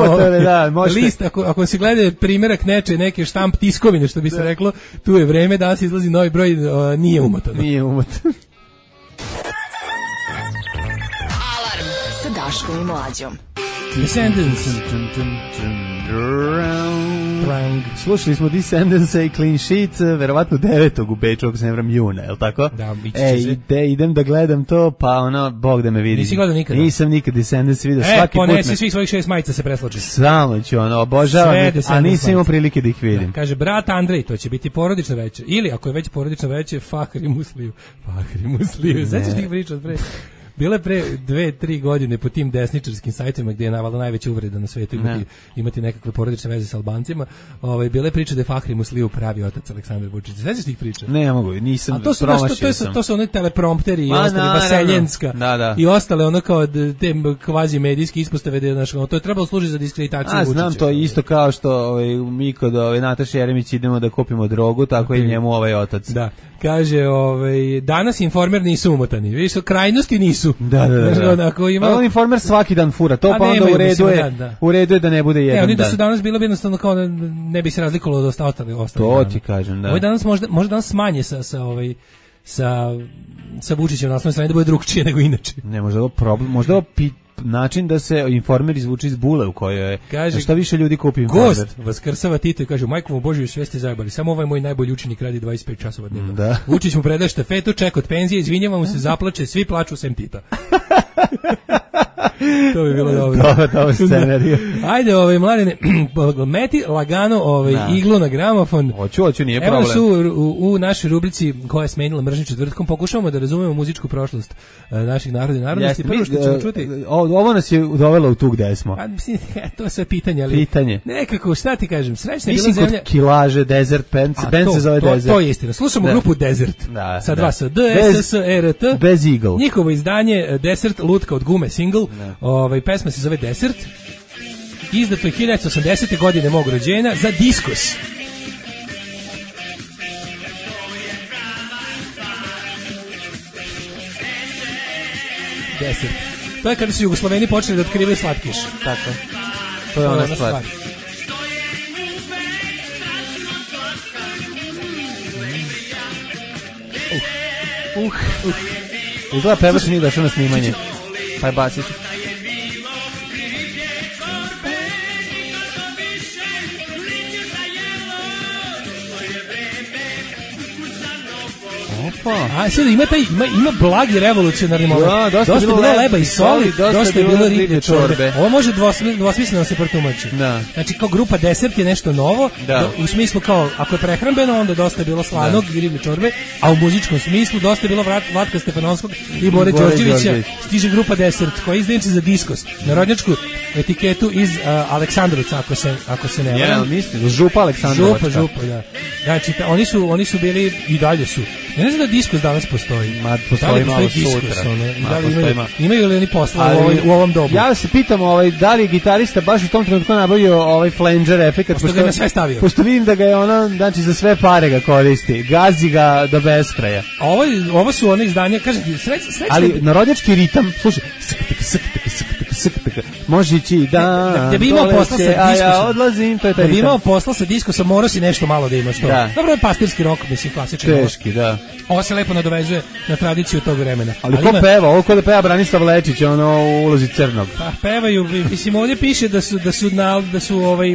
[SPEAKER 8] da, možete.
[SPEAKER 9] List, ako se gleda primjerak neke štamp tiskovine, što bi se reklo, tu je vreme, danas izlazi novi broj, nije umotano.
[SPEAKER 8] Nije umotano.
[SPEAKER 7] Daškom i Mlađom.
[SPEAKER 9] Descendants.
[SPEAKER 8] Slušali smo Descendants i Clean Sheet, verovatno 9. u Beču, ako se ne vram juna, je li tako?
[SPEAKER 9] Da, biće se.
[SPEAKER 8] Idem da gledam to, pa Bog da me vidi.
[SPEAKER 9] Nisi gledao nikada?
[SPEAKER 8] Nisam nikad Descendants vidio, svaki put.
[SPEAKER 9] Ponesi svih svojih 6 majica se presloči.
[SPEAKER 8] Samo ću, obožavam, a nisam imao prilike da ih vidim.
[SPEAKER 9] Kaže, brat Andrej, to će biti porodično veće. Ili, ako je već porodično veće, Fahri Musliju. Sećaš tih priča od pre? Bile pre 2-3 godine po tim desničarskim sajtovima gdje je navalno najveća uvreda na svetu imati nekakve porodične veze s Albancima, bile priče da je Fahri Musliju pravi otac Aleksandar Vučić. Sećaš tih priča?
[SPEAKER 8] Ne mogu, nisam.
[SPEAKER 9] To su one teleprompteri i ostali Vaseljenska i ostale ono kao te kvazi medijske ispostave to je trebalo služiti za diskreditaciju Vučića.
[SPEAKER 8] Znam, to je isto kao što mi kod Nataše Jeremić idemo da kupimo drogu, tako i njemu ovaj otac.
[SPEAKER 9] Da. Kaže, danas Informer nisu umotani. Vidiš, krajnosti nisu.
[SPEAKER 8] Da. Ali Informer svaki dan fura, to pa onda u redu je da ne bude jedan dan.
[SPEAKER 9] Oni da su danas bilo bi jednostavno kao ne bi se razlikovalo od ostalih.
[SPEAKER 8] To ti kažem, da.
[SPEAKER 9] Ovo danas možda danas smanje sa Vučićem na osnovnoj strani da bude drugčije nego inače.
[SPEAKER 8] Ne, možda ovo problem, možda ovo način da se Informer izvuče iz bule u kojoj je.
[SPEAKER 9] Kaže,
[SPEAKER 8] šta više ljudi kupi Informer.
[SPEAKER 9] Gost vaskrsava Tito i kaže, majko mu Božju, sve ste zajebali, samo ovaj moj najbolji učenik radi 25 časova dnevno.
[SPEAKER 8] Da.
[SPEAKER 9] Vučić mu predaje štafetu, ček od penzije, izvinjava mu se, zaplače, svi plaču sem Tita. To bi bilo dobro.
[SPEAKER 8] Dobar scenarij.
[SPEAKER 9] Ajde, mladine, meti lagano iglu na gramofon.
[SPEAKER 8] Hoću, nije problem.
[SPEAKER 9] Evo su u našoj rubrici koja je smenila mržnju četvrtkom, pokušavamo da razumemo muzičku prošlost naših naroda i narodnosti. Prvo što ćemo čuti...
[SPEAKER 8] Ovo nas je dovelo u tu gde smo.
[SPEAKER 9] Mislim, to je sve pitanje, ali...
[SPEAKER 8] Pitanje.
[SPEAKER 9] Nekako, šta ti kažem, srećna je bila zemlja...
[SPEAKER 8] Mislim, kod Kilaže, Desert, band se zove Desert.
[SPEAKER 9] To je istina. Slušamo grupu Desert. Sa dva S, D-S-S-E-R-T.
[SPEAKER 8] Bez Eagle.
[SPEAKER 9] Njihovo izdanje Desert, lutka od gume, single. Pesma se zove Desert. Izdato je 1980. godine mog rođenja za Diskus. Desert. To je kada su Jugosloveni počeli da otkrivaju slatkiš.
[SPEAKER 8] Tako. To je ona stvar. Izgleda pevač nije došao na snimanje. Pa je basiš.
[SPEAKER 9] A sad ima blagi revolucionarni moment.
[SPEAKER 8] Ja, dosta je bilo
[SPEAKER 9] leba i soli, dosta je bilo riblje čorbe. Ovo može dvosmisleno se protumači. Znači kao grupa Desert je nešto novo, u smislu kao ako je prehrambeno onda dosta je bilo slanog i riblje čorbe, a u muzičkom smislu dosta je bilo Vlatka Stefanovskog i Bore Đorđevića. Stiže grupa Desert koja izdaje za Diskos, narodnjačku etiketu iz Aleksandrovca ako se ne varam.
[SPEAKER 8] Mislim, Župa Aleksandrovačka.
[SPEAKER 9] Župa, da. Znači oni su bili i dalje su Ja ne znam da diskus danas postoji.
[SPEAKER 8] Ma, postoji malo sutra.
[SPEAKER 9] Da li imaju li oni posla u ovom dobu?
[SPEAKER 8] Ja se pitam da li je gitarista baš u tom trenutku nabavio flanger efekat,
[SPEAKER 9] pošto ga je na sve stavio.
[SPEAKER 8] Pošto vidim da ga je znači za sve pare ga koristi. Gazi ga do beskraja.
[SPEAKER 9] A ovo su one izdanja, kažem ti, srećno.
[SPEAKER 8] Ali narodnjački ritam, slušaj, može ići
[SPEAKER 9] da bi imao posla sa
[SPEAKER 8] diskusom, ja odlazim, to je taj ritam.
[SPEAKER 9] Da bi imao posla sa diskusom, morao si nešto malo da imaš to.
[SPEAKER 8] Da.
[SPEAKER 9] Dobro je pastirski rok, mislim, klasičan.
[SPEAKER 8] Teški, da.
[SPEAKER 9] Ovo se lepo nadovezuje na tradiciju tog vremena.
[SPEAKER 8] Ali ko peva? Ovo ko da peva Branislav Lečić, u ulozi Crnog.
[SPEAKER 9] Pa pevaju, mislim, ovdje piše da su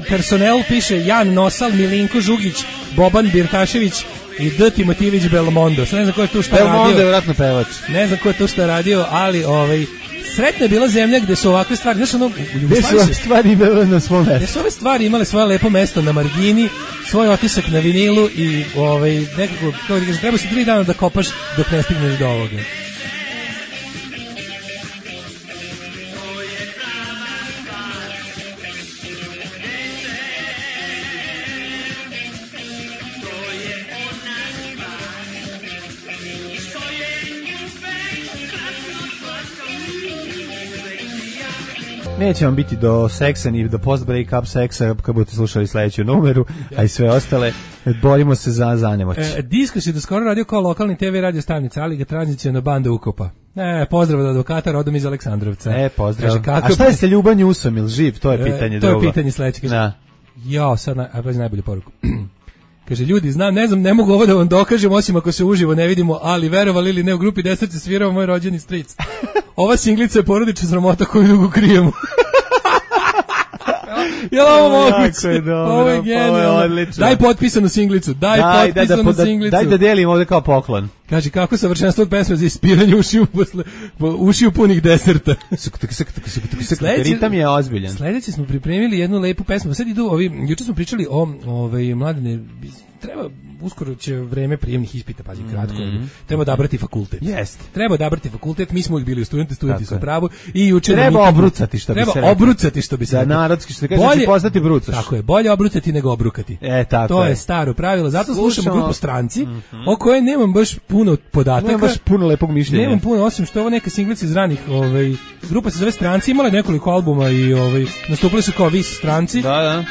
[SPEAKER 9] personel piše Jan Nosal, Milinko Žugić, Boban Birtašević i D. Timotijević Belmondo. Sad ne znam ko je tu šta radio.
[SPEAKER 8] Belmondo je vjerojatno pevač.
[SPEAKER 9] Ne znam ko je tu šta radio, ali sretna je bila zemlja gde su ovakve stvari, znaš
[SPEAKER 8] gde su ove stvari imale na svom mestu.
[SPEAKER 9] Gde su ove stvari imale svoje lepo mesto na margini, svoj otisak na vinilu i nekako, kao da kažem, treba se 3 dana da kopaš dok ne stigneš do ovoga.
[SPEAKER 8] Neće vam biti do seksa ni do post-break-up seksa kad budete slušali sledeću numeru, a i sve ostale. Borimo se za nemoć.
[SPEAKER 9] Diskus je do skoro radio kao lokalni TV radio stanica, ali ga tranziciona banda ukopa. Pozdrav od advokata rodom iz Aleksandrovca.
[SPEAKER 8] Pozdrav. Kaže, a šta je sa Ljuban Njusom, ili živ? To je pitanje drugo.
[SPEAKER 9] To je pitanje sledeće. Sad najbolju poruku. Kaže, ljudi, ne mogu ovo da vam dokažem, osim ako se uživo ne vidimo, ali verovali ili ne, u grupi Deserce svirao moj rođeni stric. Ova singlica je porodična sramota koju dugo krijemo. Jel ovo moguće? Ovo je genijalno. Daj potpisanu singlicu. Daj
[SPEAKER 8] da delim ovdje kao poklon.
[SPEAKER 9] Kaže, kako savršenstvo od pesme za ispiranje ušiju punih deserta.
[SPEAKER 8] Ritam je ozbiljan.
[SPEAKER 9] Sledeće smo pripremili jednu lepu pesmu. Sad idu juče smo pričali o Mladene, treba uskoro će vreme prijemnih ispita, pazi, kratko. Treba odabrati fakultet.
[SPEAKER 8] Jeste.
[SPEAKER 9] Treba odabrati fakultet, mi smo uvijek bili studenti su u pravu i juče
[SPEAKER 8] treba obrucati, što bi se reklo.
[SPEAKER 9] Treba obrucati, što bi se reklo.
[SPEAKER 8] Da, narodski, što kaže, će postati brucaš.
[SPEAKER 9] Tako je, bolje obrucati nego obrukati. To je staro pravilo, zato slušamo grupu Stranci, o kojoj nemam baš puno podataka.
[SPEAKER 8] Nemam baš puno lepog mišljenja.
[SPEAKER 9] Nemam puno, osim što je ovo neka singlica iz ranih, grupa se zove Stranci, imala nekoliko albuma i nastupili su kao Vis Stranci.
[SPEAKER 8] Da.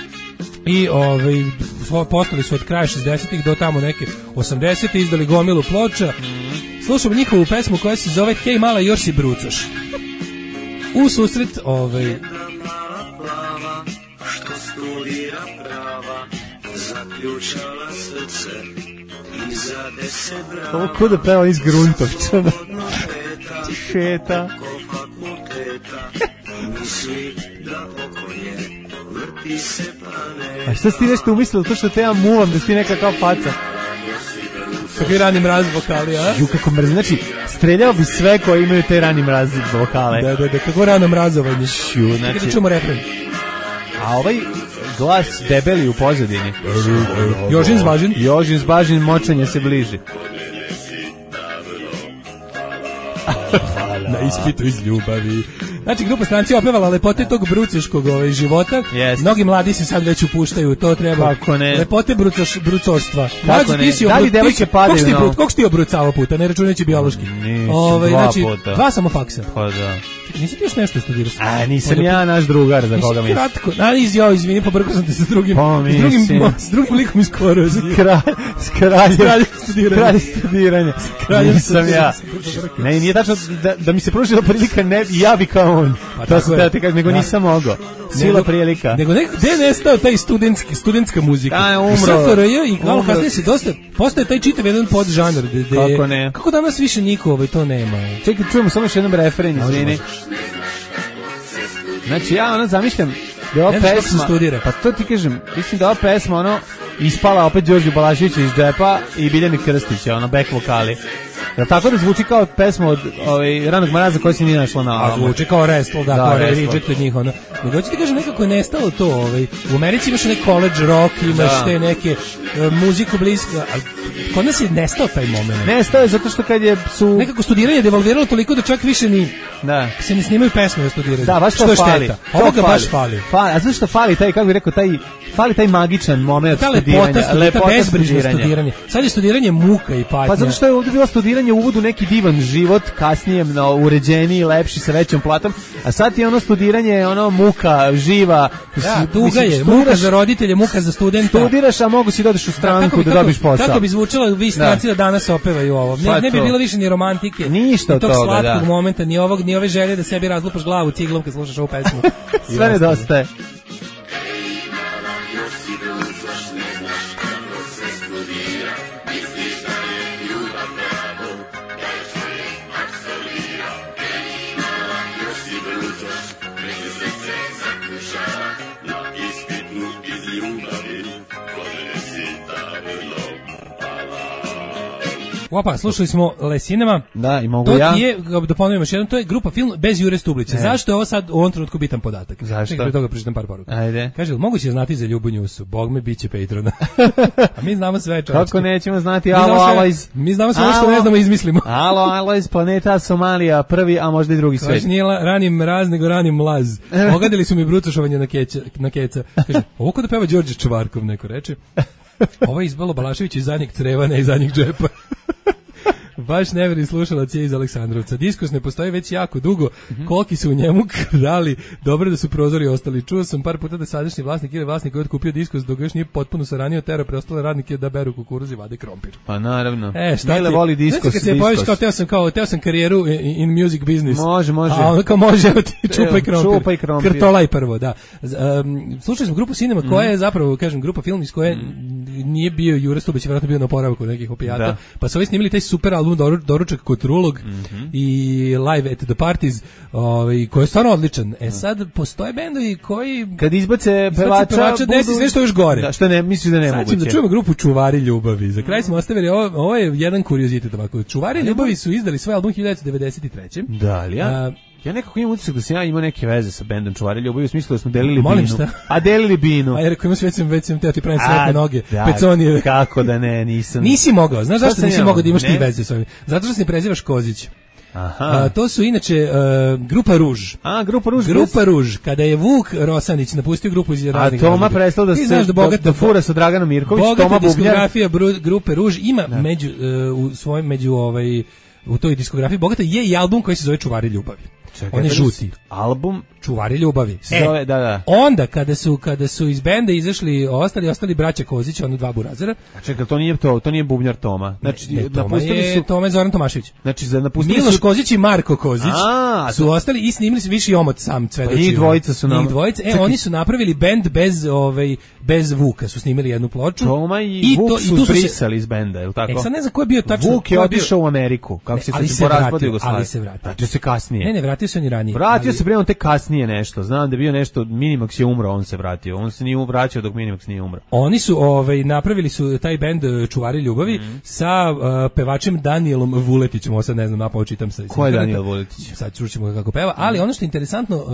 [SPEAKER 9] I postali su od kraja 60-ih do tamo neke 80-te, izdali gomilu ploča. Slušamo njihovu pesmu koja se zove Hej mala, još si brucoš. U susret
[SPEAKER 10] što studira prava, zaključala srce i za 10 brava.
[SPEAKER 8] Ovo ko da peva iz Gruntovčana. Šeta.
[SPEAKER 10] Misli da pokolje vrti se pane.
[SPEAKER 8] A šta si ti nešto umislila, to što te ja muvam, da si ti neka kao faca?
[SPEAKER 9] Kako je Rani Mraz vokali, a?
[SPEAKER 8] Kako mrzim, znači, streljao bi sve koji imaju te Rani Mraz vokale.
[SPEAKER 9] Da, kako Rano Mrazovanje.
[SPEAKER 8] Znači,
[SPEAKER 9] da čujemo refren.
[SPEAKER 8] A ovaj glas debeli u pozadini.
[SPEAKER 9] Jožin
[SPEAKER 8] Zbažin, močanje se bliži.
[SPEAKER 9] Na ispitu iz ljubavi. Znači, grupa Stranci opevala lepote tog bruceškog života. Mnogi mladi se sad već upuštaju, to treba.
[SPEAKER 8] Kako ne?
[SPEAKER 9] Lepote brucoštva.
[SPEAKER 8] Kako ne? Da li devojke padaju?
[SPEAKER 9] Koliko si ti obrucavao puta, ne računajući biološki?
[SPEAKER 8] Nisam, 2 puta.
[SPEAKER 9] 2 samofaksa.
[SPEAKER 8] Pa da.
[SPEAKER 9] Nisi ti još nešto studirao?
[SPEAKER 8] Nisam ja naš drugar za koga misliš.
[SPEAKER 9] Kratko. Izvini, pobrkao sam te sa drugim likom iz Korozi.
[SPEAKER 8] S kraljem studiranja. Nisam ja. Ne, nije tačno da mi se pružila prilika, ne, ja bi kao on. To sam te kažem, nego nisam mogao. Sila prilika.
[SPEAKER 9] Nego gde je nestao taj studentska muzika?
[SPEAKER 8] Umro.
[SPEAKER 9] SFRJ i malo kasnije se dosta, postoje taj čitav jedan podžanr.
[SPEAKER 8] Kako ne?
[SPEAKER 9] Kako danas više niko to nema?
[SPEAKER 8] Čekaj, čujemo samo još jedan refren, izvini. Znači ja zamišljam da ova pesma, pa to ti kažem, mislim da ova pesma ispala opet Đorđu Balaševića iz džepa i Biljani Krstića, back vokali. Jel tako da zvuči kao pesma od Ranog Mraza koja se nije našla na albumu?
[SPEAKER 9] A zvuči kao Restle, kao reject od njih. Nego hoću ti kažem, nekako je nestalo to. U Americi imaš neki college rock, imaš te neke muziku blisku. Kod nas je nestao taj moment.
[SPEAKER 8] Nestao je zato što kad su...
[SPEAKER 9] Nekako studiranje devalviralo toliko da čak više ni...
[SPEAKER 8] Da.
[SPEAKER 9] Se ne snimaju pesme o studiranju.
[SPEAKER 8] Da, baš to
[SPEAKER 9] što
[SPEAKER 8] fali.
[SPEAKER 9] Šteta. Ovoga baš fali.
[SPEAKER 8] A zašto fali taj, kako bih rekao, fali taj magičan moment studiranja.
[SPEAKER 9] Ta bezbrižno studiranje. Sad je studiranje muka i patnja.
[SPEAKER 8] Pa zato što je ovdje bilo studiranje u uvodu neki divan život, kasnije uređeniji, lepši, sa većom platom, a sad je ono studiranje, ono muka, živa.
[SPEAKER 9] Da, tuga je, muka za roditelje, muka za studenta.
[SPEAKER 8] Studiraš, a mogu si dođeš u stranku da dobiš posao.
[SPEAKER 9] Kako bi zvučalo, vi stranci da danas opevaju ovo. Ne bi bilo više ni romantike,
[SPEAKER 8] ništa od
[SPEAKER 9] toga,
[SPEAKER 8] tog
[SPEAKER 9] slatkog momenta, ni ove želje da sebi razlupaš glavu ciglom kad slušaš ovu pesmu.
[SPEAKER 8] Sve nedostaje.
[SPEAKER 9] Opa, slušali smo Lesinema.
[SPEAKER 8] Da, i mogu
[SPEAKER 9] to
[SPEAKER 8] ja.
[SPEAKER 9] To je, da ponovim još jednom, to je grupa film bez Jure Stublića. Zašto je ovo sad u ovom trenutku bitan podatak?
[SPEAKER 8] Zašto?
[SPEAKER 9] Pre toga pročitam par poruka.
[SPEAKER 8] Ajde.
[SPEAKER 9] Kaže, moguće znati za Ljubu Njusu? Bog me biće Patrona. A mi znamo sve, čovječke.
[SPEAKER 8] Kako nećemo znati? Alo,
[SPEAKER 9] mi znamo sve što ne znamo izmislimo.
[SPEAKER 8] Alo, iz planeta Somalija, prvi, a možda i drugi svet.
[SPEAKER 9] Kaže, nije ranim mraz, nego ranim mlaz. Ogadili su mi brucošovanje na keca. Kaže, ovo kod da peva Đorđe Čvarkov, neko reče. Ovo je izbalo Balašević iz zadnjeg creva, ne iz zadnjeg džepa. Baš neverni slušalac je iz Aleksandrovca. Diskurs ne postoji već jako dugo. Koliki su u njemu krali. Dobro da su prozori ostali. Čuo sam par puta da sadašnji vlasnik ili vlasnik koji je otkupio Diskurs dok još nije potpuno saranio tera preostale radnike da beru kukuruz i vade krompir.
[SPEAKER 8] Pa naravno.
[SPEAKER 9] Šta
[SPEAKER 8] Mile voli Diskurs.
[SPEAKER 9] Kad se pojaviš teo sam karijeru in music business.
[SPEAKER 8] Može.
[SPEAKER 9] A onda kao može, evo ti čupaj krompir. Krtolaj prvo, da. Slušali smo grupu Cinema koja je zapravo, kažem, grupa film iz koje nije bio Jure Stubić, vjerojatno bio na oporavku nekih opijata. Pa su ovi snimili taj super album Doručak kod Trulog i Live at the Parties, koji je stvarno odličan. Sad postoje bendovi koji
[SPEAKER 8] kad izbace pevača
[SPEAKER 9] desi sve što još gore.
[SPEAKER 8] Da, što ne misliš da ne moguće.
[SPEAKER 9] Sad da čujemo grupu Čuvari ljubavi. Za kraj smo ostavili ovo je jedan kuriozitet ovako. Čuvari ljubavi su izdali svoj album 1993.
[SPEAKER 8] Da, ali ja nekako imam utisak da sam ja imao neke veze sa bendom Čuvari ljubavi, u smislu da smo delili
[SPEAKER 9] Molim
[SPEAKER 8] binu.
[SPEAKER 9] Šta?
[SPEAKER 8] A delili binu.
[SPEAKER 9] A ja rekao, već sam teo ti pravim sretne noge, peconije.
[SPEAKER 8] Kako da ne, nisam.
[SPEAKER 9] Nisi mogao, znaš zašto nisi mogao da imaš ti veze s ovim? Zato što se ne prezivaš Kozić.
[SPEAKER 8] Aha.
[SPEAKER 9] To su inače Grupa Ruž. Grupa Ruž, kada je Vuk Rosanić napustio grupu iz raznih
[SPEAKER 8] razloga. A Toma prestao da fura sa Draganom Mirković, Toma Bubnjar.
[SPEAKER 9] Diskografija Grupe Ruž ima u toj diskografiji bogata je i album koji se zove Čuvari ljubavi. On je žuti.
[SPEAKER 8] Album
[SPEAKER 9] Čuvari ljubavi.
[SPEAKER 8] Zove, da.
[SPEAKER 9] Onda kada su iz benda izašli ostali braća Kozić, ono dva burazera.
[SPEAKER 8] A čekaj, to nije Bubnjar Toma. Znači
[SPEAKER 9] Toma je Zoran Tomašević.
[SPEAKER 8] Znači napustili
[SPEAKER 9] Miloš Kozić i Marko Kozić su ostali i snimili su Viši omot sam Cvedočić.
[SPEAKER 8] Njih dvojica su nam.
[SPEAKER 9] Oni su napravili bend bez Vuka, su snimili jednu ploču.
[SPEAKER 8] Toma i Vuk su brisali iz benda, je li tako?
[SPEAKER 9] Sad ne znam ko je bio tačno.
[SPEAKER 8] Vuk je otišao u Ameriku, kako se porazpadio Jugoslaviju.
[SPEAKER 9] Ali se vratio.
[SPEAKER 8] Vratio se kasnije.
[SPEAKER 9] Ne, vratio se on i ranije.
[SPEAKER 8] Vratio se prema te kasnije nešto. Znam da je bio nešto, Minimax je umro, on se vratio. On se nije vraćao dok Minimax nije umro.
[SPEAKER 9] Oni su napravili su taj bend Čuvari ljubavi sa pevačem Danielom Vuletićem. Ovo sad ne znam, napao čitam sa.
[SPEAKER 8] Ko je Daniel Vuletić?
[SPEAKER 9] Sad čućemo kako peva, ali ono što je interesantno,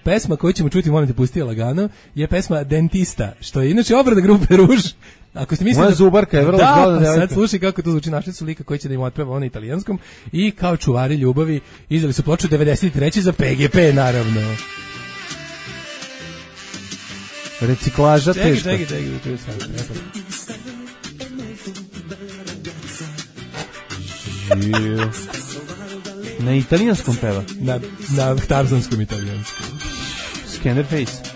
[SPEAKER 9] pesma koju ćemo čuti, molim te pusti lagano, je pesma Dentista, što je inače obrada grupe Ruž. Ako ste mislili
[SPEAKER 8] moja zubarka je vrlo zgodna.
[SPEAKER 9] Da, sad slušaj kako to zvuči. Našli su lika koji će da im otpeva na italijanskom i kao Čuvari ljubavi izdali su ploču 93. za PGP, naravno.
[SPEAKER 8] Reciklaža teško.
[SPEAKER 9] Čekaj.
[SPEAKER 8] Na italijanskom peva?
[SPEAKER 9] Na tarzanskom italijanskom.
[SPEAKER 8] Scanderface.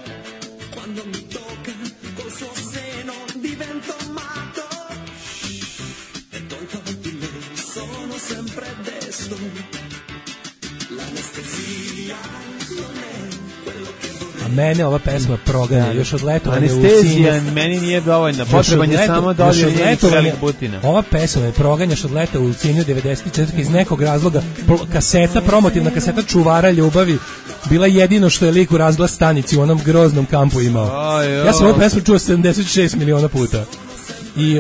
[SPEAKER 9] Mene ova pesma proganja još od letovanja u Sinju.
[SPEAKER 8] Anestezija meni nije dovoljna, potreban je samo dolje njenih butina.
[SPEAKER 9] Ova pesma je proganjaš od leta u Sinju 94. iz nekog razloga. Promotivna kaseta Čuvara ljubavi bila jedino što je lik u razglas stanici u onom groznom kampu imao. Ja sam ovu pesmu čuo 76 miliona puta. I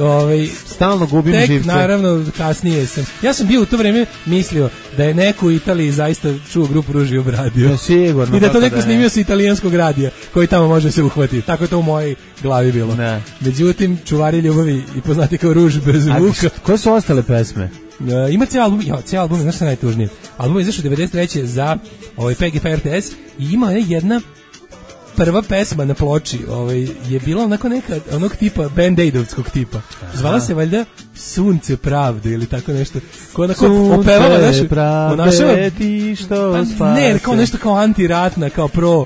[SPEAKER 8] stalno gubim živce.
[SPEAKER 9] Naravno, kasnije sam. Ja sam bio u to vreme mislio da je neko u Italiji zaista čuo grupu Ruži obradio.
[SPEAKER 8] Ja, sigurno.
[SPEAKER 9] I da to neko snimio sa italijanskog radija, koji tamo može se uhvatiti. Tako je to u mojej glavi bilo.
[SPEAKER 8] Ne.
[SPEAKER 9] Međutim, Čuvari ljubavi i poznati kao Ruž bez vuka.
[SPEAKER 8] Koje su ostale pesme?
[SPEAKER 9] Ima cijel album, znaš šta najtužnije? Album je izašao 93. za PGP RTS i ima jedna prva pesma na ploči je bila onako neka, onog tipa, Band-Aidovskog tipa. Zvala se valjda Sunce pravde ili tako nešto. Ko onako opevala našu...
[SPEAKER 8] Pravde ti što spase.
[SPEAKER 9] Ne, kao nešto kao antiratna, kao pro...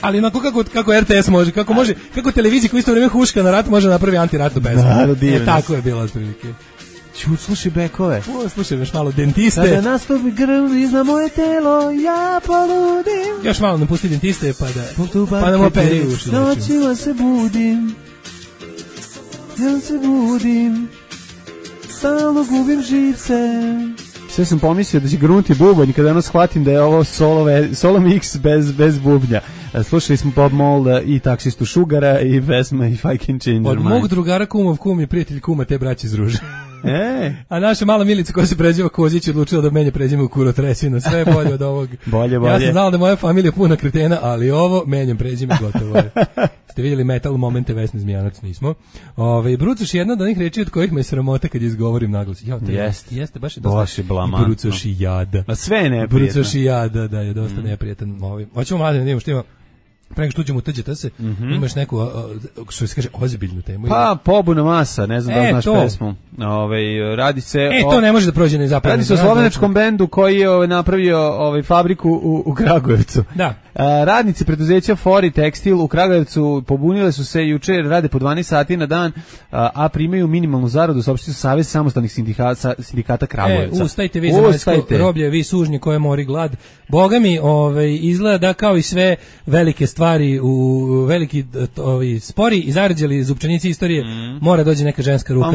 [SPEAKER 9] Ali onako kako RTS može, kako televizija koja isto vreme huška na rat može napravi antiratnu pesmu. Tako je bilo otprilike.
[SPEAKER 8] Slušaj bekove.
[SPEAKER 9] Slušaj još malo Dentiste.
[SPEAKER 8] Kada nastupi grli za moje telo, ja poludim.
[SPEAKER 9] Još malo nam pusti Dentiste pa nam operi uši.
[SPEAKER 8] Noćima se budim, stalno gubim živce. Sve sam pomislio da će grunti bubanj kada jedno shvatim da je ovo solo mix bez bubnja. Slušali smo Bob Molda i taksistu Šugara i pesma If I Can Change Your Mind.
[SPEAKER 9] Od mog drugara kumov kum je prijatelj kuma te braće iz Ruže. A naša mala Milica koja se preziva Kozić odlučila da menja prezime u Kurotresina. Sve je bolje od ovog.
[SPEAKER 8] Bolje.
[SPEAKER 9] Ja sam znala da je moja familija puna kretena, ali ovo menjam prezime, gotovo je. Ste vidjeli metal momente Vesne Zmijanac, nismo. Brucoš je jedna od onih reči od kojih me sramota kad izgovorim naglas. Jeste, baš je dosta. Brucoš i jada.
[SPEAKER 8] Ma sve je neprijetno.
[SPEAKER 9] Brucoš i jada, da je dosta neprijetan. Hoćemo mladen, vidimo što ima. Preko što ćemo utrđati se, imaš neku, što se kaže, ozbiljnu temu.
[SPEAKER 8] Pa, pobuna masa, ne znam da li znaš pesmu. Radi se
[SPEAKER 9] to ne može da prođe nezapaženo.
[SPEAKER 8] Radi se o slovenačkom bendu koji je napravio fabriku u Kragujevcu.
[SPEAKER 9] Da.
[SPEAKER 8] Radnici preduzeća Fori Tekstil u Kragujevcu pobunile su se juče, rade po 12 sati na dan, a primaju minimalnu zaradu, saopštio Savez samostalnih sindikata Kragujevca.
[SPEAKER 9] Ustajte vi zemaljsko roblje, vi sužnji koje mori glad. Boga mi, izgleda da kao i sve velike stvari u veliki spori i zarđali zupčanici istorije, mora dođe neka ženska ruka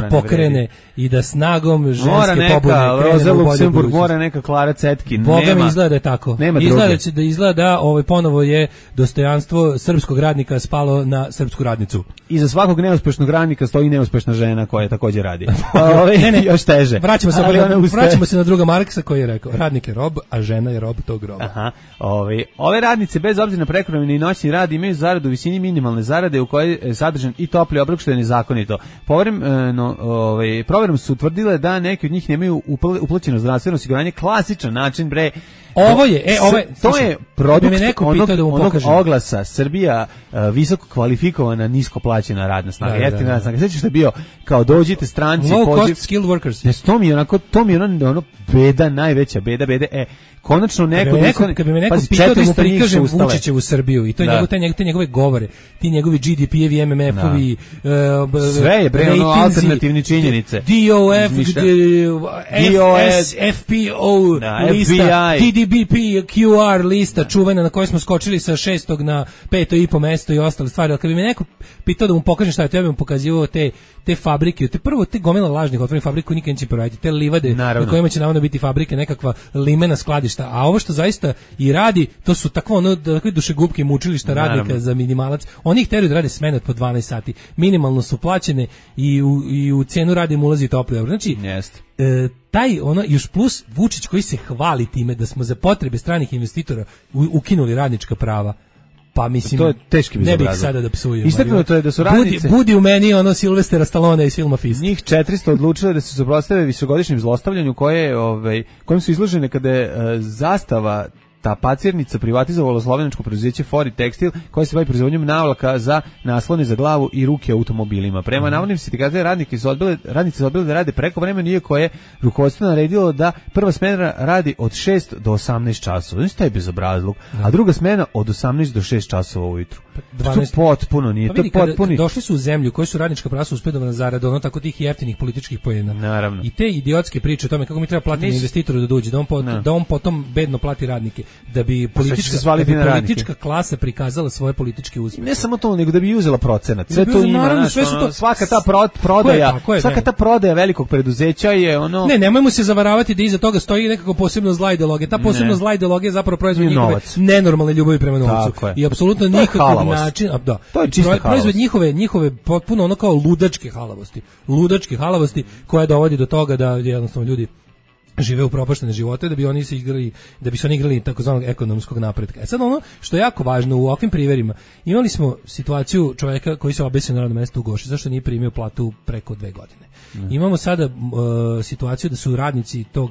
[SPEAKER 9] da pokrene i da snagom ženske pobune
[SPEAKER 8] Roza Luksemburg, mora neka Klara Cetkin.
[SPEAKER 9] Boga mi izgleda da je tako. Izgleda da ponovo je dostojanstvo srpskog radnika spalo na srpsku radnicu.
[SPEAKER 8] I za svakog neuspešnog radnika stoji neuspešna žena koja takođe radi. Ne, još teže.
[SPEAKER 9] Vraćamo se na druga Marksa koji je rekao, radnik je rob, a žena je rob tog roba.
[SPEAKER 8] Ove radnice bez obzira na prekovremeni i noćni rad imaju zaradu u visini minimalne zarade u kojoj je sadržan i topli obrok, što je nezakonito. Proverom su utvrdile da neki od njih nemaju uplaćeno zdravstveno osiguranje, klasičan način to je produkt onog oglasa Srbija visoko kvalifikovana, nisko plaćena radna snaga. Jeftina radna snaga. Sećaš što je bio kao dođite stranci,
[SPEAKER 9] low cost skilled workers.
[SPEAKER 8] To mi je ono beda, najveća beda. Konačno
[SPEAKER 9] kad bi me neko pitao da mu prikažem Vučićevu Srbiju i to je te njegove govore, ti njegovi GDP-evi, MMF-ovi,
[SPEAKER 8] sve je alternativni činjenice.
[SPEAKER 9] DOF, FPO lista, DDBP, QR lista, čuvena na kojoj smo skočili sa 6. na 5. mesto i ostale stvari. Ali kad bi me neko pitao da mu pokažem šta je to, ja bih mu pokazivao te fabrike, te gomila lažnih otvorenih fabrika koji nikad neće proraditi, te livade na kojima će navodno biti fabrike, nekakva limena skladišta, a ovo što zaista i radi, to su takve dušegupke mučilišta radnika za minimalac. Oni ih teraju da rade smene po 12 sati. Minimalno su plaćene i u cenu rada im ulazi topli obrok. Znači, još plus Vučić koji se hvali time da smo za potrebe stranih investitora ukinuli radnička prava. Pa mislim,
[SPEAKER 8] to je teški
[SPEAKER 9] ne bih sada da psujem.
[SPEAKER 8] Istaknuto je da su radnice...
[SPEAKER 9] Budi u meni Silvestera Stallone iz filma Fist.
[SPEAKER 8] Njih 400 odlučile da se suprotstave visogodišnjem zlostavljanju kojim su izložene kada je zastava ta pacirnica privatizovala slovenačko preduzeće Fori Tekstil koje se bavi proizvodnjom navlaka za naslone za glavu i ruke automobilima. Prema navodnim sindikatima radnici su odbili da rade prekovremeno, iako je rukovodstvo naredilo da prva smena radi od 6 do 18 časova. Znači, taj bezobrazluk. A druga smena od 18 do 6 časova ujutru. To potpuno nije.
[SPEAKER 9] Došli su u zemlju koji su radnička prava uspedovana zarada, tako tih jeftinih političkih poena.
[SPEAKER 8] Naravno.
[SPEAKER 9] I te idiotske priče o tome kako mi treba platiti investitoru da dođe, da on potom bedno plati radnike. da bi politička klasa prikazala svoje političke uspehe.
[SPEAKER 8] Ne samo to, nego da bi uzela procenat. Sve to ima, naravno, svaka ta prodaja, svaka ta prodaja velikog preduzeća je ono.
[SPEAKER 9] Nemojmo se zavaravati da iza toga stoji nekako posebno zla ideologija. Ta posebno zla ideologija je zapravo proizvod njihove nenormalne ljubavi prema novcu. I apsolutno nikakav način,
[SPEAKER 8] to je čista
[SPEAKER 9] proizvod njihove potpuno ono kao ludačke halavosti koja dovodi do toga da jednostavno ljudi žive u propaštene živote da bi oni igrali takozvanog ekonomskog napretka. Sad ono što je jako važno u ovakvim primerima, imali smo situaciju čovjeka koji se obesio na radnom mestu u Goši, zašto nije primio platu preko 2 godine. Imamo sada situaciju da su radnici tog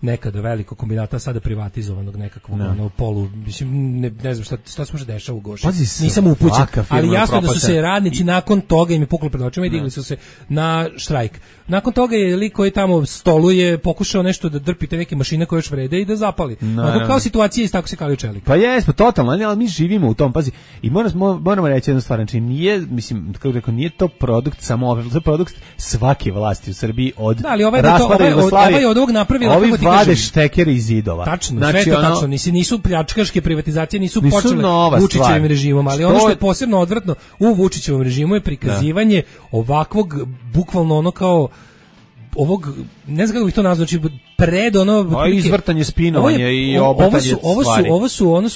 [SPEAKER 9] nekada velikog kombinata, sada privatizovanog nekakvog polu, mislim, ne znam šta se može dešava u Goši. Nisam upućen, ali jasno da su se radnici nakon toga im je puklo pred očima i digli su se na štrajk. Nakon toga je lik koji tamo stoluje pokušao nešto da drpi te neke mašine koje još vrede i da zapali. Kao situacija isto tako se kalio čelik.
[SPEAKER 8] Pa jesmo, totalno, ali mi živimo u tom, pazi, i moramo reći jednu stvar, znači nije to produkt samo, to je produkt svake vlasti u Srbiji od raspada Jugoslavije.
[SPEAKER 9] Od ovog napravila,
[SPEAKER 8] ovi vade štekere iz zidova.
[SPEAKER 9] Tačno, znači, sve to tačno, nisu pljačkaške privatizacije, nisu počele Vučićevim režimom, ali ono što je posebno odvratno u Vučićevom režimu je prikazivanje ovakvog, bukvalno ono kao ovog, ne znam kako bih to nazvao, znači pred ono
[SPEAKER 8] izvrtanje, spinovanje i obrtanje stvari.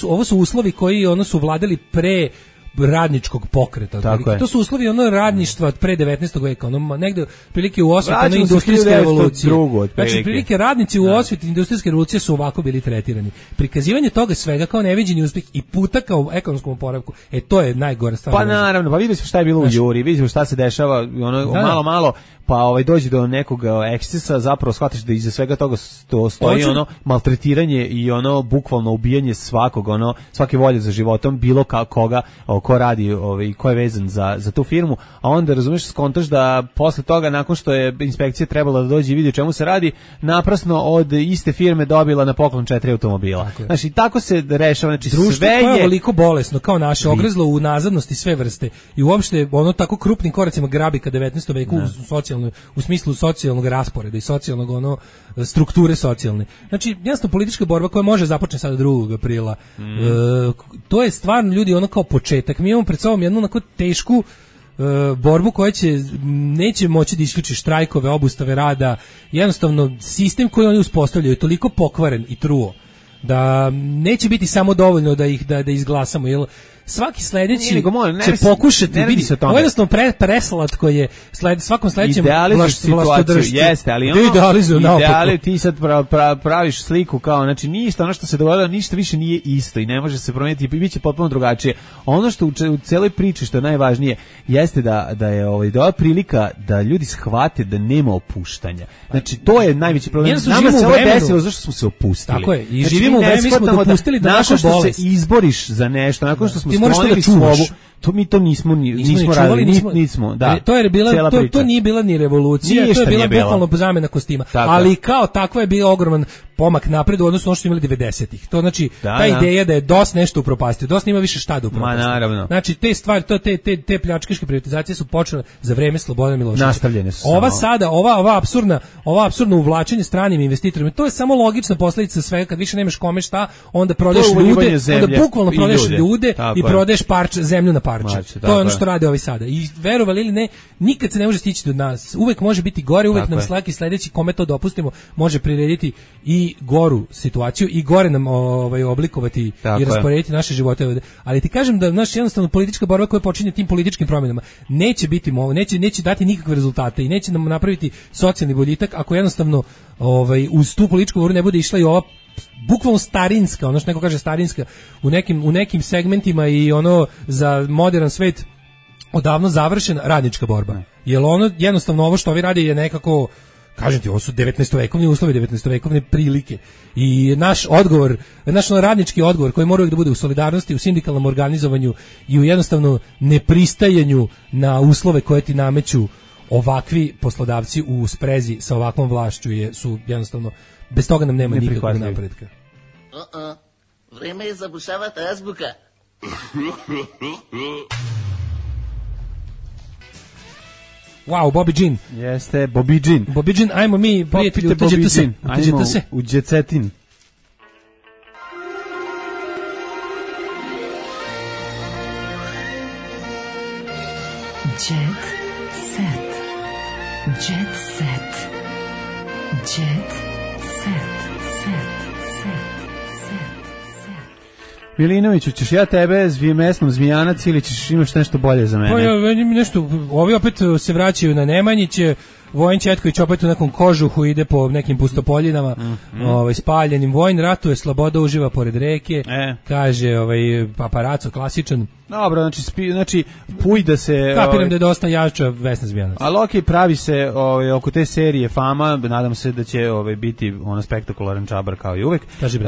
[SPEAKER 9] Ovo su uslovi koji su vladali pre radničkog pokreta. To su uslovi radništva od pre 19. veka, negde prilike u osveti industrijske revolucije. Znači prilike radnici u osveti industrijske revolucije su ovako bili tretirani. Prikazivanje toga svega kao neviđeni uspeh i puta kao ekonomskom oporavku, to je najgora stvar.
[SPEAKER 8] Pa naravno, pa vidimo šta je bilo u Juri, vidimo šta se dešava, malo pa dođe do nekog ekscesa, zapravo shvatiš da iza svega toga stoji maltretiranje i bukvalno ubijanje svakog, svake volje za životom, bilo koga ko radi, ko je vezan za tu firmu, a onda razumeš, skontaš da posle toga, nakon što je inspekcija trebala da dođe i vidi o čemu se radi, naprasno od iste firme dobila na poklon 4 automobila. Znači, tako se rešava, znači
[SPEAKER 9] društvo
[SPEAKER 8] sve je...
[SPEAKER 9] Društvo koje je veliko bolesno, kao naše, ogrezlo u nazadnosti sve vrste i uopšte tako krupnim koracima grabi ka 19. veku u smislu socijalnog rasporeda i socijalnog strukture socijalne. Znači, jasno, politička borba koja može započne sada 2. aprila. To je stvarno, ljudi, kao početak. Mi imamo pred sobom jednu onako tešku borbu koja neće moći da isključi štrajkove, obustave rada. Jednostavno, sistem koji oni uspostavljaju je toliko pokvaren i truo da neće biti samo dovoljno da izglasamo, jer svaki sledeći će pokušati vidjeti. Ovo je jednostavno preslatko je svakom sledećem vlastodržcu.
[SPEAKER 8] Jeste, ali ti sad praviš sliku kao, znači ništa, ono što se dogodilo, ništa više nije isto i ne može se promijeniti i bit će potpuno drugačije. Ono što u celoj priči, što je najvažnije, jeste da je ova prilika da ljudi shvate da nema opuštanja. Znači, to je najveći problem. Nama se ovo desilo zašto smo se opustili.
[SPEAKER 9] Tako je, i živimo u vremenu, mi smo dopustili da naša bolest.
[SPEAKER 8] Nakon što se izboriš za nešto, nakon što smo sklonili slobu, mi to nismo radili, nismo, da.
[SPEAKER 9] To nije bila ni revolucija, to je bila bukvalno zamena kostima. Ali kao takva je bio ogroman pomak napred u odnosu na ono što imali 90-ih. To znači, ta ideja da je DOS nešto upropastio. DOS nema više šta da upropastio.
[SPEAKER 8] Naravno.
[SPEAKER 9] Znači, te stvari, te pljačkaške privatizacije su počele za vreme Slobodana Miloševića.
[SPEAKER 8] Nastavljene su.
[SPEAKER 9] Ova apsurdno uvlačenje stranim investitorima, to je samo logična posledica svega. Kad više nemaš kome šta, onda prodaješ ljude, onda bukvalno prodaješ ljude i prodaješ zemlju na parče. To je ono što rade ovi sada. I verovali ili ne, nikad se ne može stići do nas. Uvek može biti gore, uvek nam svaki sledeći kome to dopustimo može prirediti i goru situaciju i gore nam oblikovati i rasporediti naše živote. Ali ti kažem da naša jednostavno politička borba koja počinje tim političkim promjenama neće biti neće dati nikakve rezultate i neće nam napraviti socijalni boljitak ako jednostavno uz tu političku borbu ne bude išla i ova bukvalno starinska, ono što neko kaže starinska, u nekim segmentima i za modern svet odavno završena radnička borba. Jer jednostavno ovo što ovi radi je nekako, kažem ti, ovo su 19-vekovni uslovi, 19-vekovne prilike. I naš radnički odgovor koji mora uvijek da bude u solidarnosti, u sindikalnom organizovanju i u jednostavno nepristajanju na uslove koje ti nameću ovakvi poslodavci u sprezi sa ovakvom vlašću su jednostavno, bez toga nam nema nikakvog napretka.
[SPEAKER 12] Vreme je zabušavati azbuka.
[SPEAKER 9] Wow, Bobby Jean.
[SPEAKER 8] Jeste, Bobby Jean.
[SPEAKER 9] Bobby Jean, ajmo mi, prijatelji, uđete se.
[SPEAKER 8] U džecetin.
[SPEAKER 13] Jet set. Jet set. Jet set.
[SPEAKER 8] Milinoviću, ćeš ja tebe mesnom Zmijanac ili ćeš imaš nešto bolje za mene?
[SPEAKER 9] Pa ja nešto, ovi opet se vraćaju na Nemanjiće, Vojin Četković opet u nekom kožuhu ide po nekim pustopoljinama, spaljenim. Vojin ratuje, sloboda uživa pored reke, kaže paparaco klasičan.
[SPEAKER 8] Dobro, znači puj da se...
[SPEAKER 9] Kapiram da je dosta jača Vesna Zmijanac.
[SPEAKER 8] Ali okej, pravi se oko te serije Fama, nadam se da će biti spektakularan čabar kao i uvek.
[SPEAKER 9] Kaži,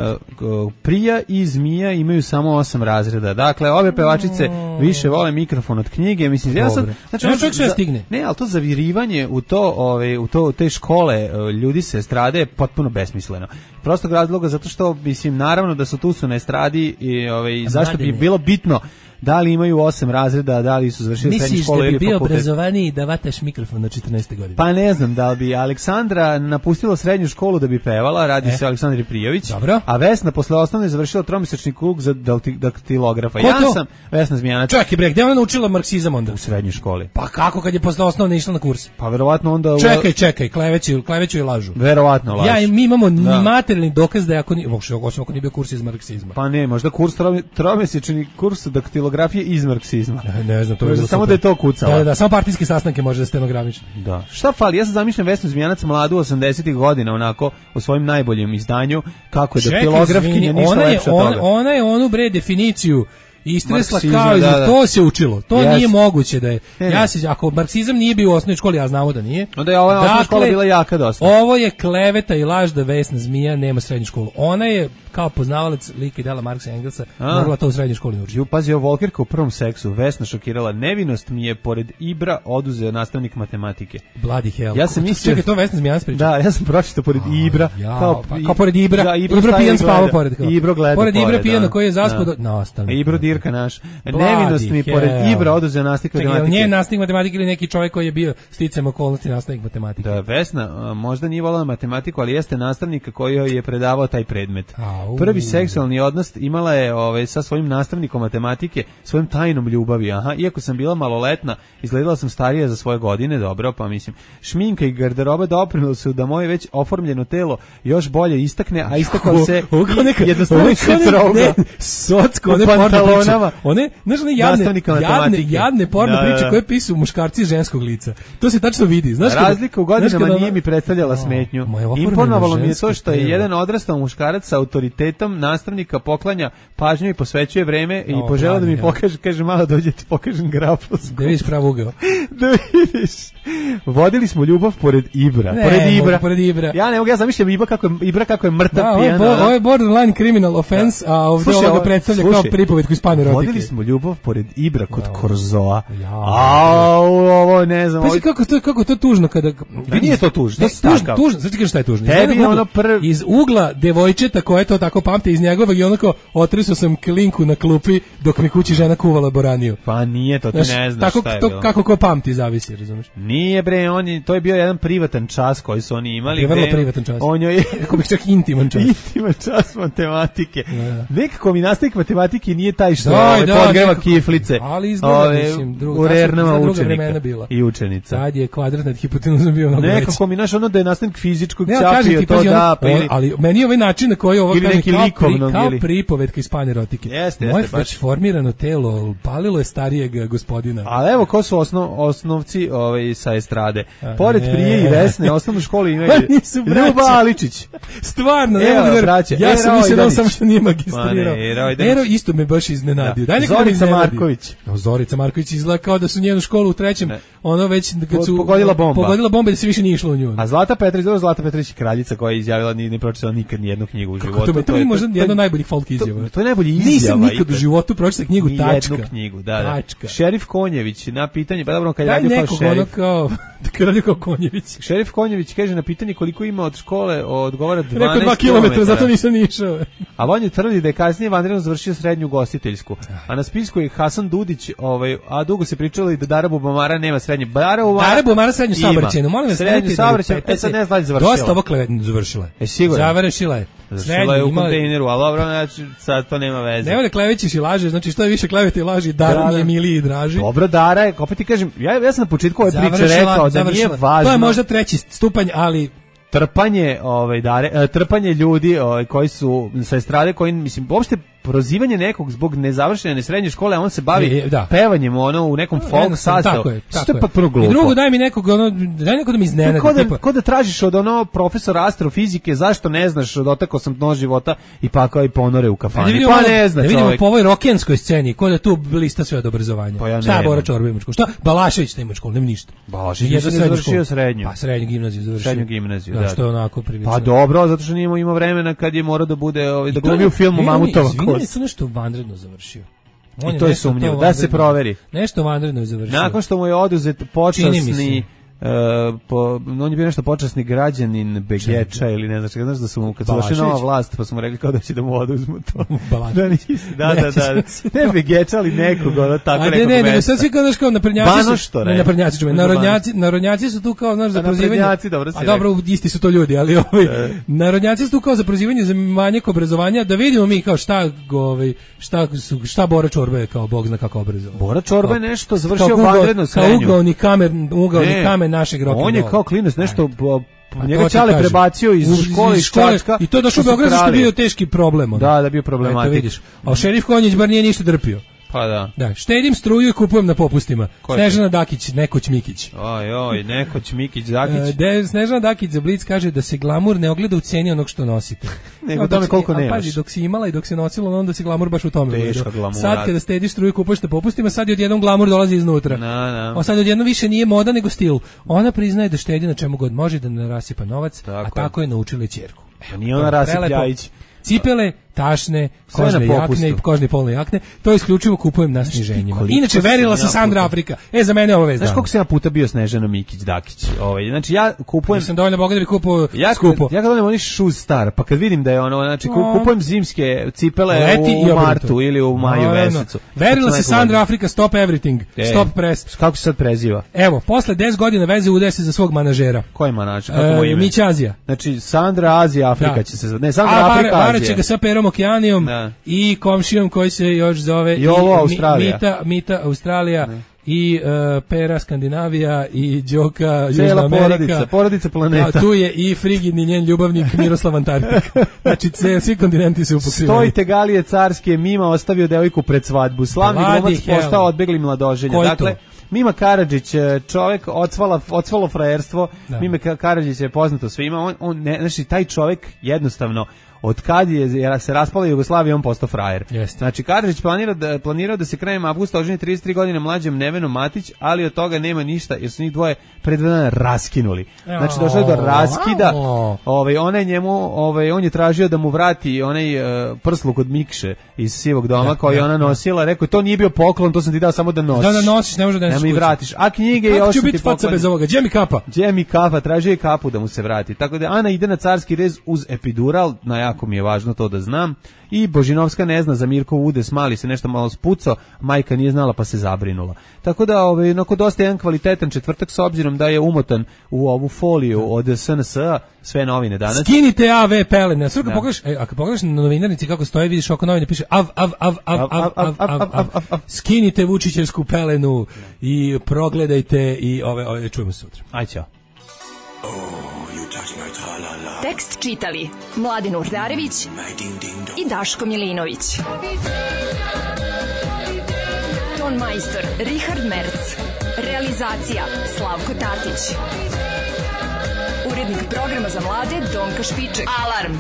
[SPEAKER 8] Prija i Zmija imaju samo 8 razreda. Dakle, ove pevačice više vole mikrofon od knjige. Mislim, ja sam...
[SPEAKER 9] Znači, čovjek sve stigne.
[SPEAKER 8] Ne, ali to zavirivanje u te škole ljudi se estrade je potpuno besmisleno. Prostog razloga zato što, mislim, naravno da su tu na estradi i zašto bi bilo bitno da li imaju 8 razreda, da li su završili srednju školu ili fakultet.
[SPEAKER 9] Misliš da bi bio obrazovaniji da vataš mikrofon na 14. godine?
[SPEAKER 8] Pa ne znam, da li bi Aleksandra napustila srednju školu da bi pevala, radi se o Aleksandri Prijović, a Vesna posle osnovne završila tromesečni kurs za daktilografa.
[SPEAKER 9] Ko to?
[SPEAKER 8] Sam Vesna Zmijanac.
[SPEAKER 9] Čekaj bre, gde ona naučila marksizam onda?
[SPEAKER 8] U srednjoj školi.
[SPEAKER 9] Pa kako kad je posle osnovne išla na kurs?
[SPEAKER 8] Pa verovatno onda...
[SPEAKER 9] Čekaj, kleveću i lažu.
[SPEAKER 8] Verovatno lažu.
[SPEAKER 9] Mi imamo materijalni dokaz da ako nije bio kurs iz marksizma.
[SPEAKER 8] Pa ne, možda kurs tromesečni kurs daktilografije iz marksizma.
[SPEAKER 9] Ne znam, to je
[SPEAKER 8] samo da je to kucalo.
[SPEAKER 9] Da, samo partijske sastanke može da stenogramiš.
[SPEAKER 8] Da. Šta fali? Ja sam zamišljam Vesnu Zmijanac mladu 80-ih godina, onako, u svojim najboljem izdanju, kako je daktilografkinja, ništa lepše od toga.
[SPEAKER 9] Ona je onu definiciju istresla kao i to se učilo. To nije moguće da je. Ako marksizam nije bio u osnovnoj školi, ja znamo da nije.
[SPEAKER 8] Onda je ova osnovna škola bila jaka dosta.
[SPEAKER 9] Ovo je kleveta i laž da Vesna Zmija nema srednju školu. Ona je kao poznavalac lika i dela Marksa i Engelsa mogla to u srednjoj školi naučiti.
[SPEAKER 8] Pazi, Volkerka u prvom seksu. Vesna šokirala. Nevinost mi je pored Ibra oduzeo nastavnik matematike.
[SPEAKER 9] Bloody hell.
[SPEAKER 8] Ja sam mislio...
[SPEAKER 9] Čekaj, to Vesna Zmijanac priča?
[SPEAKER 8] Da, ja sam pročitao pored Ibra.
[SPEAKER 9] Kao pored Ibra.
[SPEAKER 8] Da,
[SPEAKER 9] Ibro pijan spava pored.
[SPEAKER 8] Ibro gleda
[SPEAKER 9] pored Ibra pijano koji je zaspao nastavnik.
[SPEAKER 8] Ibro dirka naš. Nevinost mi pored Ibra oduzeo nastavnik matematike.
[SPEAKER 9] Nije nastavnik matematike ili neki čovjek koji je bio sticajem okolnosti nastavnik matematike.
[SPEAKER 8] Da, Vesna možda nije volala matematiku, ali jeste nastavnik koji joj je predavao taj predmet. Prvi seksualni odnos imala je sa svojim nastavnikom matematike, svojim tajnom ljubavi. Iako sam bila maloletna, izgledala sam starija za svoje godine, dobro, pa mislim, šminka i garderoba doprinijeli su da moje već oformljeno telo još bolje istakne, a istakao se jednostavno se troga.
[SPEAKER 9] Socko, one pantalonama. One, znaš, jadne porno priče koje pisu muškarci ženskog lica. To se tačno vidi. Znaš,
[SPEAKER 8] razlika u godinama nije mi predstavljala smetnju. Imponovalo mi je to što je jedan odrastao muškarac sa autoritetom nastavnika poklanja pažnju i posvećuje vreme i požela da mi pokaže, kaže, malo dođe ti pokažem grafosku.
[SPEAKER 9] Da vidiš prav ugao.
[SPEAKER 8] Da vidiš. Vodili smo ljubav pored Ibra.
[SPEAKER 9] Pored Ibra.
[SPEAKER 8] Ja ne mogu, ja zamišljam Ibra kako je mrtav pijan.
[SPEAKER 9] Ovo je borderline criminal offense, a ovdje ovoga predstavlja kao pripovetku iz Panerotike.
[SPEAKER 8] Vodili smo ljubav pored Ibra kod Korzoa. Ovo ne znam.
[SPEAKER 9] Pazi kako to tužno kada...
[SPEAKER 8] Nije to tužno.
[SPEAKER 9] Tužno, znači kažeš šta je tužno.
[SPEAKER 8] Tebi je ono
[SPEAKER 9] iz ugla devojčeta koje to tako pamte iz njegovog i onako otrisao sam klinku na klupi dok mi kući žena kuvala boraniju.
[SPEAKER 8] Pa nije to, ti ne znaš šta je bilo.
[SPEAKER 9] Kako ko pamti, zavisi, razumiješ?
[SPEAKER 8] Nije bre, to je bio jedan privatan čas koji su oni imali.
[SPEAKER 9] Je vrlo privatan čas. Kako bih čak intiman čas.
[SPEAKER 8] Intiman čas matematike. Nekako mi nastavnik matematike nije taj što podgreva kiflice.
[SPEAKER 9] Ali izgleda, mislim,
[SPEAKER 8] u rernama učenika
[SPEAKER 9] i
[SPEAKER 8] učenica.
[SPEAKER 9] Sad je kvadrat nad hipotenuzom bio mnogo veći.
[SPEAKER 8] Nekako mi naš da je nastavnik fizičkog ćapio to da...
[SPEAKER 9] Ali meni je ovaj način na koji ovo kaže kao pripovetka iz Panerotike. Moje već formirano telo palilo je starijeg gospodina.
[SPEAKER 8] Ali evo ko su osnovci sa estrade. Pored Prije i Vesne, osnovnu školu imaju Ljuba Aličić.
[SPEAKER 9] Stvarno, ne mogu da braće. Ja sam mislio da on samo što nije magistrirao. Ero isto me baš iznenadio.
[SPEAKER 8] Zorica Marković.
[SPEAKER 9] Zorica Marković izgleda kao da su njenu školu u trećem, ono već kad su
[SPEAKER 8] pogodila
[SPEAKER 9] bomba da se više nije išlo u nju.
[SPEAKER 8] A Zlata Petrić je kraljica koja je izjavila ni pročitala nikad nijednu knjigu u životu.
[SPEAKER 9] To je možda jedna od najboljih folk izjava.
[SPEAKER 8] To je najbolji izjava.
[SPEAKER 9] Nisam nikad u životu pročitao knjigu, tačka.
[SPEAKER 8] Jednu knjigu, da. Šerif Konjević na pitanje, pa dobro, kad je radio kao šerif.
[SPEAKER 9] Radio kao Konjević.
[SPEAKER 8] Šerif Konjević kaže na pitanje koliko ima od škole, odgovara 12 km.
[SPEAKER 9] Rekao 2 km, zato nisam ni išao.
[SPEAKER 8] A on je tvrdi da je kasnije vanredno završio srednju ugostiteljsku. A na spisku je Hasan Dudić, a dugo se pričalo i da Dara Bubamara nema srednje. Dara
[SPEAKER 9] Bubamara srednju saobraćajnu. Molim vas,
[SPEAKER 8] srednju saobraćajnu. Sad ne znam da završila.
[SPEAKER 9] Dosta ovo klevetno završila.
[SPEAKER 8] Sigurno.
[SPEAKER 9] Završila je.
[SPEAKER 8] Završila je u kontejneru, ali dobro, znači sad to nema veze.
[SPEAKER 9] Nema da klevećiš i lažeš, znači što je više klevete i laži, Dara mi je miliji i draži.
[SPEAKER 8] Dobro, Dara je, opet ti kažem, ja sam na početku ove priče rekao da nije važno.
[SPEAKER 9] To je možda 3. stupanj, ali
[SPEAKER 8] trpanje ljudi koji su sa estrade, koji, mislim, uopšte prozivanje nekog zbog nezavršene srednje škole, a on se bavi pevanjem u nekom folk sastavu.
[SPEAKER 9] Tako je.
[SPEAKER 8] To je potpuno glupo.
[SPEAKER 9] I drugo, daj mi nekog, daj nekog da mi iznenadi.
[SPEAKER 8] Ko da tražiš od profesora astrofizike, zašto ne znaš, dotakao sam dno života i pakao i ponore u kafani. Pa ne zna čovjek.
[SPEAKER 9] Da vidimo po ovoj rokenskoj sceni, ko da tu lista sve od obrazovanja.
[SPEAKER 8] Pa
[SPEAKER 9] šta je Bora Čorba ima školu? Šta? Balašević nema školu, nema ništa.
[SPEAKER 8] Balašević je završio srednju.
[SPEAKER 9] Pa srednju gimnaziju završio.
[SPEAKER 8] Srednju gimnaziju,
[SPEAKER 9] da. Što je onako prilično.
[SPEAKER 8] Pa dobro, zato što nije imao vremena kad je morao da bude da glumi u filmu Mamutova kost.
[SPEAKER 9] Nešto vanredno završio.
[SPEAKER 8] I to je sumnjivo, da se proveri.
[SPEAKER 9] Nešto vanredno je završio.
[SPEAKER 8] Nakon što mu je oduzet počasni on je bio nešto počasni građanin Begeča ili ne znaš da su mu kad su došli nova vlast pa su mu rekli kao da će da mu oduzmu to. Da. Ne Begeča, ali nekog, tako nekog mesta.
[SPEAKER 9] Ne, sad svi kao narodnjaci su tu kao, znaš, za prozivanje. A dobro, isti su to ljudi, ali narodnjaci su tu kao za prozivanje za manjak obrazovanja, da vidimo mi kao šta Bora Čorba je kao bog zna kako obrazovan.
[SPEAKER 8] Bora Čorba je nešto završio vanredno srednju.
[SPEAKER 9] Kao ugaoni kamen našeg roka.
[SPEAKER 8] On je kao klinac nešto njega Ćale prebacio iz škole iz Čačka.
[SPEAKER 9] I to je došao u Beograd što je bio teški problem.
[SPEAKER 8] Da bio problematik.
[SPEAKER 9] A šerif Konjić bar nije ništa drpio.
[SPEAKER 8] Pa da.
[SPEAKER 9] Da, štedim struju i kupujem na popustima. Snežana Dakić, Nekoć Mikić.
[SPEAKER 8] Oj, Nekoć Mikić, Dakić.
[SPEAKER 9] Snežana Dakić za Blic kaže da se glamur ne ogleda u ceni onog što nosite.
[SPEAKER 8] Nego tome koliko nemaš.
[SPEAKER 9] Pazi, dok si imala i dok si nosila, onda se glamur baš u tome.
[SPEAKER 8] Teška glamura.
[SPEAKER 9] Sad kada štediš struju i kupuješ na popustima, sad je odjednom glamur dolazi iznutra. A sad odjednom više nije moda nego stil. Ona priznaje da štedi na čemu god može, da ne rasipa novac, a tako je naučila ćerku.
[SPEAKER 8] Nije ona rasipljajić.
[SPEAKER 9] Cipele, tašne, kožne jakne i kožne polne jakne, to isključivo kupujem na sniženjima. Inače, verila se Sandra Afrika. Za mene je ovo vez.
[SPEAKER 8] Znaš koliko sam ja puta bio Snežana Mikić, Dakić? Znači, ja kupujem...
[SPEAKER 9] Nisam dovoljno bogat da bi kupuo skupo.
[SPEAKER 8] Ja kad donem oni Shoes Star, pa kad vidim da je ono, znači, kupujem zimske cipele u martu ili u maju mesecu.
[SPEAKER 9] Verila se Sandra Afrika, stop everything, stop press.
[SPEAKER 8] Kako se sad preziva?
[SPEAKER 9] Evo, posle 10 godina veze udaje se za svog manažera.
[SPEAKER 8] Koji manažer? Kako mu ime?
[SPEAKER 9] Mića Azija.
[SPEAKER 8] Znači, Sandra Azija Afrika će se... Ne, Sandra Afrika Azija.
[SPEAKER 9] Vareće ga sa Perom Okeanijom i komšijom koji se još zove Mita Australija i Pera Skandinavija i Đoka Južna Amerika.
[SPEAKER 8] Porodica planeta.
[SPEAKER 9] A tu je i frigidni njen ljubavnik Miroslav Antarktik. Znači svi kontinenti su upokriveni.
[SPEAKER 8] Stojite galije carske, Mima ostavio devojku pred svadbu. Slavni glumac postao odbegli mladoženje. Dakle, Mima Karadžić, čovjek ocvalo frajerstvo. Mima Karadžić je poznato svima. Znači taj čovjek jednostavno od kad je se raspala Jugoslavija, on postao frajer. Znači, Karadžić planirao da se krajem avgusta oženi 33 godine mlađem Nevenom Matić, ali od toga nema ništa, jer su njih dvoje pred dana raskinuli. Znači, došlo je do raskida. On je tražio da mu vrati onaj prsluk od Mikše iz Sivog doma koji je ona nosila. Rekao, to nije bio poklon, to sam ti dao samo da nosiš.
[SPEAKER 9] Da nosiš, ne može da nosiš.
[SPEAKER 8] Ne mi vratiš. A knjige i
[SPEAKER 9] kako ću biti faca bez ovoga? Gdje mi kapa?
[SPEAKER 8] Gdje mi kapa? Tražio je kapu da mu se vrati. Tako da Ana ide na carski rez uz epidural, jako mi je važno to da znam. I Božinovska ne zna za Mirkov udes, mali se nešto malo spucao, majka nije znala pa se zabrinula. Tako da onako dosta jedan kvalitetan četvrtak s obzirom da je umotan u ovu foliju od SNS-a, sve novine danas.
[SPEAKER 9] Skinite AV pelene. Svrka pogledaš, ako pogledaš na novinarnici kako stoje, vidiš oko novine piše skinite Vučićevsku pelenu i progledajte i ove čujemo se sutra.
[SPEAKER 8] Aj ćao.
[SPEAKER 7] Tekst čitali Mladin Urdarević i Daško Milinović. Ton majstor Richard Merc. Realizacija Slavko Tatić. Urednik programa za mlade Donka Špiček. Alarm!